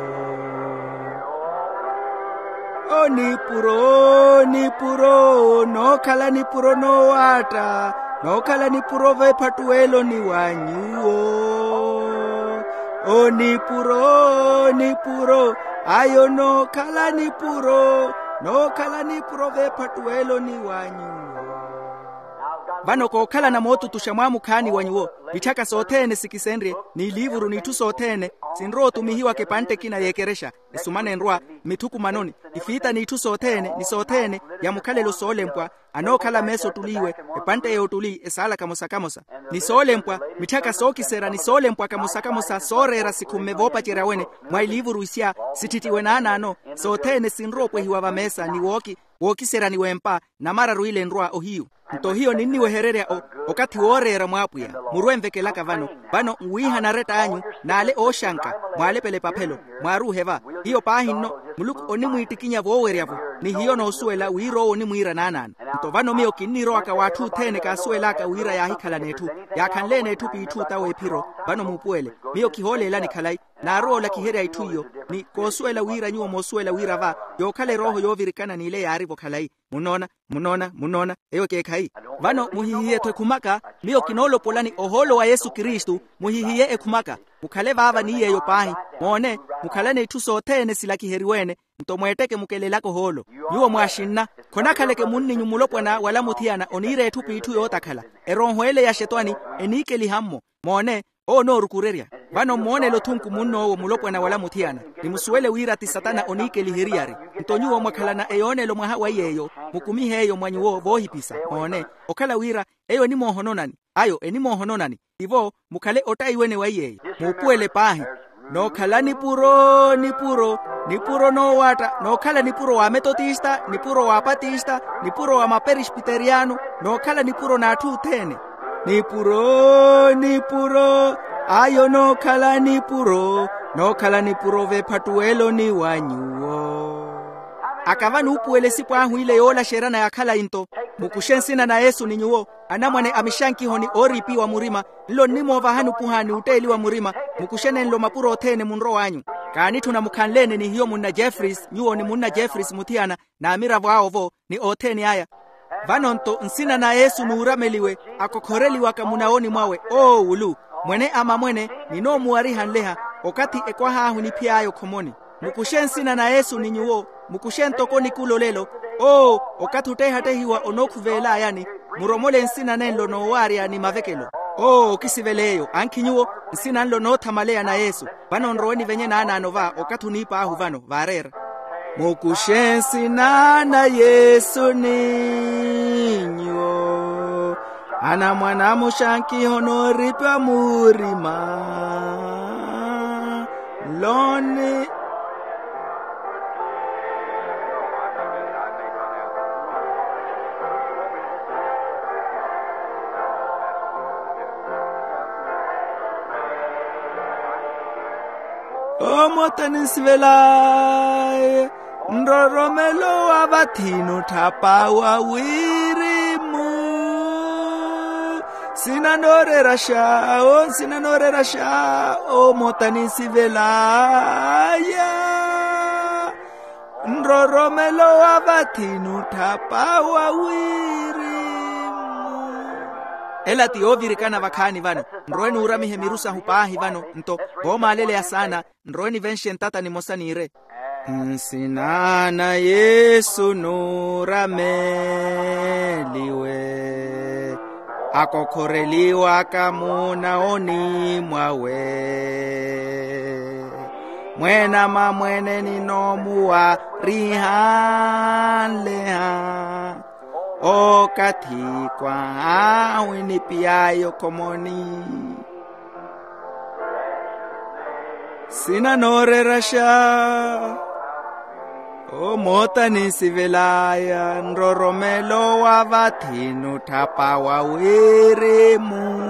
O nipuro, nipuro, nookhala nipuro noowaatta, nookhala nipuro veephattuweloni wa nyuwo. O nipuro, nipuro, ayo nookhala nipuro, nookhala nipuro veephattuweloni wa nyuwo. Vano kookhalana mootutuxa mwaamukhaani wa nyuwo, mitthaka sothene sikisenrye, n'iliivuru n'itthu sothene, sinrowa otumihiwaka epantte ekina y'ekerexa. Esumana enrwa mmithukumanoni, ifiita n'itthu sothene ni sothene, ya mukhalelo soolempwa, anookhala meesa ottuli iwe, epantte y'ottuli esaala kamosa kamosa, ni soolempwa, mitthaka sookiserya ni soolempwa kamosa kamosa sooreera sikhumme voopacerya wene, mwa iliivuru isya, sitthittiwe naanaano, sothene sinrowa opwehiwa vameesa ni wooki, wookiseryani w'empa, namararu ile enrwa ohiyu. Nto hiyo ninniwehererya o, okathi wooreera mw'apwiya. Murwe nvekelaka vano, vano nwiihana aretta anyu, n'ale ooxanka, mwaalepela epaphelo, mwaaruuhe va. Hiyo paahi nno, muluku onimwiittikinya voowerya-vo, ni hiyo noosuwela wira owo onimwiira naanaano. Nto vano miyo kinnirowaka w'atthu othene kaasuwel'aka wira yaahikhalana etthu, yaakhanleene etthu p'itthu ta w'ephiro. Vano muupuwele, miyo kihooleelani khalayi, naarowa olakiherya itthu iyo, ni koosuwela wira nyuwo moosuwela wira va, yookhala erooho yoovirikana n'ile yaari-vo khalayi. Munnoona, munnoona, munnoona, eyo ekeekhayi. Vano muhihiye-tho ekhumaka, miyo kinoolopolani ohoolo wa yesu kristu, muhihiye ekhumaka. Mukhale vaava ni yeeyo paahi. Moone, mukhalane itthu sothene silakiheriwe-ene, nto mweetteke mukelelaka ohoolo. Nyuwo mwaaxinna, khonakhaleke munninyu mulopwana wala muthiyana oniira etthu p'itthu yootakhala. Erooho ele ya xetwani, eniikeliha-mmo. Moone, owo onoorukurerya. Vano mmoonele othunku munn'owo mulopwana wala muthiyana, ni musuwele wira ti satana oniikeliheryari. Nto nyuwo mwakhalana eyoonelo mwaha wa yeeyo, mukumihe eyo mwa nyuwo voohipisa. Moone, okhala wira, eyo enimoohononani, ayo enimoohononani. Tivo, mukhale ottayiwene wa yeeyo. Muupuwele paahi. Nookhala nipuro, nipuro, nipuro noowaatta, nookhala nipuro w'ametotista, nipuro w'apatista, nipuro wa maperespiteriyano, nookhala nipuro n'atthu othene. Nipuro, nipuro, ayo nookhala nipuro, nookhala nipuro v'ephattuweloni wa nyuwo. Akava nuupuwela esipo ahu ile yoolaxeryana ya khalayi nto. Mukuxe nsina na yesu ni nyuwo, anamwane a mixankihoni ooriipiwa murima, nlo nnimoovahani opuhaani otteeliwa murima. Mukuxe nenlo mapuro othene munrow'anyu. Kaanitthuna mukhanleene ni hiyo munna jeffreys nyuwo ni munna jeffreys muthiyana, n'amiravo awo-vo, ni othene aya. Vano nto nsina na yesu nuurameliwe, akokhoreliwaka munawoni mwawe oowulu. Mwene a mamwene, ninoomuwariha nleha, okathi ekwaha ahu eniphiy'aya okhomoni. Mukuxe nsina na yesu ni nyuwo, mukuxe ntoko nikula olelo. Oo, okathi ottehattehiwa onookhuveel'ayani, muromole nsina nenlo noowaarya ni mavekelo. Oo, okisivela eyo ankhi nyuwo, nsina nlo noothamaleya na yesu. Vano nrowe nivenye naanaano va okathi oniip'ahu vano vaareera. Mukuxe nsina na yesu ni nyuwo, anamwane a muxankiho nooripiwa murima. Loni. Omoota ninsivel'aya, nroromelo wa vathi nutthapa wa wirimu. Nsina nooreeraxa, o nsina nooreeraxa, omoota ninsivel'aya, nroromelo wa vathi nutthapa wa wirimu. Ela ti yoovirikana vakhaani vano. Nrowe nuuramihe miru sahu paahi vano nto, voomaaleleya saana. Nrowe nivenxe ntata nimosa niire. Nsina na yesu nuurameliwe, akokhoreliwaka munawoni mwawe. Mwene a mamwene ninoomuwariha nleha, okathi kwaha ahu enipiy'aya okhomoni. Nsina nooreeraxa, omoota ninsivel'aya, nroromelo wa vathi nutthapa wa wirimu.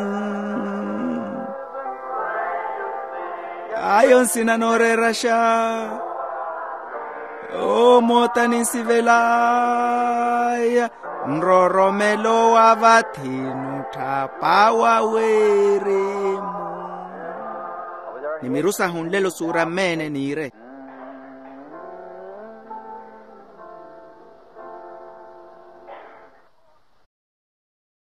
Ayo nsina nooreeraxa, omoota ninsivel'aya, Nroromelo wa vathi nutthapa wa wirimu. Ni miru sahu nlelo suura mmeene niire.